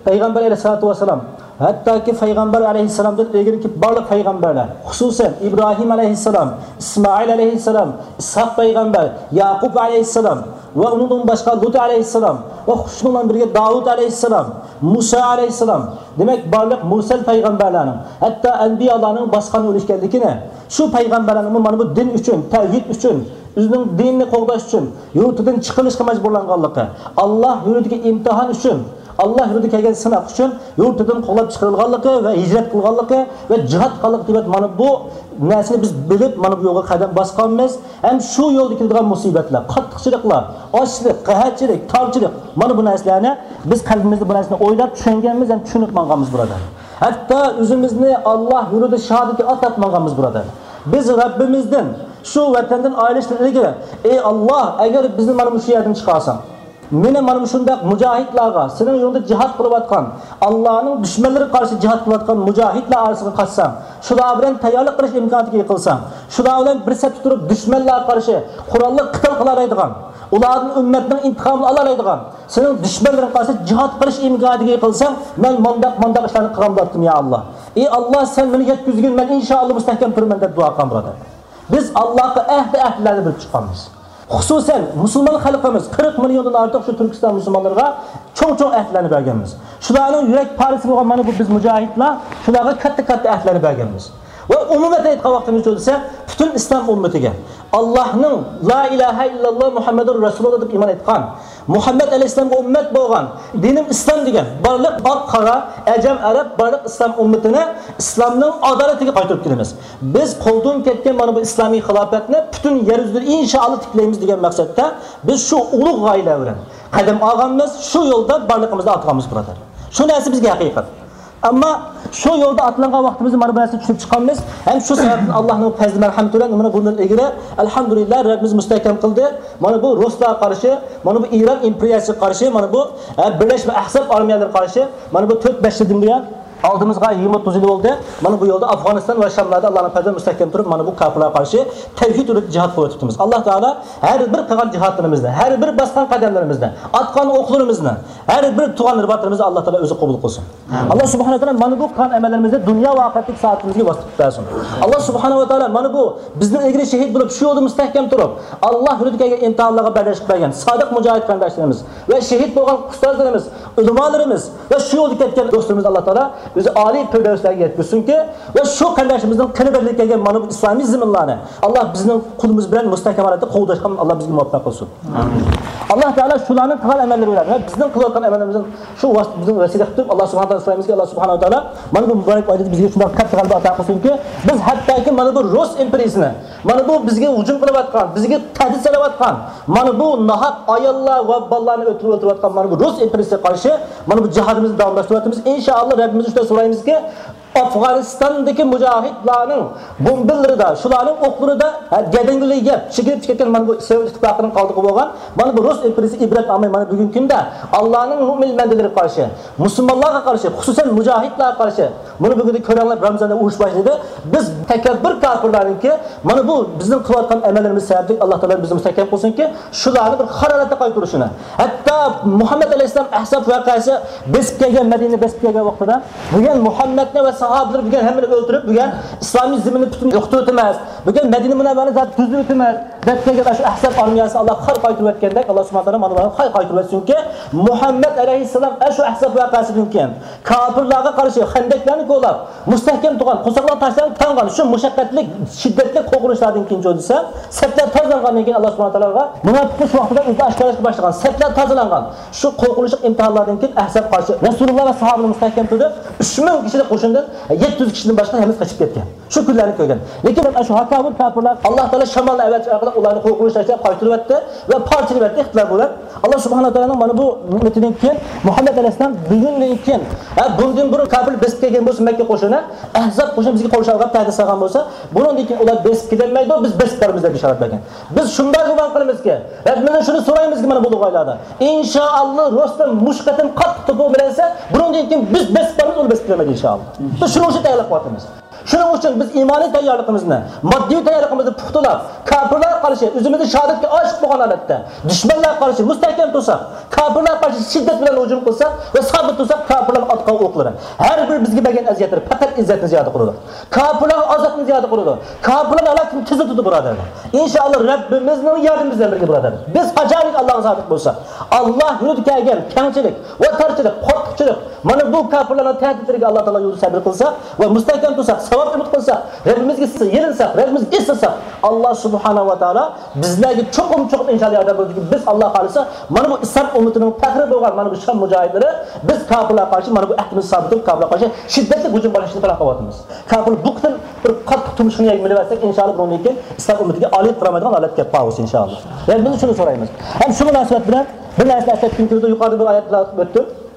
پەيغەمبەر ئەلەيھىسسالاتۇ ۋەسسالام، ھەتتاكى پەيغەمبەر ئەلەيھىسسالامدىن ئىلگىرىكى بارلىق پەيغەمبەرلەر، خۇسۇسەن ئىبراھىم ئەلەيھىسسالام، ئىسمائىل ئەلەيھىسسالام، ئىسھاق پەيغەمبەر، ياقۇپ ئەلەيھىسسالام ۋە ئۇنىڭدىن باشقا لۇت ئەلەيھىسسالام ۋە شۇنىڭ بىلەن بىرگە داۋۇت ئەلەيھىسسالام، مۇسا ئەلەيھىسسالام، دېمەك، بارلىق مۇرسەل پەيغەمبەرلەرنىڭ، ھەتتا ئەنبىيالارنىڭ باسقان يولى ئىكەنلىكىنى، شۇ پەيغەمبەرلەرنىڭمۇ مانا بۇ دىن ئۈچۈن، تەۋھىد ئۈچۈن، ئۆزىنىڭ دىنىنى قوغداش ئۈچۈن يۇرتىدىن چىقىرىلىشقا مەجبۇرلانغانلىقى، ئاللا يولىدىكى ئىمتىھان ئۈچۈن، ئاللا يولىدا كەلگەن سىناق ئۈچۈن يۇرتىدىن قوغلاپ چىقىرىلغانلىقى ۋە ھىجرەت قىلغانلىقى ۋە جىھاد قىلغانلىقى دېگەن مانا بۇ نەرسىنى بىز بىلىپ، مانا بۇ يولغا قەدەم باسقانمىز. ھەم شۇ يولدا كېلىدىغان مۇسىبەتلەر، قاتتىقچىلىقلار، ئاچلىق، قەھەتچىلىك، تارچىلىق، مانا بۇ نەرسىلەرنى بىز قەلبىمىزدە بۇ نەرسىنى ئويلاپ چۈشەنگەنمىز ھەم چۈشىنىپ ماڭغانمىز، بۇرادەر. ھەتتا ئۆزىمىزنى ئاللا يولىدا شاھادەتكە ئاتاپ ماڭغانمىز، بۇرادەر. بىز رەببىمىزدىن شۇ ۋەتەندىن ئايرىلىشتىن ئىلگىرى، ئەي ئاللا، ئەگەر بىزنى مانا مۇشۇ يەردىن چىقارساڭ، مېنى مانا مۇشۇنداق مۇجاھىدلارغا، سېنىڭ يولۇڭدا جىھاد قىلىۋاتقان، ئاللانىڭ دۈشمەنلىرىگە قارشى جىھاد قىلىۋاتقان مۇجاھىدلار ئارىسىغا قاتساڭ، شۇلار بىلەن تەييارلىق قىلىش ئىمكانىيىتىگە ئىگە قىلساڭ، شۇلار بىلەن بىر سەپتە تۇرۇپ، دۈشمەنلەرگە قارشى قوراللىق قىتال قىلالايدىغان، ئۇلاردىن ئۈممەتنىڭ ئىنتىقامىنى ئالالايدىغان، سېنىڭ دۈشمەنلىرىڭگە قارشى جىھاد قىلىش ئىمكانىيىتىگە ئىگە قىلساڭ، مەن مانداق، مانداق ئىشلارنى قىلغان بولاتتىم، يا ئاللا. ئى ئاللا، سەن مېنى يەتكۈزگىن، مەن ئىنشائاللا مۇستەھكەم تۇرىمەن، دەپ دۇئا قىلغان، بۇرادەر. بىز ئاللاغا ئەھدى ئەھدىلەرنى بېرىپ چىققانمىز. خۇسۇسەن، مۇسۇلمان خەلقىمىز، قىرىق مىليوندىن ئارتۇق شۇ تۈركىستان مۇسۇلمانلىرىغا چوڭ-چوڭ ئەھدىلەرنى بەرگەنمىز. شۇلارنىڭ يۈرەك پارىسى بولغان مانا بۇ بىز مۇجاھىدلار، شۇلارغا كاتتا-كاتتا ئەھدىلەرنى بەرگەنمىز. ۋە ئومۇمەن ئېيتقان ۋاقتىمىزدا دېسە، پۈتۈن ئىسلام ئۈممىتىگە، ئاللاھنىڭ لا ئىلاھە ئىللاللا مۇھەممەدۇر رەسۇلۇللا دەپ ئىمان ئېيتقان، مۇھەممەد ئەلەيھىسسالامغا ئۈممەت بولغان، دىنىم ئىسلام دېگەن بارلىق ئاق-قارا، ئەجەم-ئەرەب، بارلىق ئىسلام ئۈممىتىنى ئىسلامنىڭ ئادالىتىگە قايتۇرۇپ كېلىمىز. بىز قولدىن كەتكەن مانا بۇ ئىسلامىي خىلاپەتنى پۈتۈن يەر يۈزىدە ئىنشائاللا تىكلەيمىز دېگەن مەقسەتتە بىز شۇ ئۇلۇغ غايىلەر بىلەن قەدەم ئالغانمىز، شۇ يولدا بارلىقىمىزنى ئاتىغانمىز، بۇرادەر. شۇ نەرسە بىزگە ھەقىقەت. ئەمما شۇ يولدا ئاتلانغان ۋاقتىمىزدا مانا بۇ نەرسىنى چۈشىنىپ چىققانمىز. ھەم شۇ سەۋەبتىن ئاللانىڭ پەزلى مەرھەمىتى بىلەن مانا بۇندىن ئىلگىرى، ئەلھەمدۇلىللا، رەببىمىز مۇستەھكەم قىلدى. مانا بۇ رۇسلارغا قارشى، مانا بۇ ئىران ئىمپېرىيەسىگە قارشى، مانا بۇ، ھە، بىرلەشمە ئەھزاب ئارمىيەلىرىگە قارشى، مانا بۇ تۆت بەش يىلدىن بۇيان، ئالدىمىزغا يىگىرمە ئوتتۇز يىل بولدى. مانا بۇ يولدا ئافغانىستان ۋە شاملاردا ئاللانىڭ پەزلى مۇستەھكەم تۇرۇپ، مانا بۇ كاپىرلارغا قارشى تەۋھىد يولىدا جىھاد قىلىۋېتىپتىمىز. ئاللا تائالا ھەر بىر قىلغان جىھادلىرىمىزنى، ھەر بىر باسقان قەدەملىرىمىزنى، ئاتقان ئوقلىرىمىزنى، ھەر بىر تۇغان رىباتلىرىمىزنى ئاللا تائالا ئۆزى قوبۇل قىلسۇن. ئاللا سۇبھانەھۇ ۋە تائالا مانا بۇ قىلغان ئەمەللىرىمىزنى دۇنيا ۋە ئاخىرەتتىكى سائادىتىمىزگە ۋاسىتە قىلىپ بەرسۇن. ئاللا سۇبھانەھۇ ۋە تائالا مانا بۇ بىزدىن ئىلگىرى شېھىت بولۇپ، شۇ يولدا مۇستەھكەم تۇرۇپ، ئاللا يولىدا كەلگەن ئىمتىھانلارغا بەرداشلىق بەرگەن سادىق مۇجاھىد قېرىنداشلىرىمىز ۋە شېھىت بولغان ئۇستازلىرىمىز، ئۆلىمالىرىمىز ۋە شۇ يولدا كەتكەن دوستلىرىمىز ئاللا تائالا ئۆزى ئالىي پىردەۋسلەرگە يەتكۈزسۇنكى، ۋە شۇ قېرىنداشلىرىمىزنىڭ قېنى بەدىلى كەلگەن مانا بۇ ئىسلامىي زېمىنلارنى ئاللا بىزنىڭ قولىمىز بىلەن مۇستەھكەم ھالەتتە قوغداشقا ئاللا بىزگە مۇۋەپپەق قىلسۇن. ئاللا تائالا شۇلارنىڭ قىلغان ئەمەللىرى بىلەن ۋە بىزنىڭ قىلىۋاتقان ئەمەللىرىمىزنىڭ شۇ ۋاسىتە بىزنىڭ ۋەسىلە قىلىپ، ئاللا سۇبھانەھۇ ۋە تائالا سورايمىزكى، ئاللا سۇبھانەھۇ ۋە تائالا مانا بۇ مۇبارەك ئايدا بىزگە شۇنداق كاتتا غەلىبە ئاتا قىلسۇنكى، بىز ھەتتاكى مانا بۇ رۇس ئىمپېرىيىسىنى، مانا بۇ بىزگە ھۇجۇم قىلىۋاتقان، بىزگە تەھدىت سېلىۋاتقان، مانا بۇ ناھەق ئاياللار ۋە بالىلارنى ئۆلتۈرۈپ ئۆلتۈرۈۋاتقان مانا بۇ رۇس ئىمپېرىيىسىگە قارشى مانا بۇ جىھادىمىزنى داۋاملاشتۇرۇۋاتىمىز. ئىنشائاللا، رەببىمىزدىن شۇنداق سورايمىزكى، ئافغانىستاندىكى مۇجاھىدلارنىڭ بومبىلىرىدا، شۇلارنىڭ ئوقلىرىدا، ھە، گەدەنگىلى يەپ، چېكىنىپ كەتكەن مانا بۇ سوۋېت ئىتتىپاقىنىڭ قالدۇقى بولغان مانا بۇ رۇس ئىمپېرىيىسى ئىبرەت ئالماي مانا بۈگۈنكى كۈندە ئاللانىڭ مۆمىن بەندىلىرىگە قارشى، مۇسۇلمانلارغا قارشى، خۇسۇسەن مۇجاھىدلارغا قارشى، مانا بۈگۈندە كۆرەڭلار، رامزاندا ئۇرۇش باشلىدى. بىز تەكەببۇر كاپىرلارنىڭكى مانا بۇ بىزنىڭ قىلىۋاتقان ئەمەللىرىمىز سەۋەبلىك ئاللا تائالا بىزنى مۇستەھكەم قىلسۇنكى، شۇلارنى بىر خار ھالەتتە قايتۇرۇشىنى. ھەتتا مۇھەممەد ئەلەيھىسسالام ئەھزاب ۋەقەسى بېسىپ كەلگەن، مەدىنە بېسىپ كەلگەن ۋاقتىدا بۈگۈن مۇھەممەدنى ۋە ساھابىلىرى بۈگۈن ھەممىنى ئۆلتۈرۈپ، بۈگۈن ئىسلامىي زېمىننى پۈتۈن يوقىتىۋېتىمىز. بۈگۈن مەدىنە مۇنەۋۋەرنى زادى تۈزۈۋېتىمىز دەپ كەلگەن شۇ ئەھزاب ئارمىيەسى ئاللا خار قايتۇرۇۋەتكەندەك، ئاللا سۇبھانەھۇ ۋە تائالا مانا بۇلارنى خار قايتۇرۇۋەتسۇنكى، مۇھەممەد ئەلەيھىسسالام ئاشۇ ئەھزاب ۋەقەسىدىن كېيىن كاپىرلارغا قارشى خەندەكلەرنى كولاپ، مۇستەھكەم تۇرغان، قورساقلار تاشلارنى تاڭغان شۇ مۇشەققەتلىك، شىددەتلىك قوغۇنۇشلاردىن كېيىن، جۇ دېسە، سەپلەر تازىلانغاندىن كېيىن، ئاللا سۇبھانەھۇ ۋە تائالانىڭ مۇناپىقلار شۇ ۋاقتىدا ئۆزى ئاشكارىلاشقا باشلىغان، سەپلەر تازىلانغان شۇ قورقۇنچلۇق ئىمتىھانلاردىن كېيىن، ئەھزاب قارشى رەسۇلۇللا ۋە ساھابىلىرى مۇستەھكەم تۇردى. ئۈچ مىڭ كىشىلىك قوشۇندىن يەتتە يۈز كىشىدىن باشقا ھەممىسى قېچىپ كەتكەن. شۇ كۈنلەرنى كۆرگەن. لېكىن مەن شۇ ھاكاۋۇر كاپىرلار، ئاللا تائالا شامالنى ئەۋەتىش ئارقىلىق ئۇلارنى قورقۇنچ تاشلاپ قايتۇرۇۋەتتى ۋە پارچىلىۋەتتى ئىقتىدار بىلەن. ئاللا سۇبھانەھۇ ۋە تائالانىڭ مانا بۇ نېمىتىدىن كېيىن مۇھەممەد ئەلەيھىسسالام بۈگۈندىن كېيىن، ھە، بۇندىن بۇرۇن كاپىر بېسىپ كەلگەن بولسا مەككە قوشۇنى، ئەھزاب قوشۇنى بىزگە قورشاۋغا تەھدىت سالغان بولسا، بۇنىڭدىن كېيىن ئۇلار بېسىپ كېتەلمەيدۇ، بىز بېسىپ بارىمىز دەپ بېشارەت بەرگەن. بىز شۇنداق گۇمان قىلىمىزكى، رەببىمىزدىن شۇنى سورايمىزكى، مانا بۇ ئايلاردا، ئىنشائاللا، رۇسلار مۇشۇ قېتىم قاتتىق توپا بىلەنسە، بۇنىڭدىن كېيىن بىز بېسىپ بارىمىز، ئۇلار بېسىپ كېتەلمەيدۇ، ئىنشائاللا. بىز شۇنىڭ ئۈچۈن تەييارلىق قىلىۋاتىمىز. شۇنىڭ ئۈچۈن بىز ئىمانىي تەييارلىقىمىزنى، ماددىي تەييارلىقىمىزنى پۇختىلاپ، كاپىرلارغا قارشى ئۆزىمىزنى شاھادەتكە ئاشىق بولغان ھالەتتە، دۈشمەنلەرگە قارشى مۇستەھكەم تۇرساق، كاپىرلارغا قارشى شىددەت بىلەن ھۇجۇم قىلساق ۋە سابىت تۇرساق، كاپىرلارنىڭ ئاتقان ئوقلىرى، ھەر بىر بىزگە بەرگەن ئەزىيەتلىرى پەقەت ئىززەتنى زىيادە قىلىدۇ. كاپىرلارغا ئازابنى زىيادە قىلىدۇ. كاپىرلارنىڭ ھالاكىتىنى تېزلىتىدۇ، بۇرادەرلەر. ئىنشائاللا، رەببىمىزنىڭ ياردىمى بىلەن بىرگە، بۇرادەرلەر. بىز قاچانكى ئاللاغا سادىق بولساق، ئاللا يولىدا كەلگەن كەڭچىلىك ۋە تارچىلىق، قاتتىقچىلىق، مانا بۇ كاپىرلارنىڭ تەھدىتلىرىگە ئاللا تائالا يولىدا سەبىر قىلساق ۋە مۇستەھكەم تۇرساق، ساۋاب ئۈمىد قىلساق، رەببىمىزگە يېلىنساق، رەببىمىزگە ئېسىلساق، ئاللا سۇبھانەھۇ ۋە تائالا بىزلەرگە چوقۇم، چوقۇم ئىنشائاللا ياردەم بېرىدۇكى، بىز ئاللا خالىسا، مانا بۇ ئىسلام ئۈممىتىنىڭ پەخرى بولغان مانا بۇ شام مۇجاھىدلىرى، بىز كاپىرلارغا قارشى مانا بۇ ئەھدىمىزنى سابىت تۇرۇپ، كاپىرلارغا قارشى شىددەتلىك ھۇجۇم باشلاشنى پىلان قىلىۋاتىمىز. كاپىر بۇ قېتىم بىر قاتتىق تۇمشۇقنى يەگە مىنىۋەرسەك، ئىنشائاللا، بۇنىڭدىن كېيىن ئىسلام ئۈممىتىگە ئالىيىپ قارىمايدىغان ھالەتكە كېلىپ قالغۇسى، ئىنشائاللا. يەنى بىز شۇنى سورايمىز. ھەم شۇ مۇناسىۋەت بىلەن بىر نەرسىنى ئەسلەتكۈم كېلىدۇ، يۇقىرىدا بىر ئايەت بىلەن ئۆتتۈم.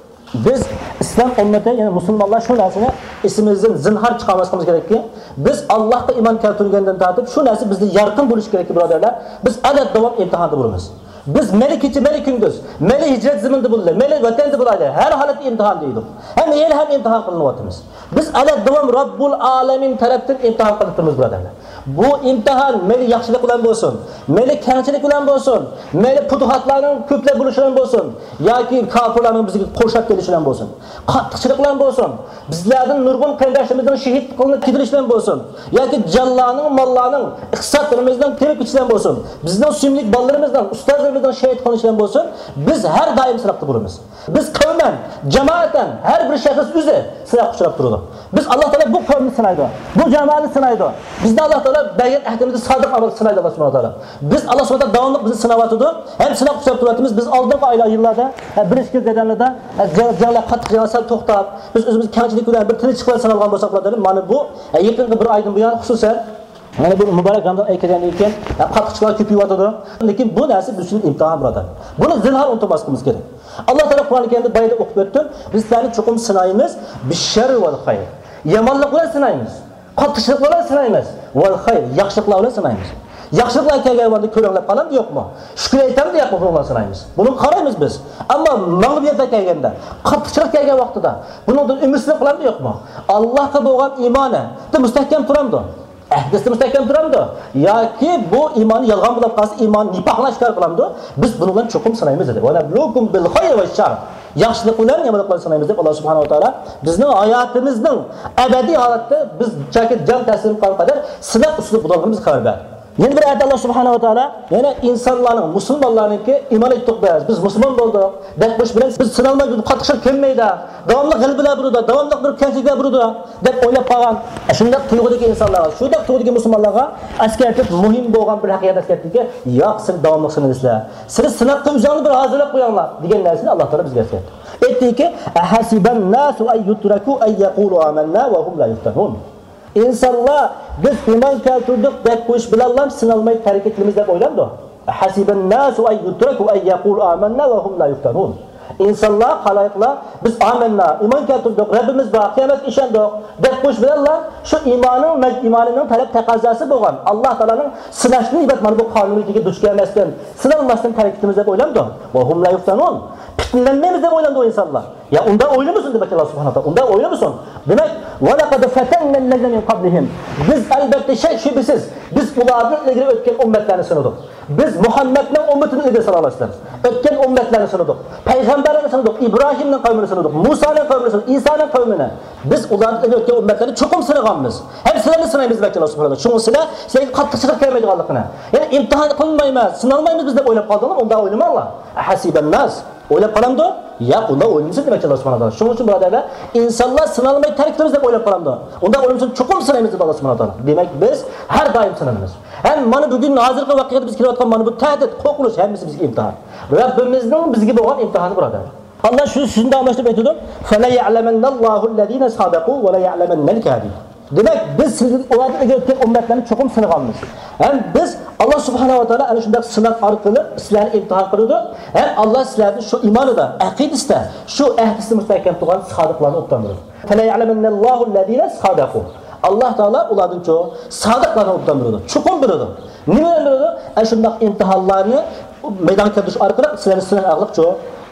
بىز ئىسلام ئۈممىتى، يەنى مۇسۇلمانلار شۇ نەرسىنى ئېسىمىزدىن زىنھار چىقارماسلىقىمىز كېرەككى، بىز ئاللاھقا ئىمان كەلتۈرگەندىن تارتىپ شۇ نەرسە بىزدە يارقىن بولۇشى كېرەككى، بۇرادەرلەر. بىز ئەبەد داۋام ئىمتىھاندا بولىمىز. بىز مەيلى كېچە، مەيلى كۈندۈز، مەيلى ھىجرەت زېمىنىدا بولىلى، مەيلى ۋەتەندە بولايلى، ھەر ھالەتتە ئىمتىھان دەيدۇ. ھەم ھېلى ھەم ئىمتىھان قىلىنىۋاتىمىز. بىز ئەبەد داۋام رەببۇل ئالەمىن تەرەپتىن ئىمتىھان قىلىپ تۇرىمىز، بۇرادەرلەر. بۇ ئىمتىھان مەيلى ياخشىلىق بىلەن بولسۇن، مەيلى كەڭچىلىك بىلەن بولسۇن، مەيلى پۇتۇھاتلارنىڭ كۆپلەپ بولۇشى بىلەن بولسۇن، ياكى كاپىرلارنىڭ بىزگە قورشاپ كېلىشى بىلەن بولسۇن، قاتتىقچىلىق بىلەن بولسۇن، بىزلەردىن نۇرغۇن قېرىنداشلىرىمىزنىڭ شېھىت قىلىنىپ كېتىلىشى بىلەن بولسۇن، ياكى جانلارنىڭ، ماللارنىڭ، ئىقتىسادلىرىمىزنىڭ تېمىپ كېتىشى بىلەن بولسۇن، بىزنىڭ سۆيۈملۈك بالىلىرىمىزنىڭ، ئۇستازلىرىمىزنىڭ شېھىت قىلىنىشى بىلەن بولسۇن، بىز ھەر دائىم سىناقتا بولىمىز. بىز قەۋمەن، جامائەتەن، ھەر بىر شەخس ئۆزى سىناققا ئۇچراپ تۇرىدۇ. بىز، ئاللا تائالا بۇ قەۋمنى سىنايدۇ، بۇ جامائەتنى سىنايدۇ. بىزنى ئاللا تائالا بەرگەن ئەھدىمىزدە سادىق ئەمەلدە سىنايدۇ، ئاللا سۇبھانەھۇ ۋە تائالا. بىز، ئاللا سۇبھانەھۇ ۋە تائالا داۋاملىق بىزنى سىناۋاتىدۇ، ھەم سىناققا ئۇچراپ تۇرۇۋاتىمىز. بىز ئالدىنقى ئايلار، يىللاردا، ھە، بىر ئىككى يىل جەريانىدا، ھە، جەڭ-، جەڭلەر، قاتتىق جەڭلەر سەل توختاپ، بىز ئۆزىمىز كەڭچىلىك بىلەن بىر تىنچلىق بىلەن سىنالغان بولساق، بۇرادەرلەر، مانا بۇ، ھە، يېقىنقى بىر ئايدىن بۇيان خۇسۇسەن، مانا بۇ مۇبارەك رامزان ئايى كەلگەندىن كېيىن، ھە، قاتتىقچىلىقلار كۆپىيىۋاتىدۇ. لېكىن بۇ نەرسە بىز ئۈچۈن ئىمتىھان، بۇرادەر. بۇنى زىنھار ئۇنتۇماسلىقىمىز كېرەك. ئاللا تائالا قۇرئان كەرىمدە بايىدا ئوقۇپ ئۆتتۈم، بىز سىلەرنى چوقۇم سىنايمىز، بىششەررى ۋەل خەير. يامانلىق بىلەن سىنايمىز. قاتتىقچىلىق بىلەن سىنايمىز. ۋەل خەير، ياخشىلىقلار بىلەن سىنايمىز. ياخشىلىقلار كەلگەن ۋاقىتتا كۆرەڭلەپ قالامدۇ يوقمۇ؟ شۈكۈر ئېيتامدۇ يوقمۇ؟ بۇنىڭغا سىنايمىز. بۇنىڭغا قارايمىز بىز. ئەمما مەغلۇبىيەتلەر كەلگەندە، قاتتىقچىلىق كەلگەن ۋاقتىدا بۇنىڭدىن ئۈمىدسىزلىك قىلامدۇ يوقمۇ؟ ئاللاھقا بولغان ئىمانى مۇستەھكەم تۇرامدۇ؟ ئەھدىسى مۇستەھكەم تۇرامدۇ؟ ياكى بۇ ئىمانى يالغان بولۇپ قالسا، ئىمان نىپاقنى ئاشكارا قىلامدۇ؟ بىز بۇنىڭ بىلەن چوقۇم سىنايمىز دېدى. ۋە نەبلۇكۇم بىل خەير ۋە شەر. ياخشىلىق بىلەن يامانلىق بىلەن سىنايمىز دەپ، ئاللا سۇبھانەھۇ ۋە تائالا بىزنىڭ ھاياتىمىزنىڭ ئەبەدىي ھالەتتە بىز چاكى جان تەسلىم قىلغان قەدەر سىناق ئۈستىدە بولىدىغانلىقىمىزنى خەۋەر بەردى. يەنە بىر ئايەتتە ئاللا سۇبھانەھۇ ۋە تائالا يەنە ئىنسانلارنىڭ، مۇسۇلمانلارنىڭكى ئىمان ئېيتتۇق بىز، بىز مۇسۇلمان بولدۇق دەپ قويۇش بىلەن بىز سىنالماي، بىز قاتتىق شەرت كەلمەيدۇ، داۋاملىق غەلىبىلەر بولىدۇ، داۋاملىق بىر كەڭچىلىكلەر بولىدۇ دەپ ئويلاپ قالغان، شۇنداق تۇيغۇدىكى ئىنسانلارغا، شۇنداق تۇيغۇدىكى مۇسۇلمانلارغا ئەسكەرتىپ، مۇھىم بولغان بىر ھەقىقەتنى ئەسكەرتتىكى، ياق، سىلەر داۋاملىق سىنىلىسىلەر، سىلەر سىناققا ئۆزۈڭلارنى بىر ھازىرلاپ قويۇڭلار دېگەن نەرسىنى ئاللا تائالا بىزگە ئەسكەرتتى. ئېيتتىكى، ئەھەسىبەن ناسۇ ئەن يۇترەكۇ ئەن يەقۇلۇ ئامەننا ۋە ھۇم لا يۇفتەنۇن. ئىنسانلار بىز ئىمان كەلتۈردۇق دەپ قويۇش بىلەنلا سىنالماي تەرك ئېتىلىمىز دەپ ئويلايدۇ. ئەھەسىبەن ناسۇ ئەن يۇترەكۇ ئەن يەقۇلۇ ئامەننا ۋە ھۇم لا يۇفتەنۇن. ئىنسانلار، خالايىقلار، بىز ئامەننا، ئىمان كەلتۈردۇق، رەببىمىز بار، قىيامەتكە ئىشەندۇق دەپ قويۇش بىلەنلا شۇ ئىماننىڭ، ئىمانىنىڭ تەلەپ تەقەززاسى بولغان، ئاللا تائالانىڭ سىناشتىن ئىبارەت مانا بۇ قانۇنىيىتىگە دۇچ كەلمەستىن، سىنالماستىن تەرك ئېتىمىز دەپ ئويلامدۇ. ۋە ھۇم لا يۇفتەنۇن. پىتنىلەنمەيمىز دەپ ئويلامدۇ ئىنسانلار. يا ئۇنداق ئويلىمىسۇن دېمەك، ئاللا سۇبھانەھۇ ۋە تائالا ئۇنداق ئويلىمىسۇن. دېمەك، ۋە لەقەد فەتەننەللەزىنە مىن قەبلىھىم. بىز ئەلبەتتە شەك-شۈبھىسىز، بىز ئۇلاردىن ئىلگىرى ئۆتكەن ئۈممەتلەرنى سىنىدۇق. بىز مۇھەممەدنىڭ ئۈممىتىدىن ئىلگىرى ساللاللاھۇ ئەلەيھى ۋەسەللەم ئۆتكەن ئۈممەتلەرنى سىنىدۇق. پەيغەمبەرلەرنى سىنىدۇق. ئىبراھىمنىڭ قەۋمىنى سىنىدۇق. مۇسانىڭ قەۋمىنى سىنىدۇق. ئىسانىڭ قەۋمىنى. بىز ئۇلاردىن ئىلگىرى ئۆتكەن ئۈممەتلەرنى چوقۇم سىنىغانمىز. ھەم سىلەرنى سىنايمىز دېمەكچى ئاللا سۇبھانەھۇ ۋە تائالا. شۇڭا سىلەر، سىلەرگە قاتتىقچىلىق كەلمەيدىغانلىقىنى، يەنى ئىمتىھان قىلمايمىز، سىنالمايمىز بىز دەپ ئويلاپ قالدىڭلارمۇ؟ ئۇنداق ئويلىماڭلار. ئەھەسىبەن ناس. ئويلاپ قالامدۇ؟ ياق، ئۇنداق ئويلىمىسۇن دېمەكچى ئاللا سۇبھانەھۇ ۋە تائالا. شۇنىڭ ئۈچۈن بۇرادەرلەر، ئىنسانلار سىنالماي تەرك قىلىمىز دەپ ئويلاپ قالامدۇ؟ ئۇنداق ئويلىمىسۇن، چوقۇم سىنايمىز دەپ ئاللا سۇبھانەھۇ ۋە تائالا. دېمەك، بىز ھەر دائىم سىنىلىمىز. ھەم مانا بۈگۈن ھازىرقى ۋەقەدە بىز كېلىۋاتقان مانا بۇ تەھدىت، قورقۇنچ ھەممىسى بىزگە ئىمتىھان. رەببىمىزنىڭ بىزگە بولغان ئىمتىھانى بۇرادەرلەر. ئاللا شۇ سۆزىنى داۋاملاشتۇرۇپ ئېيتىدۇ، فَلَيَعْلَمَنَّ اللَّهُ الَّذِينَ صَدَقُوا وَلَيَعْلَمَنَّ الْكَاذِبِينَ. دېمەك، بىز سىلەردىن ئۇلاردىن ئىلگىرى ئۆتكەن ئۈممەتلەرنى چوقۇم سىنىغانمىز. ھەم بىز، ئاللا سۇبھانەھۇ ۋە تائالا ئەنە شۇنداق سىناق ئارقىلىق سىلەرنى ئىمتىھان قىلىدۇ. ھەم ئاللا سىلەردىن شۇ ئىمانىدا، ئەقىدىسىدە، شۇ ئەھدىسىدە مۇستەھكەم تۇرغان سادىقلارنى ئوبدان بىلىدۇ. فَلَيَعْلَمَنَّ اللَّهُ الَّذِينَ صَدَقُوا. ئاللا تائالا ئۇلاردىنچۇ سادىقلارنى ئوبدان بىلىدۇ، چوقۇم بىلىدۇ. نېمە بىلەن بىلىدۇ؟ ئەنە شۇنداق ئىمتىھانلارنى مەيدانغا كەلتۈرۈش ئارقىلىق سىلەرنى سىناق ئارقىلىقچۇ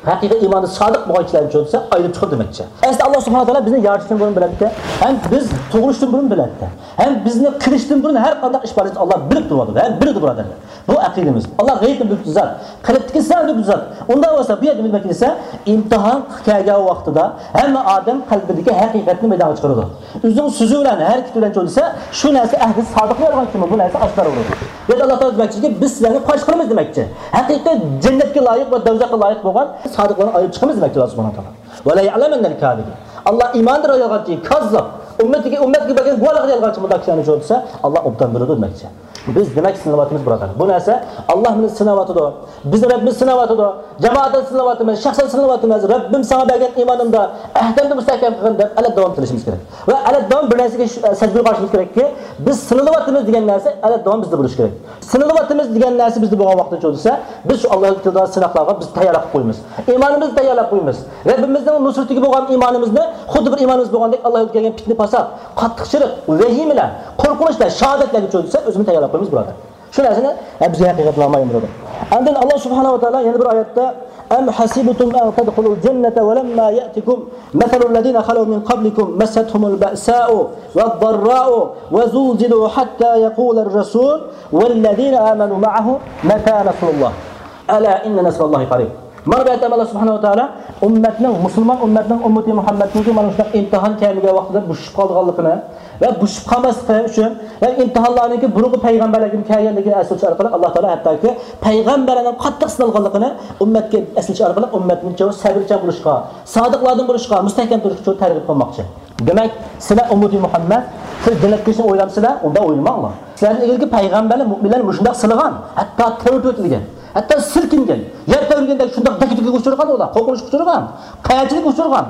ھەقىقىي ئىماندا سادىق بولغان كىشىلەرنى چۆلىسە ئايرىپ چىقىدۇ دېمەكچى. ئەسلى ئاللا سۇبھانەھۇ ۋە تائالا بىزنى يارىتىشتىن بۇرۇن بىلەتتى. ھەم بىز تۇغۇلۇشتىن بۇرۇن بىلەتتى. ھەم بىزنى قىلىشتىن بۇرۇن ھەر قانداق ئىش بارلىقىنى ئاللا بىلىپ تۇرۇۋاتىدۇ. ھەم بىلىدۇ بۇرادەرلەر. بۇ ئەقىدىمىز. ئاللا غەيىبنى بىلىدۇ زات. قەلبتىكى سىرنى بىلىدۇ زات. ئۇنداق بولسا بۇ يەردە نېمە دېسە، ئىمتىھان كەلگەن ۋاقتىدا ھەممە ئادەم قەلبىدىكى ھەقىقەتنى مەيدانغا چىقىرىدۇ. ئۆزىنىڭ سۆزى بىلەن، ھەرىكىتى بىلەن چۆلىسە، شۇ نەرسە ئەھدى سادىقنى ئالغان كىمۇ بۇ نەرسە ئاشكارا بولىدۇ. يەنى ئاللا تائالا دېمەكچىكى، بىز سىلەرنى پاش قىلىمىز دېمەكچى. ھەقىقىي جەننەتكە لايىق ۋە دوزاخقا لايىق بولغان سادىقلارنى ئايرىپ چىقىمىز دېمەكچى ئاللا سۇبھانەھۇ ۋە تائالا. ۋە لەيەلەمەننەل كازىبىن. ئاللا ئىماندا يالغانچى، كاززاب، ئۈممىتىگە، ئۈممەتكە بەرگەن گۇۋاھلىقىدا يالغانچى بۇنداق كىشىلەرنى چۆلىسە، ئاللا ئوبدان بىلىدۇ دېمەكچى. بىز دېمەك سىنىلىۋاتىمىز بۇرادەر. بۇ نەرسە ئاللا مېنى سىناۋاتىدۇ. بىزنى رەببىمىز سىناۋاتىدۇ. جامائەتنى سىنىۋاتىمىز، شەخسەن سىنىۋاتىمىز. رەببىم ساڭا بەرگەن ئىمانىمدا ئەھدىمنى مۇستەھكەم قىلغىن دەپ ئەلەت داۋام تىلىشىمىز كېرەك. ۋە ئەلەت داۋام بىر نەرسىگە ش-، سەزگۈر قارىشىمىز كېرەككى، بىز سىنىلىۋاتىمىز دېگەن نەرسە ئەلەت داۋام بىزدە بولۇشى كېرەك. سىنىلىۋاتىمىز دېگەن نەرسە بىزدە بولغان ۋاقىتتا چۆلىسە، بىز شۇ ئاللا كېلتۈرىدىغان سىناقلارغا بىز تەييارلىق قىلىپ قويىمىز. ئىمانىمىزنى تەييارلاپ قويىمىز. رەببىمىزنىڭ نۇسرىتىگە بولغان ئىمانىمىزنى خۇددى بىر ئىمانىمىز بولغاندەك ئاللا يولىدا كەلگەن پىتنە پاسات، قاتتىقچىلىق، ۋەھىمىلەر، قورقۇنچلار، شاھادەتلەرگە چۆلىسە ئۆزىمىزنى تەييارلاپ قويىمىز بۇرادەر. شۇ نەرسىنى، ھە، بىزگە ھەقىقەتنى ئاڭلايمىز. ئاندىن ئاللا سۇبھانەھۇ ۋە تائالا يەنە بىر ئايەتتە، أَمْ حَسِبْتُمْ أَنْ تَدْخُلُوا الْجَنَّةَ وَلَمَّا يَأْتِكُمْ مَثَلُ الَّذِينَ خَلَوْا مِنْ قَبْلِكُمْ مَسَّتْهُمُ الْبَأْسَاءُ وَالضَّرَّاءُ وَزُلْزِلُوا حَتَّى يَقُولَ الرَّسُولُ وَالَّذِينَ آمَنُوا مَعَهُ مَتَىٰ نَصْرُ اللَّهِ أَلَا إِنَّ نَصْرَ اللَّهِ قَرِيبٌ. مانا بۇ يەردە ئاللا سۇبھانەھۇ ۋە تائالا ئۈممەتنىڭ، مۇسۇلمان ئۈممەتنىڭ، ئۈممىتى مۇھەممەدنىڭكى مانا شۇنداق ئىمتىھان كەلمىگەن ۋاقتىدا بوشىشىپ قالىدىغانلىقىنى ۋە بوشىشىپ قالماسلىقى ئۈچۈن ۋە ئىمتىھانلارنىڭكى بۇرۇنقى پەيغەمبەرلەرگىمۇ كەلگەنلىكىنى ئەسلىتىش ئارقىلىق ئاللا تائالا ھەتتاكى پەيغەمبەرلەرنىڭ قاتتىق سىنالغانلىقىنى ئۈممەتكە ئەسلىتىش ئارقىلىق ئۈممەتنى سەۋرچان بولۇشقا، سادىقلاردىن بولۇشقا، مۇستەھكەم تۇرۇشقا تەرغىب قىلماقچى. دېمەك، سىلەر ئۈممىتى مۇھەممەد، سىز جەننەتكە كىرىشنى ئويلامسىلەر؟ ئۇنداق ئويلىماڭلار. سىلەردىن ئىلگىرىكى پەيغەمبەرلەر، مۇئمىنلەرنى مۇشۇنداق سىلىغان، ھەتتا تەۋرىتىۋېتىلگەن. ھەتتا سىلكىنگەن، يەر تەۋرىگەندەك شۇنداق دەكدىكىگە ئۇچرىغان ئۇلار، قورقۇنچقا ئۇچرىغان، قەيەنچىلىككە ئۇچرىغان،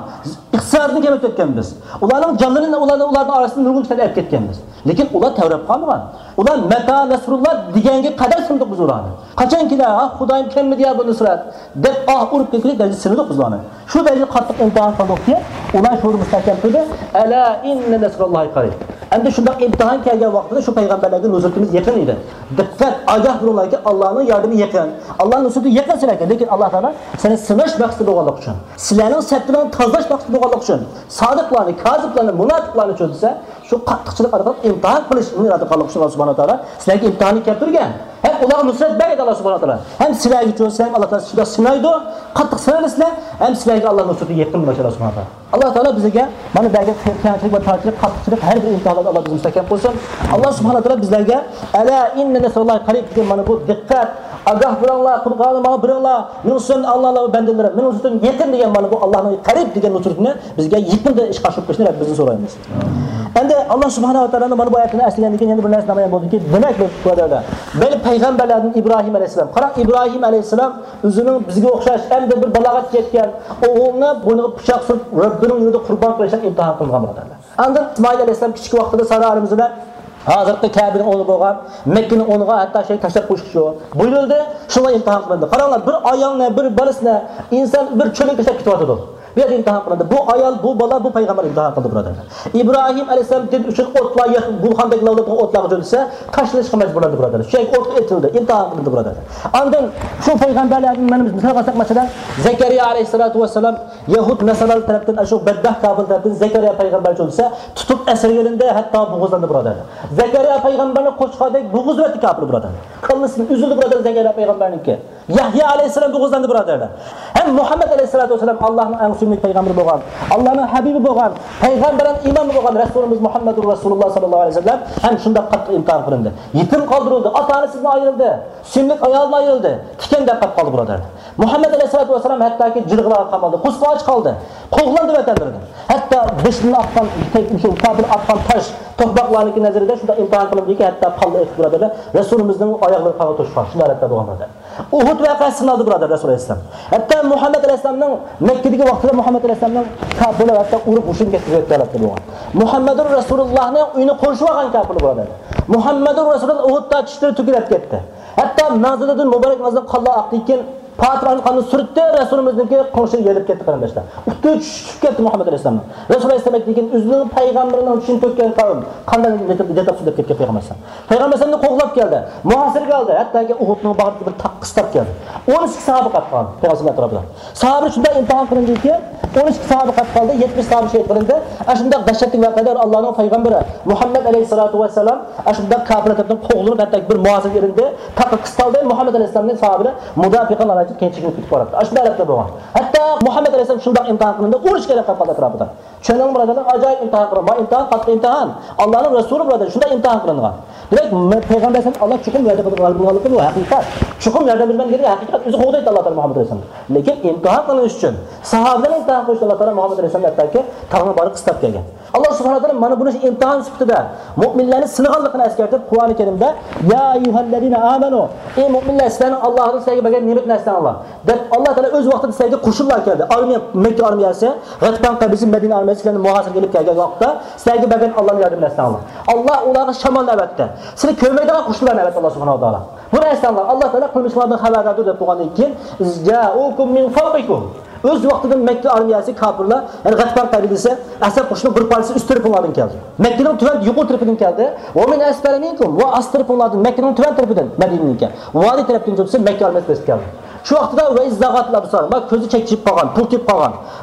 ئىقتىسادىنى كەملىتىۋەتكەنمىز. ئۇلارنىڭ جانلىرىنى، ئۇلارنى، ئۇلارنىڭ ئارىسىدىن نۇرغۇن كىشىلەرنى ئەپ كەتكەنمىز. لېكىن ئۇلار تەۋرەپ قالمىغان. ئۇلار مەتا نەسرۇللا دېگەنگە قەدەر سىندۇق بىز ئۇلارنى. قاچانكى، ھا، خۇدايىم كەلمىدى يا بۇ نۇسرەت دەپ ئاھ ئۇرۇپ كەتكۈدەك دەرىجىدە سىندۇق بىز ئۇلارنى. شۇ دەرىجىدە قاتتىق ئىمتىھان قىلدۇقكى، ئۇلار شۇنى مۇستەھكەم تۇردى. ئەلا ئىننە نەسراللاھى قەرىب. ئەمدى شۇنداق ئىمتىھان كەلگەن ۋاقتىدا شۇ پەيغەمبەرلەرگە نۇسرىتىمىز يېقىن ئىدى. دىققەت، ئاگاھ بولۇڭلاركى، ئاللانىڭ ياردىمى يېقىن. ئاللانىڭ نۇسرىتى يېقىن سىلەرگە. لېكىن ئاللا تائالا سېنى سىناش مەقسىتى بولغانلىقى ئۈچۈن، سىلەرنىڭ سەپلىرىڭنى تازىلاش مەقسىتى بولغانلىقى ئۈچۈن، سادىقلارنى، كازىبلارنى، مۇناپىقلارنىچۇ دېسە، شۇ قاتتىقچىلىق ئارقىلىق ئىمتىھان قىلىشنى ئىرادە قىلغانلىقى ئۈچۈن ئاللا سۇبھانەھۇ ۋە تائالا سىلەرگە ئىمتىھاننى كەلتۈرگەن. ھەم ئۇلارغا نۇسرەت بەرگەن ئاللا سۇبھانەھۇ ۋە تائالا. ھەم سىلەرگىچۇ، سىلەرنى ئاللا تائالا شۇنداق سىنايدۇ، قاتتىق سىنايدۇ سىلەر. ھەم سىلەرگە ئاللا نۇسرىتى يېقىن بولۇشى ئاللا سۇبھانەھۇ ۋە تائالا. ئاللا تائالا بىزگە مانا بەرگەن كەڭچىلىك ۋە تارچىلىق، قاتتىقچىلىق، ھەر بىر ئىمتىھانلاردا ئاللا بىزنى مۇستەھكەم قىلسۇن. ئاللا سۇبھانەھۇ ۋە تائالا بىزلەرگە ئەلا ئىننە نەسراللاھى قەرىب دېگەن مانا بۇ دىققەت، ئاگاھ بولۇڭلار، قۇرئاننى ماڭا بېرىڭلار، مېنىڭ ئۈستۈمدە ئاللا ۋە بەندىلىرىم، مېنىڭ ئۈستۈمدە يېقىن دېگەن مانا بۇ ئاللانىڭ قەرىب دېگەن نۇسرىتىنى بىزگە يېقىندا ئىشقا ئاشۇرۇپ بېرىشنى رەببىمىزدىن سورايمىز. ئەمدى ئاللا سۇبھانەھۇ ۋە تائالانىڭ مانا بۇ ئايەتلىرىنى ئەسلىگەندىن كېيىن يەنە بىر نەرسە نامايان بولدىكى، دېمەك، بۇ بۇرادەرلەر، مەيلى پەيغەمبەرلەردىن ئىبراھىم ئەلەيھىسسالام، قاراڭ، ئىبراھىم ئەلەيھىسسالام ئۆزىنىڭ بىزگە ئوخشاش ئەمدى بىر بالاغەتكە يەتكەن ئوغلىنى بوينىغا پىچاق سۇرۇپ، رەببىنىڭ يولىدا قۇربان قىلىشقا ئىمتىھان قىلىنغان بۇرادەرلەر. ئاندىن ئىسمائىل ئەلەيھىسسالام كىچىك ۋاقتىدا سارا ئانىمىز بىلەن ھازىرقى كەبىنىڭ ئورنى بولغان مەككىنىڭ ئورنىغا ھەتتا شەي تاشلاپ قويۇشقىچۇ بۇيرۇلدى. شۇڭا ئىمتىھان قىلىندى. قاراڭلار، بىر ئايالنى، بىر بالىسىنى ئىنسان بىر چۆلگە تاشلاپ كېتىۋاتىدۇ. بۇ يەردە ئىمتىھان قىلىندى. بۇ ئايال، بۇ بالا، بۇ پەيغەمبەر ئىمتىھان قىلدى، بۇرادەرلەر. ئىبراھىم ئەلەيھىسسالام دىن ئۈچۈن ئوتلار يېق-، گۈلخاندەك لاۋلاپ تۇرغان ئوتلارغا چۆلىسە، تاشلىنىشقا مەجبۇرلاندى، بۇرادەرلەر. شۇ يەرگە ئوتقا ئېتىلدى، ئىمتىھان قىلىندى، بۇرادەرلەر. ئاندىن شۇ پەيغەمبەرلەردىن مانا بىز مىسال ئالساق، مەسىلەن، زەكەرىيا ئەلەيھىسسالاتۇ ۋەسسالام يەھۇد ناسارالار تەرەپتىن، ئاشۇ بەدبەخت كاپىر تەرەپتىن زەكەرىيا پەيغەمبەر چۆلىسە، تۇتۇپ ئەسىرگە ئېلىندى، ھەتتا بوغۇزلاندى، بۇرادەرلەر. زەكەرىيا پەيغەمبەرنى قوچقاردەك بوغۇزلىۋەتتى كاپىر، بۇرادەرلەر. كاللىسى ئۈزۈلدى، بۇرادەرلەر، زەكەرىيا پەيغەمبەرنىڭكى. يەھيا ئەلەيھىسسالام بوغۇزلاندى، بۇرادەرلەر. ھەم مۇھەممەد ئەلەيھىسسالاتۇ ۋەسسالام، ئاللانىڭ ئەڭ سۆيۈملۈك پەيغەمبىرى بولغان، ئاللانىڭ ھەبىبى بولغان، پەيغەمبەرلەرنىڭ ئىمامى بولغان رەسۇلىمىز مۇھەممەدۇر رەسۇلۇللا ساللاللاھۇ ئەلەيھى ۋەسەللەم ھەم شۇنداق قاتتىق ئىمتىھان قىلىندى. يېتىم قالدۇرۇلدى، ئاتا-ئانىسىدىن ئايرىلدى، سۆيۈملۈك ئايالىدىن ئايرىلدى، تىكەندەك قېلىپ قالدى، بۇرادەرلەر. مۇھەممەد ئەلەيھىسسالاتۇ ۋەسسالام ھەتتاكى جىلغىلارغا قامالدى، قۇسقا ئاچ قالدى، قوغلاندى ۋەتەنلىرىدىن. ھەتتا بېشىدىن ئاتقان، شۇ كاپىر ئاتقان تاش، توپىلاقلارنىڭكى نەزىرىدە شۇنداق ئىمتىھان قىلىندىكى، ھەتتا قانلىق ئېقىپ، بۇرادەرلەر، رەسۇلىمىزنىڭ ئاياغلىرى قانغا توشقان، شۇنداق ھالەتتە بولغان، بۇرادەرلەر. ئۇھۇد ۋەقەسى سىنالدى، بۇرادەر، رەسۇل ئەلەيھىسسالام. ھەتتا مۇھەممەد ئەلەيھىسسالامنىڭ مەككىدىكى ۋاقتىدا مۇھەممەد ئەلەيھىسسالامنىڭ كاپىرلار ھەتتا ئۇرۇپ ھوشىدىن كەتكۈزۈۋەتكەن ھالەتتە بولغان. مۇھەممەدۇر رەسۇلۇللاھنىڭ ئۆيىنى قورشىۋ ئالغان كاپىرلار، بۇرادەر. مۇھەممەدۇر رەسۇلۇللاھ ئۇھۇدتا چىشلىرى تۆكۈلۈپ كەتتى. ھەتتا مەڭزىلىدىن مۇبارەك مەڭزىدىن قانلار ئاقتىكەن، پاتىمانىڭ قانىنى سۈرتتى، رەسۇلىمىزنىڭكى قوڭشى يېلىپ كەتتى، قېرىنداشلار. ئۇتتۇرى چۈشۈپ كەتتى مۇھەممەد ئەلەيھىسسالامنىڭ. رەسۇل ئەلەيھىسسالام ئېيتتىكەن، ئۆزىنىڭ پەيغەمبىرىنىڭ چىشىنى تۆككەن قەۋم قانداق جازا تېپىپ كەتتى پەيغەمبەر ئەلەيھىسسالام. پەيغەمبەر ئەلەيھىسسالامنى قوغلاپ كەلدى، مۇھاسىرىگە ئالدى، ھەتتاكى ئۇھۇدنىڭ باغرىدىكى بىر تاغقا قىستاپ كەلدى. ئون ئىككى ساھابە قېلىپ قالدى پەيغەمبەر ئەلەيھىسسالام ئەتراپىدا. ساھابە شۇنداق ئىمتىھان قىلىندىكى، ئون ئىككى ساھابە قېلىپ قالدى، يەتمىش ساھابە شېھىت قىلىندى. ئاشۇنداق دەھشەتلىك ۋەقەدە ئاللانىڭ پەيغەمبىرى مۇھەممەد ئەلەيھىسسالاتۇ ۋەسسالام ئاشۇنداق كاپىرلار تەرىپىدىن قوغلىنىپ، ھەتتا بىر مۇھاسىرىگە ئېلىندى. تاغقا قىستالدى، مۇھەممەد ئەلەيھىسسالامنى ساھابىلەر مۇداپىئە قىلالمايدۇ، كېيىن چېكىنىپ كېتىپ باراتتى. ئاشۇنداق ھالەتتە بولغان. ھەتتا مۇھەممەد ئەلەيھىسسالام شۇنداق ئىمتىھان قىلىندى، ئۇرۇش كېرەك قىلىپ قالدى ئەتراپىدا. چۈشەندىڭىزمۇ، بۇرادەرلەر؟ ئاجايىپ ئىمتىھان قىلىنغان. ما ئىمتىھان، قاتتىق ئىمتىھان. ئاللانىڭ رەسۇلى، بۇرادەر، شۇنداق ئىمتىھان قىلىنغان. دېمەك، مە-، پەيغەمبەر ئەلەيھىسسالام ئاللا چوقۇم ياردەم قىلىدىغان بولغانلىقى بۇ ھەقىقەت. چوقۇم ياردەم بېرىمەن دېگەن ھەقىقەت. ئۆزى قوغدايتتى ئاللا تائالا مۇھەممەد ئەلەيھىسسالامنى. لېكىن ئىمتىھان قىلىنىش ئۈچۈن، ساھابىلەرنى ئىمتىھان قىلىش ئۈچۈن ئاللا تائالا مۇھەممەد ئەلەيھىسسالامنى ھەتتاكى تاغنىڭ باغرىغا قىستاپ كەلگەن. ئاللا سۇبھانەھۇ ۋە تائالا مانا بۇنى ئىمتىھان سۈپىتىدە مۆمىنلەرنى سىنىغانلىقىنى ئەسكەرتىپ، قۇرئانى كەرىمدە، يا ئيها الذين آمنوا، ئى مۆمىنلەر، سىلەرنىڭ ئاللاھتىن سىلەرگە بەرگەن نېمىتىنى ئەسلەڭلار، دەپ، ئاللا تائالا ئۆز ۋاقتىدا سىلەرگە قوشۇنلار كەلدى. ئارمىيە، مەككە ئارمىيەسى غەتپان قەبىلىسى مەدىنە ئارمىيەسى سىلەرنى مۇھاسىرىگە ئېلىپ كەلگەن ۋاقىتتا، سىلەرگە بەرگەن ئاللانىڭ ياردىمىنى ئەسلەڭلار. ئاللا ئۇلارغا شامالنى ئەۋەتتى. سىلەر كۆرمەيدىغان قوشۇنلارنى ئەۋەتتى ئاللا سۇبھانەھۇ ۋە تائالا. بۇنى ئەسلەڭلار. ئاللا تائالا قىلمىشىڭلاردىن خەۋەرداردۇر دەپ بولغاندىن كېيىن، إذ جاءوكم من فوقكم. ئۆز ۋاقتىدا مەككە ئارمىيەسى، كاپىرلار، يەنى غەتپان قەبىلىسى، ئەسەب قوشۇنى بىر پارچىسى ئۈست تەرىپىڭلاردىن كەلدى. مەككىنىڭ تۆۋەن، يۇقىرى تەرىپىدىن كەلدى. ومن أسفل منكم، ۋە ئاست تەرىپىڭلاردىن، مەككىنىڭ تۆۋەن تەرىپىدىن، مەدىنىنىڭكى، ۋادى تەرەپتىن چۆكسە، مەككە ئارمىيەسى بېسىپ كەلدى. شۇ ۋاقىتتا، وإذ زاغت الأبصار، ما كۆزى چەكچىيىپ قالغان، پۇلتىيىپ قالغان،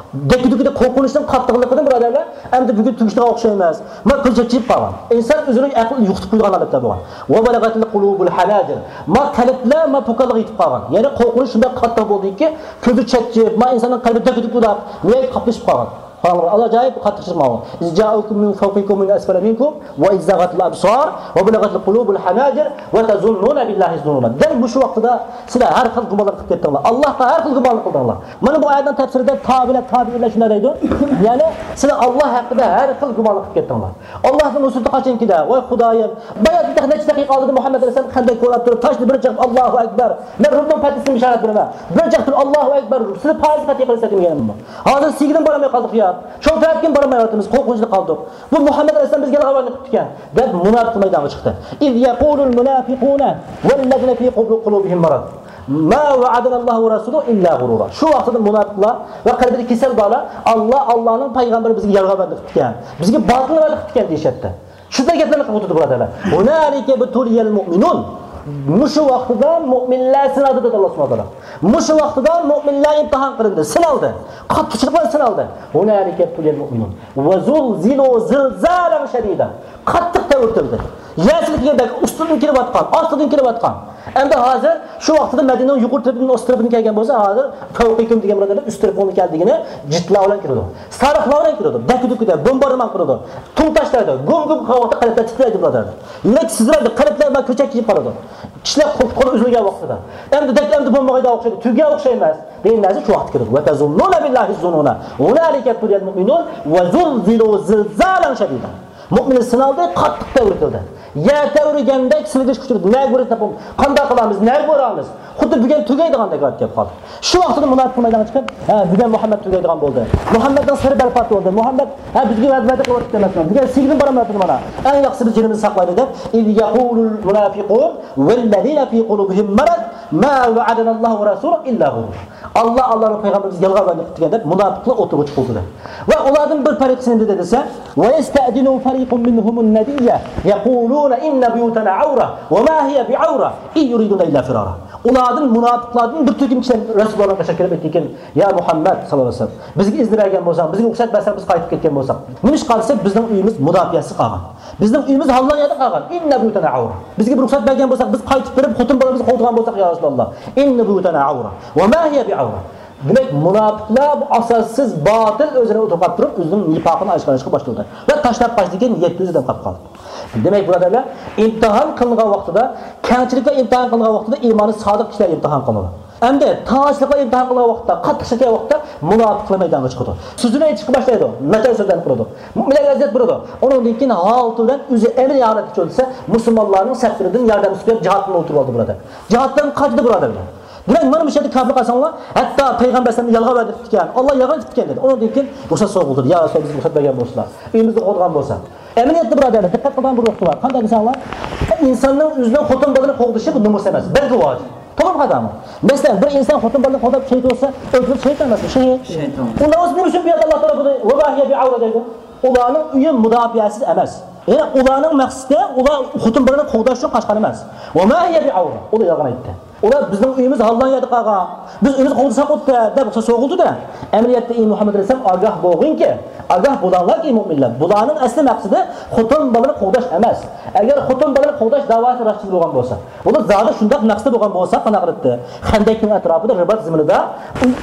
دەككە-دۈككىدە قورقۇنچنىڭ قاتتىقلىقىدىن، بۇرادەرلەر، ئەمدى بۈگۈن تۈگىشىدىغان ئوخشايمىز. ما كۆزى چەكچىيىپ قالغان. ئىنسان ئۆزىنىڭ ئەقلىنى يوقىتىپ قويىدىغان ھالەتتە بولغان. وبلغت القلوب الحناجر. ما قەلبلەر ما پوكانلىققا يېتىپ قالغان. يەنى قورقۇنچ شۇنداق قاتتىق بولدىكى، كۆزى چەكچىيىپ، ما ئىنساننىڭ قەلبى دەككە-دۈككە بولاپ، نىھايەت قاپلىشىپ قالغان. قاراڭلار، ئاجايىپ قاتتىق چىقماڭلار. إذ جاءوكم من فوقكم ومن أسفل منكم وإذ زاغت الأبصار وبلغت القلوب الحناجر وتظنون بالله الظنونا. دەل مۇشۇ ۋاقتىدا سىلەر ھەر خىل گۇمانلار قىلىپ كەتتىڭلار. ئاللاھقا ھەر خىل گۇمانلار قىلدىڭلار. مانا بۇ ئايەتنىڭ تەپسىرىدە تابىئىلەر، تابىئىنلار شۇنداق دەيدۇ. يەنى سىلەر ئاللاھ ھەققىدە ھەر خىل گۇمانلار قىلىپ كەتتىڭلار. ئاللاھنىڭ نۇسرىتى قاچانكىدە؟ ۋاي خۇدايىم، بايا بىر نەچچە دەقىقە ئالدىدا مۇھەممەد ئەلەيھىسسالام خەندەك كولاپ تۇرۇپ، تاشنى بىر چېقىپ، ئاللاھۇ ئەكبەر، مەن رۇمنىڭ پەتھىسىنى بېشارەت بېرىمەن، بىر چېقىپ تۇرۇپ، ئاللاھۇ ئەكبەر، سىلى پارسنى پەتھ قىلىسىلەر دېمىگەنمۇ؟ ھازىر سىيگىدىن بارالماي قالدۇق يا، شۇ تەرەپكىمۇ بارالمايۋاتىمىز، قورقۇنچتا قالدۇق. بۇ مۇھەممەد ئەلەيھىسسالام بىزگە يالغان گۇماننى قىپتىكەن دەپ مۇناپىقلار مەيدانغا چىقتى. إذ يقول المنافقون والذين في قلوبهم مرض ما وعدنا الله ورسوله إلا غرورا. شۇ ۋاقىتتا مۇناپىقلار ۋە قەلبىدە كېسەل بارلار، ئاللا، ئاللانىڭ پەيغەمبىرى بىزگە يالغان گۇماننى قىپتىكەن، بىزگە باتىل گۇماننى قىپتىكەن دېيىشەتتى. شۇنداق گەپلەرنى قىلىپ ئولتۇردى، بۇرادەرلەر. هنالك ابتلي المؤمنون. مۇشۇ ۋاقتىدا مۆمىنلەر سىنالدى، دېدى ئاللا سۇبھانەھۇ ۋە تائالا. مۇشۇ ۋاقتىدا مۆمىنلەر ئىمتىھان قىلىندى، سىنالدى. قاتتىقچىلىق بىلەن سىنالدى. هنالك ابتلي المؤمنون وزلزلوا زلزالا شديدا. قاتتىق تەۋرىتىلدى. يەر سىلكىگەندەك ئۈستىدىن كېلىۋاتقان، ئاستىدىن كېلىۋاتقان. ئەمدى ھازىر شۇ ۋاقتىدا مەدىنىنىڭ يۇقىرى تەرىپىدىن ئوست تەرىپىدىن كەلگەن بولسا، ھازىر فەۋقىكۇم دېگەن بۇرادەرلەر ئۈست تەرىپىڭدىن كەلدى دېگىنى جىتلار بىلەن كېلىدۇ. سارىخلار بىلەن كېلىدۇ. دەككە-دۈككىدە بومباردىمان قىلىدۇ. تۇڭ تاشلايدۇ. گۇم-گۇم قىلغان ۋاقىتتا قەلبلەر تىترەيدۇ، بۇرادەرلەر. يۈرەك سىزلايدۇ. قەلبلەر مانا كۆچەك كېلىپ قالىدۇ. كىشىلەر قول، قول ئۈزۈلگەن ۋاقتىدا. ئەمدى دەك، ئەمدى بولمىغايدىغان ئوخشايدۇ. تۈگىگەن ئوخشايمەس دېگەن نەرسە شۇ ۋاقىتتا كېلىدۇ. وتظنون بالله الظنونا. هنالك ابتلي المؤمنون وزلزلوا زلزالا شديدا. مۆمىنلەر سىنالدى، قاتتىق تەۋرىتىلدى. يەر تەۋرىگەندەك سىلكىشكە ئۇچرىدى. نەگە بېرىمىز، قانداق قىلىمىز، نەگە بارامىز؟ خۇددى بۈگۈن تۈگەيدىغاندەك ھالەتكە كېلىپ قالدى. شۇ ۋاقتىدا مۇناپىقلار مەيدانغا چىقىپ، ھە، بۈگۈن مۇھەممەد تۈگەيدىغان بولدى. مۇھەممەدنىڭ سىرى بەربات بولدى. مۇھەممەد، ھە، بىزگە ۋەدە، ۋەدە قىلىۋاتىپتۇ ئەمەسمۇ. بۈگۈن سىيگىدىن بارالمايۋاتىدۇ مانا. ئەڭ ياخشىسى بىز جېنىمىزنى ساقلايلى دەپ. إذ يقول المنافقون والذين في قلوبهم مرض ما وعدنا الله ورسوله إلا غرورا. ئاللا، ئاللانىڭ پەيغەمبىرى بىزگە يالغان ۋەدە قىپتىكەن دەپ مۇناپىقلار ئوتتۇرىغا چىقىۋاتىدۇ. ۋە ئۇلاردىن بىر پەرىقىسى نېمە دېدى دېسە، ويستأذن فريق منهم النبي يقولون إن بيوتنا عورة وما هي بعورة إن يريدون إلا فرارا. ئۇلاردىن، مۇناپىقلاردىن بىر تۈركۈم كىشىلەر رەسۇلۇللاھنىڭ قېشىغا كېلىپ ئېيتتىكەن، يا مۇھەممەد ساللاللاھۇ ئەلەيھى ۋەسەللەم، بىزگە ئىزنى بەرگەن بولساڭ، بىزگە رۇخسەت بەرسەڭ، بىز قايتىپ كەتكەن بولساق. نېمىشقا دېسە، بىزنىڭ ئۆيىمىز مۇداپىئەسىز قالغان. بىزنىڭ ئۆيىمىز ھاللان يەردە قالغان. إن بيوتنا عورة. بىزگە بىر رۇخسەت بەرگەن بولساق، بىز قايتىپ بېرىپ خوتۇن بالىمىزنى قوغدىغان بولساق، يا رەسۇلاللاھ. إن بيوتنا عورة وما هي بعورة. دېمەك، مۇناپىقلار بۇ ئاساسسىز، باتىل ئۆزىنى ئوتتۇرىغا قويۇپ تۇرۇپ، ئۆزىنىڭ نىپاقىنى ئاشكارىلاشقا باشلىدى. ۋە تاشلاپ قاچتىكەن، يەتتە يۈز ئادەم قاپقالدى. دېمەك، بۇرادەرلەر، ئىمتىھان قىلىنغان ۋاقتىدا، كەڭچىلىككە ئىمتىھان قىلىنغان ۋاقتىدا ئىمانى سادىق كىشىلەر ئىمتىھان قىلىنىدۇ. ئەمدى تاجلىقلار ئىمتىھان قىلغان ۋاقىتتا، قاتتىق چەككەن ۋاقىتتا مۇناپىقلار مەيدانغا چىقىدۇ. سۆزىنى ئېيتىشقا باشلايدۇ، ناچار سۆزلەرنى قىلىدۇ. مۆمىنلەرگە ئەزىيەت بېرىدۇ. ئۇنىڭدىن كېيىن ھالىتى بىلەن ئۆزى ئەمەلىي ھالەتكە چۈشۈپ كەتسە، مۇسۇلمانلارنىڭ سەپلىرىدىن ياردەم ئىستەپ جىھادتىن ئولتۇرۇۋالىدۇ، بۇرادەر. جىھادتىن قاچىدۇ، بۇرادەرلەر. دېمەك، مانا مۇشۇ يەردە كاپىر قارىساڭلار، ھەتتا پەيغەمبەر ئەلەيھىسسالام يالغان ۋەدە قىپتىكەن، ئاللا يالغان قىپتىكەن دېدى. ئۇنىڭدىن كېيىن رۇخسەت سوراپ قىلدى. يا رەسۇلاللا، بىزگە رۇخسەت بەرگەن بولسىلا، ئۆيىمىزنى قوغدىغان بولسا. ئەمەلىيەتتە، بۇرادەرلەر، دىققەت قىلىدىغان بىر نۇقتا بار. قانداق دېسەڭلار، ئىنساننىڭ ئۆزىنىڭ خوتۇن بالىنى قوغدىشى بۇ نومۇس ئەمەس، بەلكى ۋاجىپ. توغرىمۇ خاتامۇ؟ مەسىلەن، بىر ئىنسان خوتۇن بالىنى قوغداپ شېھىت بولسا، ئۆلتۈرۈپ شېھىت ئەمەسمۇ؟ شېھىت. شېھىت. ئۇنداق بولسا نېمە ئۈچۈن بۇ يەردە ئاللا تائالا بۇنى ۋەباھىيە بىئەۋرە دەيدۇ؟ ئۇلارنىڭ ئۆيى مۇداپىئەسىز ئەمەس. يەنى ئۇلارنىڭ مەقسىتى، ئۇلار خوتۇن بالىنى قوغداش ئۈچۈن قاچقان ئەمەس. ۋەماھىيە بىئەۋرە. ئۇلار يالغان ئېيتتى. ئۇلار بىزنىڭ ئۆيىمىز ھاللان يەردە قالغان. بىز ئۆيىمىزنى قوغدىساق بولدى دەپ سوغۇلدى-دە. ئەمەلىيەتتە، ئى مۇھەممەد ئەلەيھىسسالام، ئاگاھ بولغىنكى، ئاگاھ بولاڭلاركى، مۆمىنلەر، بۇلارنىڭ ئەسلى مەقسىتى خوتۇن بالىنى قوغداش ئەمەس. ئەگەر خوتۇن بالىنى قوغداش داۋاسى راستچىل بولغان بولسا، ئۇلار زادى شۇنداق مەقسىتى بولغان بولسا، قانداق قىلاتتى؟ خەندەكنىڭ ئەتراپىدا، رىبات زېمىنىدا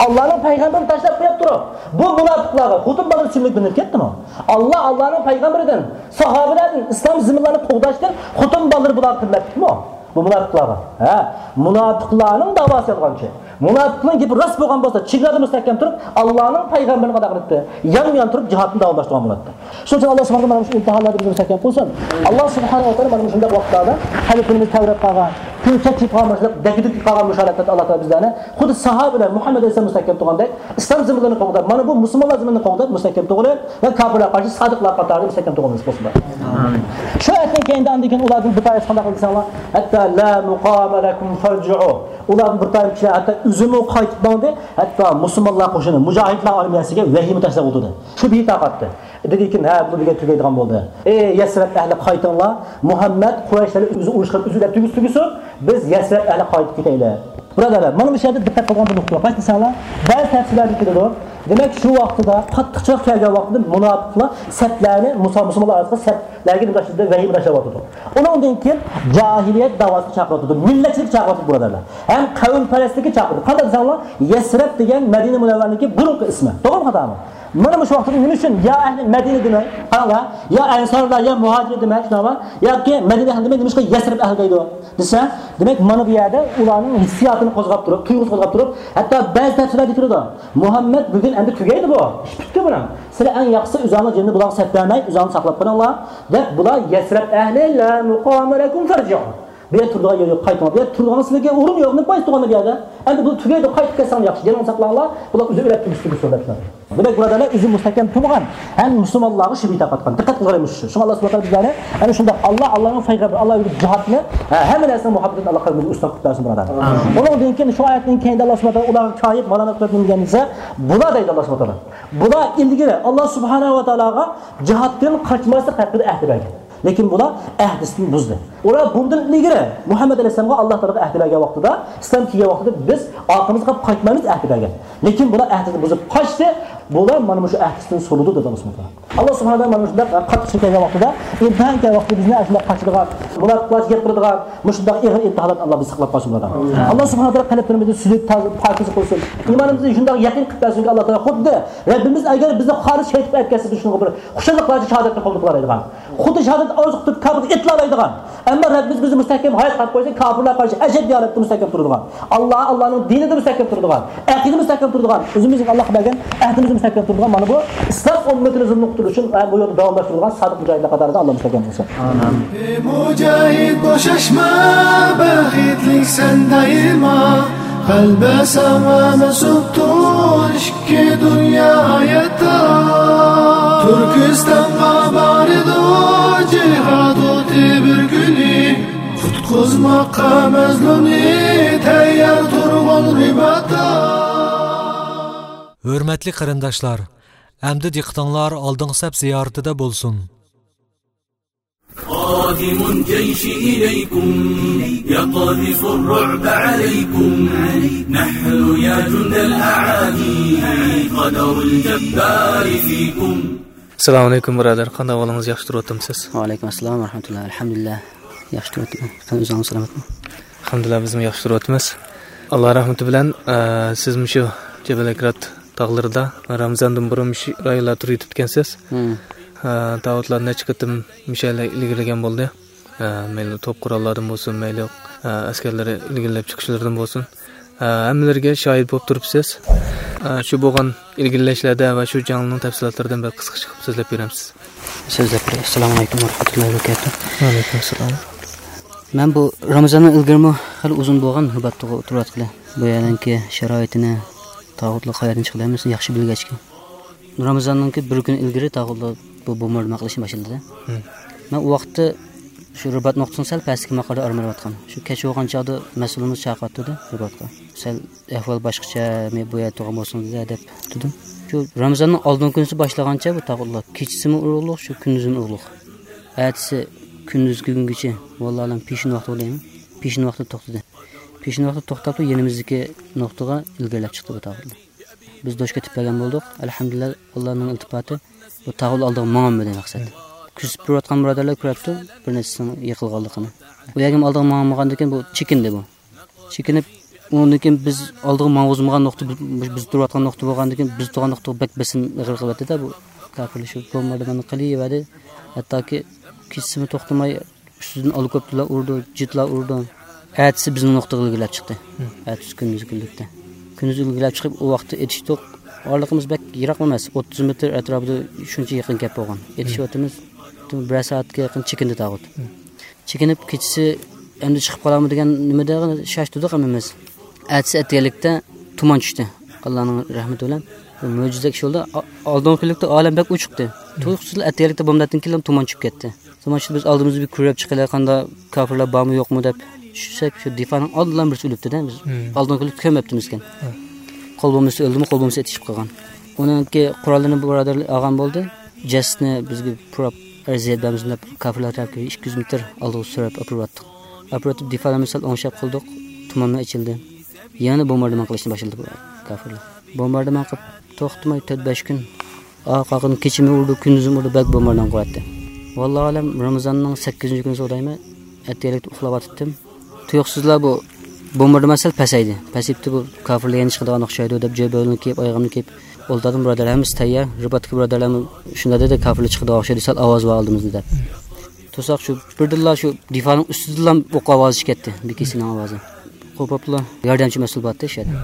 ئاللانىڭ پەيغەمبىرىنى تاشلاپ قويۇپ تۇرۇپ، بۇ مۇناپىقلارغا خوتۇن بالىنى سۈيمەك بىلىنىپ كەتتىمۇ؟ ئاللا، ئاللانىڭ پەيغەمبىرىدىن، ساھابىلەردىن ئىسلام زېمىنلارنى قوغداشتىن خوتۇن بالىلىرى بۇلارغا قىممەتلىكمۇ؟ بۇ مۇناپىقلارغا. ھە، مۇناپىقلارنىڭ داۋاسى يالغانچى. مۇناپىقنىڭ گېپى راست بولغان بولسا، چېگراسىدا مۇستەھكەم تۇرۇپ، ئاللانىڭ پەيغەمبىرىنى قانداق قىلاتتى؟ يانمۇيان تۇرۇپ جىھادنى داۋاملاشتۇرغان بولاتتى. شۇنىڭ ئۈچۈن ئاللا سۇبھانەھۇ ۋە تائالا مانا مۇشۇ ئىمتىھانلاردا بىزنى مۇستەھكەم قىلسۇن. ئاللا سۇبھانەھۇ ۋە تائالا مانا مۇشۇنداق ۋاقىتلاردا قەلبىمىز تەۋرەپ قالغان، كۆڭۈل چەكچىيىپ قالغان، مۇشۇنداق دەككە-دۈككە قالغان مۇشۇ ھالەتلەردە ئاللا تائالا بىزلەرنى خۇددى ساھابىلەر مۇھەممەد ئەلەيھىسسالام مۇستەھكەم تۇرغاندەك، ئىسلام زېمىنلىرىنى قوغداپ، مانا بۇ مۇسۇلمانلار زېمىنىنى قوغداپ مۇستەھكەم تۇرغىلى ۋە كاپىرلارغا قارشى سادىقلار قاتارىدا مۇستەھكەم تۇرغىلى نېسىپ قىلسۇن. ئامىن. شۇ ئايەتتىن كېيىندە ئاندىن كېيىن ئۇلاردىن بىر تائىپىسى قانداق قىلدى دېسەڭلار، ھەتتا لا مۇقامە لەكۇم فەرجىئۇ. ئۇلاردىن بىر تائىپە كىشىلەر ھەتتا ئۆزىمۇ قايتىپ ماڭدى، ھەتتا مۇسۇلمانلار قوشۇنى، مۇجاھىدلار ئارمىيەسىگە ۋەھىمە تاشلاپ ئولتۇردى. شۇ بىتاقەتتە. دېدىكىن، ھە، بۇ دېگەن تۈگەيدىغان بولدى. ئەي يەسرەب ئەھلى، قايتىڭلار، مۇھەممەد قۇرەيشلەر ئۆزى ئۇرۇش قىلىپ ئۆزى ئۆلۈپ تۈگىسە تۈگىسۇن، بىز يەسرەب ئەھلى قايتىپ كېتەيلى. بۇرادەرلەر، مانا مۇشۇ يەردە دىققەت قىلغان بىر نۇقتا بار. قايسى دېسەڭلار، بەزى تەپسىرلەردە كېلىدۇ. دېمەك، شۇ ۋاقتىدا قاتتىق چىراغ كەلگەن ۋاقتىدا مۇناپىقلار سەپلەرنى، مۇسا-، مۇسۇلمانلار ئارىسىدا سەپلەرگە نېمە تاشلىدى؟ ۋەھىمە تاشلاۋاتىدۇ. ئۇنىڭدىن كېيىن جاھىلىيەت داۋاسىغا چاقىرىۋاتىدۇ، مىللەتچىلىككە چاقىرىۋاتىدۇ، بۇرادەرلەر. ھەم قەۋمپەرەسلىككە چاقىرىدۇ. قانداق دېسەڭلار، يەسرەب دېگەن مەدىنە مۇنەۋۋەرىنىڭكى بۇرۇنقى ئىسمى. توغرىمۇ، خاتامۇ؟ مانا مۇشۇ ۋاقىتتا نېمە ئۈچۈن يا ئەھلى مەدىنە دېمەي، قاراڭلار، يا ئەنسارلار، يا مۇھاجىر دېمەي، شۇنداقمۇ؟ ياكى مەدىنە ئەھلى دېمەي، نېمىشقا يەسرىب ئەھلى دەيدۇ دېسە، دېمەك، مانا بۇ يەردە ئۇلارنىڭ ھېسسىياتىنى قوزغاپ تۇرۇپ، تۇيغۇسىنى قوزغاپ تۇرۇپ، ھەتتا بەزى تەپسىرلەردە كېلىدۇ، مۇھەممەد بۈگۈن ئەمدى تۈگەيدۇ بۇ، ئىش پۈتتى بۇنىڭ، سىلەر ئەڭ ياخشىسى ئۆزۈڭلارنىڭ جېنىنى بۇلارغا سەپ بەرمەي، ئۆزۈڭلار ساقلاپ قېلىڭلار، دەپ، بۇلار يەسرىب ئەھلى، لا مۇقامە لەكۇم فەرجىئۇ. بۇ يەردە تۇرىدىغان يەر يوق، قايتىڭلار. بۇ يەردە تۇرىدىغان سىلەرگە ئورۇن يوق، نېمە پايدىسى تۇرغان بۇ يەردە؟ ئەمدى بۇ تۈگەيدۇ، قايتىپ كەتسەڭلار ياخشى، جېنىڭلارنى ساقلاڭلار، بۇلار ئۆزى ئۆلۈپ تۈگىسى تۈگىسۇن دەپ. دېمەك، بۇرادەرلەر، ئۆزى مۇستەھكەم تۇرمىغان ھەم مۇسۇلمانلارغا شۈبھە تارقاتقان. دىققەت قىلغىنىم شۇ. شۇڭا ئاللا سۇبھانەھۇ ۋە تائالا بىزلەرنى ئەنە شۇنداق ئاللا، ئاللانىڭ پەيغەمبىرى، ئاللا يولىدا جىھادنى، ھە، ھەممە نەرسىنىڭ مۇھەببىتىنى ئاللا قەلبىمىزگە ئۇستاپ قىلىپ بەرسۇن، بۇرادەر. ئۇنىڭدىن كېيىن شۇ ئايەتتىن كېيىندە ئاللا سۇبھانەھۇ ۋە تائالا ئۇلارغا كايىپ، مالامەت قىلىپ نېمە دېگەن دېسە، بۇلار دەيدۇ ئاللا سۇبھانەھۇ ۋە تائالا. بۇلار ئىلگىرى ئاللا سۇبھانەھۇ ۋە تائالاغا جىھادتىن قاچماسلىق ھەققىدە ئەھدى بەرگەن. لېكىن بۇلار ئەھدىسىنى بۇزدى. ئۇلار بۇندىن ئىلگىرى مۇھەممەد ئەلەيھىسسالامغا ئاللا تائالاغا ئەھدى بەرگەن ۋاقتىدا، ئىسلام كىرگەن ۋاقتىدا بىز ئارقىمىزغا قايتمايمىز ئەھدى بەرگەن. لېكىن بۇلار ئەھدىنى بۇزۇپ قاچتى. بۇلار مانا مۇشۇ ئەھدىسىدىن سولىدى دېدى ئاللا سۇبھانەھۇ ۋە تائالا. ئاللا سۇبھانەھۇ ۋە تائالا مانا شۇنداق قاتتىق چېكىنگەن ۋاقتىدا، ئىمتىھان كەلگەن ۋاقتىدا بىزنى ئاشۇنداق قاچىدىغان، مۇناپىقلارچە گەپ قىلىدىغان مۇشۇنداق ئېغىر ئىمتىھانلاردىن ئاللا بىزنى ساقلاپ قالسۇن، بۇرادەر. ئاللا سۇبھانەھۇ ۋە تائالا قەلبلىرىمىزنى سۈزۈك، تازا، پاكىز قىلسۇن. ئىمانىمىزنى شۇنداق يەقىن قىلىپ بەرسۇنكى، ئاللا تائالا خۇددى رەببىمىز ئەگەر بىزنى خارىج شەھىت قىلىپ ئەتكەنسە، شۇنىڭغا بىر خۇشاللىقلارچە شاھادەتنى قوبۇل قىلالايدىغان. خۇددى شاھادەت ئارزۇ قىلىپ كاپىرغا ئېتىلالايدىغان. ئەمما رەببىمىز بىزنى مۇستەھكەم ھايات قىلىپ قويسا، كاپىرلارغا قارشى ئەشەددىي ھالەتتە مۇستەھكەم تۇرىدىغان. ئاللا، ئاللانىڭ دىنىدا مۇستەھكەم تۇرىدىغان. ئەقىدە مۇستەھكەم تۇرىدىغان. ئۆزىمىزگە ئاللاغا بەرگەن ئەھدىمىزدە مۇستەھكەم تۇرىدىغان. مانا بۇ ئىسلام ئۈممىتىنى زۇلۇمغا قۇتۇلۇش ئۈچۈن، ئە، بۇ يولدا داۋاملاشتۇرىدىغان سادىق مۇجاھىدلار قاتارىدا ئاللا مۇستەھكەم قىلسۇن. ئامىن. مۇجاھىد بوشاشما، بەختلىكسەن دائىما. قەلبى ساڭا مەنسۇپتۇر ئىككى دۇنيا ھاياتتا. تۈركىستانغا بارىدۇ جىھاد ئوتى بىر كۈنى. قۇتقۇزماققا مەزلۇمنى تەييار تۇرغۇن رىباتتا. ھۆرمەتلىك قېرىنداشلار، ئەمدى دىققىتىڭلار ئالدىنقى سەپ زىيارىتىدە بولسۇن. قادم الجيش إليكم، يقذف الرعب عليكم. نحن يا جند الأعادي، قدر الجبار فيكم. ئەسسالامۇ ئەلەيكۇم، بۇرادەر. قانداق ئەھۋالىڭىز؟ ياخشى تۇرۇۋاتامسىز؟ ۋەئەلەيكۇم ئەسسالام ۋەرەھمەتۇللا. ئەلھەمدۇلىللا. ياخشى تۇرۇۋاتىمەن. سەن ئۆزۈڭ سالامەتمۇ؟ ئەلھەمدۇلىللا، بىزمۇ ياخشى تۇرۇۋاتىمىز. ئاللا رەھمىتى بىلەن، ئە، سىز مۇشۇ جەبەل ئەكرات تاغلىرىدا رامىزاندىن بۇرۇن مۇشۇ رايونلاردا تۇرۇۋېتىپتىكەنسىز. ھە. ئە، تاغۇتلار نەچچە قېتىم مۇشۇ يەرلەر ئىلگىرىلىگەن بولدى. ئە، مەيلى توپ قوراللاردىن بولسۇن، مەيلى، ئە، ئەسكەرلەر ئىلگىرىلەپ چىقىشلىرىدىن بولسۇن. ئە، ھەممىلىرىگە شاھىت بولۇپ تۇرۇپسىز. ئە، شۇ بولغان ئىلگىرىلەشلەردە ۋە شۇ جەڭنىڭ تەپسىلاتلىرىدىن بىر قىسقىچە قىلىپ سۆزلەپ بېرەمسىز؟ سۆزلەپ بېرەي. ئەسسالامۇ ئەلەيكۇم ۋە رەھمەتۇللاھى ۋە بەرىكاتۇھ. ۋەئەلەيكۇم ئەسسالام. مەن بۇ رامىزاندىن ئىلگىرىمۇ خېلى ئۇزۇن بولغان رىباتتا تۇرۇۋاتقىلى. بۇ يەرنىڭكى شارائىتىنى، تاغۇتلار قايەردىن چىقىدۇ، ھەممىسىنى ياخشى بىلگەچكە. رامىزاننىڭكى بىر كۈن ئىلگىرى تاغۇتلار بۇ بومباردىمان قىلىشنى باشلىدى. ھىم. مەن ئۇ ۋاقىتتا شۇ رىبات نۇقتىسىنىڭ سەل پەستىكى ماقالدا ئارام ئېلىۋاتقان. شۇ كەچ بولغان چاغدا مەسئۇلىمىز چاقىرىۋاتىدۇ رىباتقا. سەل ئەھۋال باشقىچە، مەن بۇ يەردە تۇرغان بولسىڭىز دەپ تۇردۇم. شۇ رامىزاننىڭ ئالدىنقى كۈنىسى باشلىغانچە بۇ تاغۇتلار كېچىسىمۇ ئۇرۇقلۇق، شۇ كۈندۈزىمۇ ئۇرۇقلۇق. ئەتىسى كۈندۈزگە كۈنگىچە، ۋاللاھۇ ئەلەم، پېشىن ۋاقتى بولدى. پېشىن ۋاقتى توختىدى. پېشىن ۋاقتى توختاپلا يېنىمىزدىكى نۇقتىغا ئىلگىرىلەپ چىقتى بۇ تاغۇتلار. بىز دوشكا ئېتىپ بەرگەن بولدۇق. ئەلھەمدۇلىللا، ئاللانىڭ ئىلتىپاتى، بۇ تاغۇت ئالدىغا ماڭالمىدى مەقسەت. كۆزىتىپ تۇرۇۋاتقان بۇرادەرلەر كۆرەتتى، بىر نەچچىسىنىڭ يىقىلغانلىقىنى. ئۇ يەرگە ئالدىغا ماڭالمىغاندىن كېيىن بۇ چېكىندى بۇ. چېكىنىپ، ئۇنىڭدىن كېيىن بىز ئالدىغا ماڭغۇزمىغان نۇقتا، بىز، بىز تۇرۇۋاتقان نۇقتا بولغاندىن كېيىن، بىز تۇرغان نۇقتىغا بەك بېسىم ئېغىر قىلىۋەتتى-دە، بۇ كاپىرلار شۇ بومباردىماننى قىلىۋەردى. ھەتتاكى كېچىسىمۇ توختىماي، ئۈستىدىن ئالىكوپتېرلار ئۇرىدۇ، جېتلار ئۇرىدۇ. ئەتىسى بىزنىڭ نۇقتىغا ئىلگىرىلەپ چىقتى. ھىم. ئەتىسى كۈندۈزگە كۈنلۈكتە. كۈندۈز ئىلگىرىلەپ چىقىپ، ئۇ ۋاقىتتا ئېتىشتۇق. ئارىلىقىمىز بەك يىراقمۇ ئەمەس، ئوتتۇز مېتىر ئەتراپىدا شۇنچە يېقىن گەپ بولغان. ھىم. ئېتىشىۋاتىمىز، بىرەر سائەتكە يېقىن چېكىندى تاغۇت. ھىم. چېكىنىپ، كېچىسى ئەمدى چىقىپ قالامدۇ دېگەن نېمىدە شاشتۇردۇق ھەممىمىز. ئەتىسى ئەتىگەنلىكتە تۇمان چۈشتى. ئاللانىڭ رەھمىتى بىلەن. بۇ مۆجىزىدەك ئىش بولدى. ئا-، ئالدىنقى كۈنلۈكتە ئالەم بەك ئوچۇقتى. ھىم. تۇيۇقسىزلا ئەتىگەنلىكتە بومبىدىن كېيىن تۇمان چۈشۈپ كەتتى. تۇمان چۈشتى، بىز ئالدىمىزدا بىر كۆرۈپ چىقىلى، قانداق كاپىرلار بارمۇ يوقمۇ دەپ چۈشسەك، شۇ دىفانىڭ ئالدىلا بىرسى ئۆلۈپتۇ-دە، بىز ھىم. ئالدىنقى كۈنلۈكتە كۆرمەپتىمىزكەن. ھىم. قول بومبىسى ئۆلدىمۇ، قول بومبىسى ئېتىشىپ قالغان. ئۇنىڭكى قوراللىرىنى بۇرادەرلەر ئالغان بولدى. جەسىتىنى بىزگە پۇراپ، ئەرزىيەت بەرمىسۇن دەپ، كاپىرلار تەرەپكە ئىككى يۈز مېتىر ئالدىغا سۆرەپ ئاپىرىۋاتتۇق. ئاپىرىۋېتىپ، دىفالارنى سەل ئوڭشاپ قىلدۇق. تۇمانمۇ ئېچىلدى. يەنە بومباردىمان قىلىشنى باشلىدى بۇ كاپىرلار. بومباردىمان قىلىپ توختىماي تۆت بەش كۈن. ئارقا-ئارقىدىن كېچىمۇ ئۇرىدۇ، كۈندۈزمۇ ئۇرىدۇ، بەك بومباردىمان قىلىۋەتتى. ۋاللاھۇ ئەلەم، رامىزاننىڭ سەككىزىنچى كۈنى دەيمەن، ئەتىگەنلىكتە ئۇخلاۋاتاتتىم. تۇيۇقسىزلا بۇ بومباردىمان سەل پەسەيدى. پەسىيىپتۇ، بۇ كاپىرلار يەنە چىقىدىغان ئوخشايدۇ دەپ، جۆبەلىنى كىيىپ، ئايىغىمنى كىيىپ، ئولتۇردۇم، بۇرادەر، ھەممىسى تەييار. رىباتتىكى بۇرادەرلەرمۇ شۇنداق دېدى، كافىرلار چىقىدىغان ئوخشايدۇ، سەل ئاۋاز بار ئالدىمىزدا دەپ. تۇرساق شۇ بىردىنلا شۇ دىفانىڭ ئۈستىدىنلا ئوق ئاۋازى چىقىپ كەتتى، بىكىسىنىڭ ئاۋازى. قوپۇپلا ياردەمچى مەسئۇل بارتتى شۇ يەردە.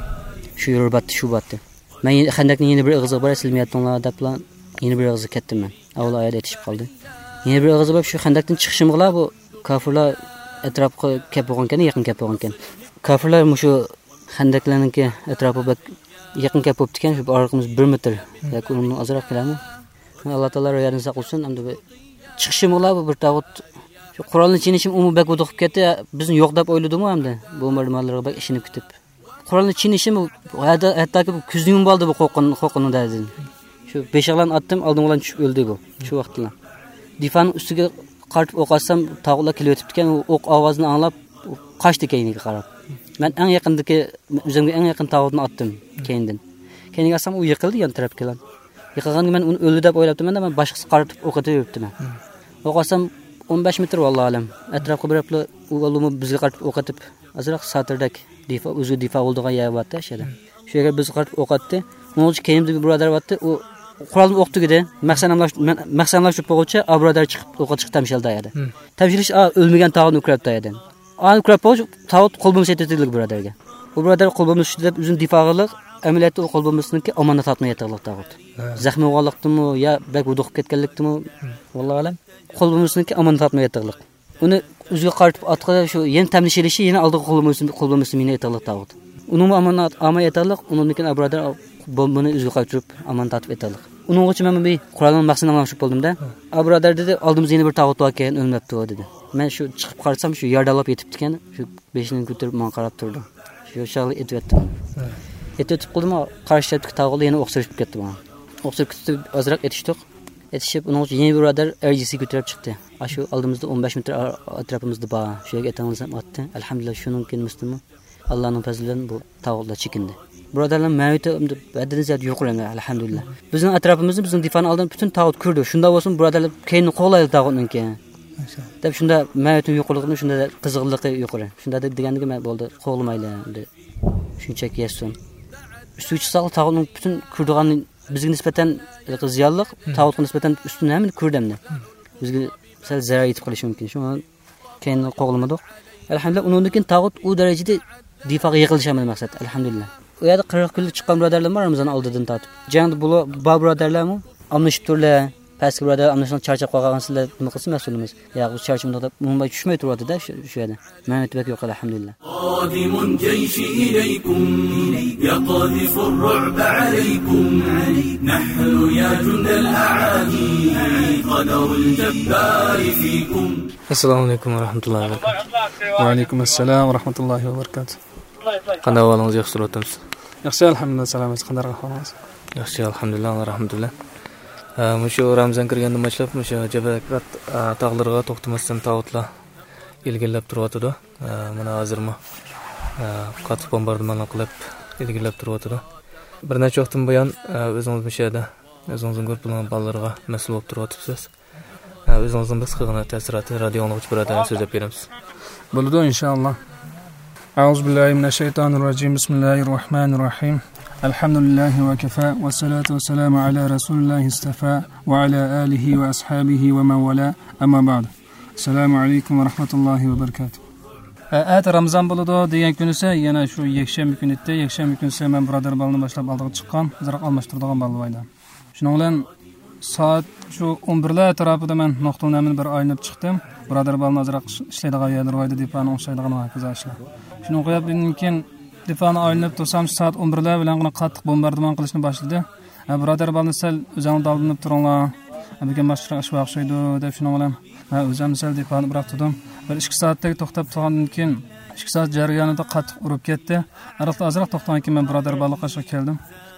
شۇ يۈرۈپ باتتى، شۇ باتتى. مەن يەنە خەندەكنىڭ يەنە بىر ئېغىزىغا باراي، سىلەر مەيەتتىڭلار دەپلا يەنە بىر ئېغىزغا كەتتىم مەن. ئاۋۋال ئايەت ئېتىشىپ قالدى. يەنە بىر ئېغىزغا بېرىپ شۇ خەندەكتىن چىقىشىمغىلا بۇ كافىرلار ئەتراپقا كەپ بولغانكەن، يېقىن كەپ بولغانكەن. كافىرلار مۇشۇ خەندەكلەرنىڭكى ئەتراپى بەك يېقىن كەپ بوپتىكەن، شۇ ئارىلىقىمىز بىر مېتىر ياكى ئۇنىڭدىن ئازراق كېلەرمۇ. ئاللا تائالا يەردىن ساقلىسۇن. ئەمدى بىر چىقىشىمغىلا بۇ بىر تاغۇت شۇ قورالنى چېنىشىم ئۇمۇ بەك ھودۇقۇپ كەتتى. بىزنى يوق دەپ ئويلىدىمۇ ئەمدى بومباردىمانلىرىغا بەك ئىشىنىپ كېتىپ. قورالنى چېنىشىم ھەتتا، ھەتتاكى بۇ كۆزنى يۇمۇپ ئالدى بۇ قورقۇن-، قورقۇنىدىن. شۇ بېشىغا ئاتتىم، ئالدىمغا چۈشۈپ ئۆلدى بۇ. شۇ ۋاقىتتىلا. دىفانىڭ ئۈستىگە قارىتىپ ئوق ئاتسام، تاغۇتلار كېلىۋېتىپتىكەن، ئۇ ئوق ئاۋازىنى ئاڭلاپ، قاچتى كەينىگە قاراپ. مەن ئەڭ يېقىندىكى، ئۆزۈمگە ئەڭ يېقىن تاغۇتنى ئاتتىم كەينىدىن. كەينىگە ئاتسام، ئۇ يىقىلدى يان تەرەپكىلا. يىقىلغاندا مەن ئۇنى ئۆلدى دەپ ئويلاپتىمەن، مەن باشقىسىغا قارىتىپ ئوق ئېتىۋېرىپتىمەن. ئوق ئاتسام، ئون بەش مېتىر، ۋاللاھۇ ئەلەم. ئەتراپقا بېرىپلا، ئۇ بالىمۇ بىزگە قارىتىپ ئوق ئېتىپ، ئازراق ساتىردەك دىفا، ئۆزى دىفا بولىدىغان يەر بارتتى، شۇ يەردە. شۇ يەرگە بىز قارىتىپ ئوق ئاتتى. ئۇنىڭ ئۈچۈن كەينىمىزدە بىر بۇرادەر بارتتى. ئۇ قورالدىن ئوق تۈگىدى. مەن مەخسەن ئاملاشتۇرۇپ بولغۇچە، ئا بۇرادەر چىقىپ، ئوققا چىقىپ تەمشەلدى يەردە. تەمشىلىش، ئا، ئۆلمىگەن تاغۇتنى كۆرەپتۇ يەردىن. ئانا كۆرۈپ بولغۇچە، تاغۇت قول بومبىسى ئېتىۋېتىلدى بۇرادەرگە. ئۇ بۇرادەر قول بومبىسى دەپ ئۆزىنى دىفا قىلدى. ئەمەلىيەتتە ئۇ قول بومبىسىنىڭكى ئامانەت ئاتماي ياتىقلىق تاغۇت. زەخمى بولغانلىقتىمۇ يا بەك ھودۇقۇپ كەتكەنلىكتىمۇ، ۋاللاھۇ ئەلەم. قول بومبىسىنىڭكى ئامانەت ئاتماي ياتىقلىق. ئۇنى ئۆزىگە قارىتىپ ئاتقىلى شۇ يەنە تەملىشىلىشى يەنە ئالدىغا قول بومبىسى، قول بومبىسى مېنى ئېتىللىق تاغۇت. ئۇنىڭمۇ ئامانەت ئالماي ئېتىللىق، ئۇنىڭدىن كېيىن ئابرادەر بومبىنى ئۆزىگە قايتۇرۇپ ئامانەت تارتىپ ئېتىللىق. ئۇنىڭغىچە مەن بىر قورالنىڭ مەقسىتىنى ئاڭلاشتۇرۇپ بولدۇم-دە. ئابرادەر دېدى، ئالدىمىزدا يەنە بىر تاغۇت باركەن، ئۆلمەپتۇ دېدى. مەن شۇ چىقىپ قارىسام، شۇ يارىدانلاپ يېتىپتىكەن، شۇ بېشىنى كۆتۈرۈپ ماڭا قاراپ تۇرىدۇ. شۇ چاغلا ئېتىۋەتتىم. ئېتىۋېتىپ قالدىم، قارشى تەرەپتىكى تاغۇتلار يەنە ئوق سېلىشىپ كەتتى ماڭا. ئوق سېلىپ كېتىپ ئازراق ئېتىشتۇق. ئېتىشىپ، ئۇنىڭ ئۈچۈن يەنە بىر بۇرادەر ئەر يېسىگە كۆتۈرۈپ چىقتى. ئاشۇ ئالدىمىزدا ئون بەش مېتىر ئا-، ئەتراپىمىزدا بار. شۇ يەرگە ئېتىڭلار دېسەم ئاتتى. ئەلھەمدۇلىللا، شۇنىڭ كېيىن مۇستىمۇ ئاللانىڭ پەزلى بىلەن بۇ تاغۇتلار چېكىندى. بۇرادەرلەر مەۋىتى ھەددىدىن زىيادە يۇقىرى ئەمدى، ئەلھەمدۇلىللا. بىزنىڭ ئەتراپىمىزدا، بىزنىڭ دىفانىڭ ئالدىدا پۈتۈن تاغۇت كىردى. شۇنداق بولسىمۇ، بۇرادەرلەر كەينىنى قوغلايلى تاغۇتنىڭكى. دەپ شۇنداق مەۋىتىنىڭ يۇقىرىلىقىنى شۇنداق قىزغىنلىقى يۇقىرى. شۇنداق دەپ دېگەندىكىن مەن بولدى، قوغلىمايلى ئەمدى. شۇنچىلىك يەتسۇن. ئۈستىگە چىقساقلا تاغۇتنىڭ پۈتۈن كىردىغاننى بىزگە نىسبەتەن زىيانلىق، تاغۇتقا نىسبەتەن ئۈستۈن ھەممىنى كۆردى ئەمدى. بىزگە سەل زەرەر يېتىپ قېلىشى مۇمكىن. شۇڭا كەينىنى قوغلىمىدۇق. ئەلھەمدۇلىللا، ئۇنىڭدىن كېيىن تاغۇت ئۇ دەرىجىدە دىفاغا يىغىلىشالمىدى مەقسەت، ئەلھەمدۇلىللا. ئۇ يەردە قىرىق كۈنلۈك چىققان بۇرادەرلەرمۇ رامىزان ئالدىدىن تارتىپ. جەڭدە بۇلار بار بۇرادەرلەرمۇ ئالمىشىپ تۇرلى. پەسكى بۇرادەر ئالمىشىپ چارچاپ قالغان سىلەر نېمە قىلسا مەسئۇلىمىز. يا، بۇ چارچىمىدۇق دەپ، ئۇنىڭ چۈشمەي تۇرۇۋاتىدۇ-دە شۇ، شۇ يەردە. مەمەت بەك يوق، ئەلھەمدۇلىللا. قادم الجيش إليكم يقذف الرعب عليكم. نحن يا جند الأعادي قدر الجبار فيكم. ئەسسالامۇ ئەلەيكۇم ۋە رەھمەتۇللاھى ۋە بەرىكاتۇھ. ۋەئەلەيكۇم ئەسسالام ۋە رەھمەتۇللاھى ۋە بەرىكاتۇھ. قانداق ئەھۋالىڭىز؟ ياخشى تۇرۇۋاتامسىز؟ ياخشى، ئەلھەمدۇلىللا، سالامەت. قانداق ئەھۋالىڭىز؟ ياخشى، ئەلھەمدۇلىللا، ئاللا رەھمىتى بىلەن. ئە، مۇشۇ رامىزان كىرگەندىن باشلاپ مۇشۇ جەبەلىك تاغلىرىغا توختىماستىن تاغۇتلار ئىلگىرىلەپ تۇرۇۋاتىدۇ. ئە، مانا ھازىرمۇ، ئە، قاتتىق بومباردىمانلار قىلىپ ئىلگىرىلەپ تۇرۇۋاتىدۇ. بىر نەچچە ۋاقىتتىن بۇيان، ئە، ئۆزىڭىز مۇشۇ يەردە ئۆزىڭىزنىڭ گۇرۇپپىنىڭ بالىلىرىغا مەسئۇل بولۇپ تۇرۇۋاتىپسىز. ئە، ئۆزىڭىزنىڭ بىر قىسقىغىنا تەسىراتى رادىيو ئاڭلىغۇچى بۇرادەرلەرگە سۆزلەپ بېرىمىز. بولىدۇ، ئىنشائاللا. أعوذ بالله من الشيطان الرجيم. بسم الله الرحمن الرحيم. الحمد لله وكفى، والصلاة والسلام على رسول الله اصطفى، وعلى آله وأصحابه ومن والاه. أما بعد. السلام عليكم ورحمة الله وبركاته. ئە، ئەتە رامىزان بولىدۇ دېگەن كۈنىسى يەنە شۇ يەكشەنبە كۈنى ئىدى. يەكشەنبە كۈنىسى مەن بۇرادەر بالىنى باشلاپ ئالدىغا چىققان، ئازراق ئالماشتۇرىدىغان بالا بار ئىدى. شۇنىڭ بىلەن سائەت شۇ ئون بىرلەر ئەتراپىدا مەن نۇقتىلنەمىنى بىر ئايلىنىپ چىقتىم. بۇرادەر بالىنى ئازراق ئىش-، ئىشلەيدىغان يەرلىرى بار ئىدى، دىپانى ئوڭشايدىغان ۋە ھاكازا ئىشلار. شۇنى قويۇپ، ئاندىن كېيىن دىپانى ئايلىنىپ تۇرسام، سائەت ئون بىرلەر بىلەن قاتتىق بومباردىمان قىلىشنى باشلىدى. ھە، بۇرادەر بالىنى سەل ئۆزۈڭلار دالدىلىنىپ تۇرۇڭلار. ھە، بۈگۈن باشقىچە ئىش بار ئوخشايدۇ، دەپ شۇنىڭ بىلەن، ھە، ئۆزۈم سەل دىپانى بىراق تۇردۇم. بىر ئىككى سائەتتەك توختاپ تۇرغاندىن كېيىن، ئىككى سائەت جەريانىدا قاتتىق ئۇرۇپ كەتتى. ئارىلىقتا ئازراق توختىغاندىن كېيىن مەن بۇرادەر بالىنىڭ قېشىغا كەلدىم.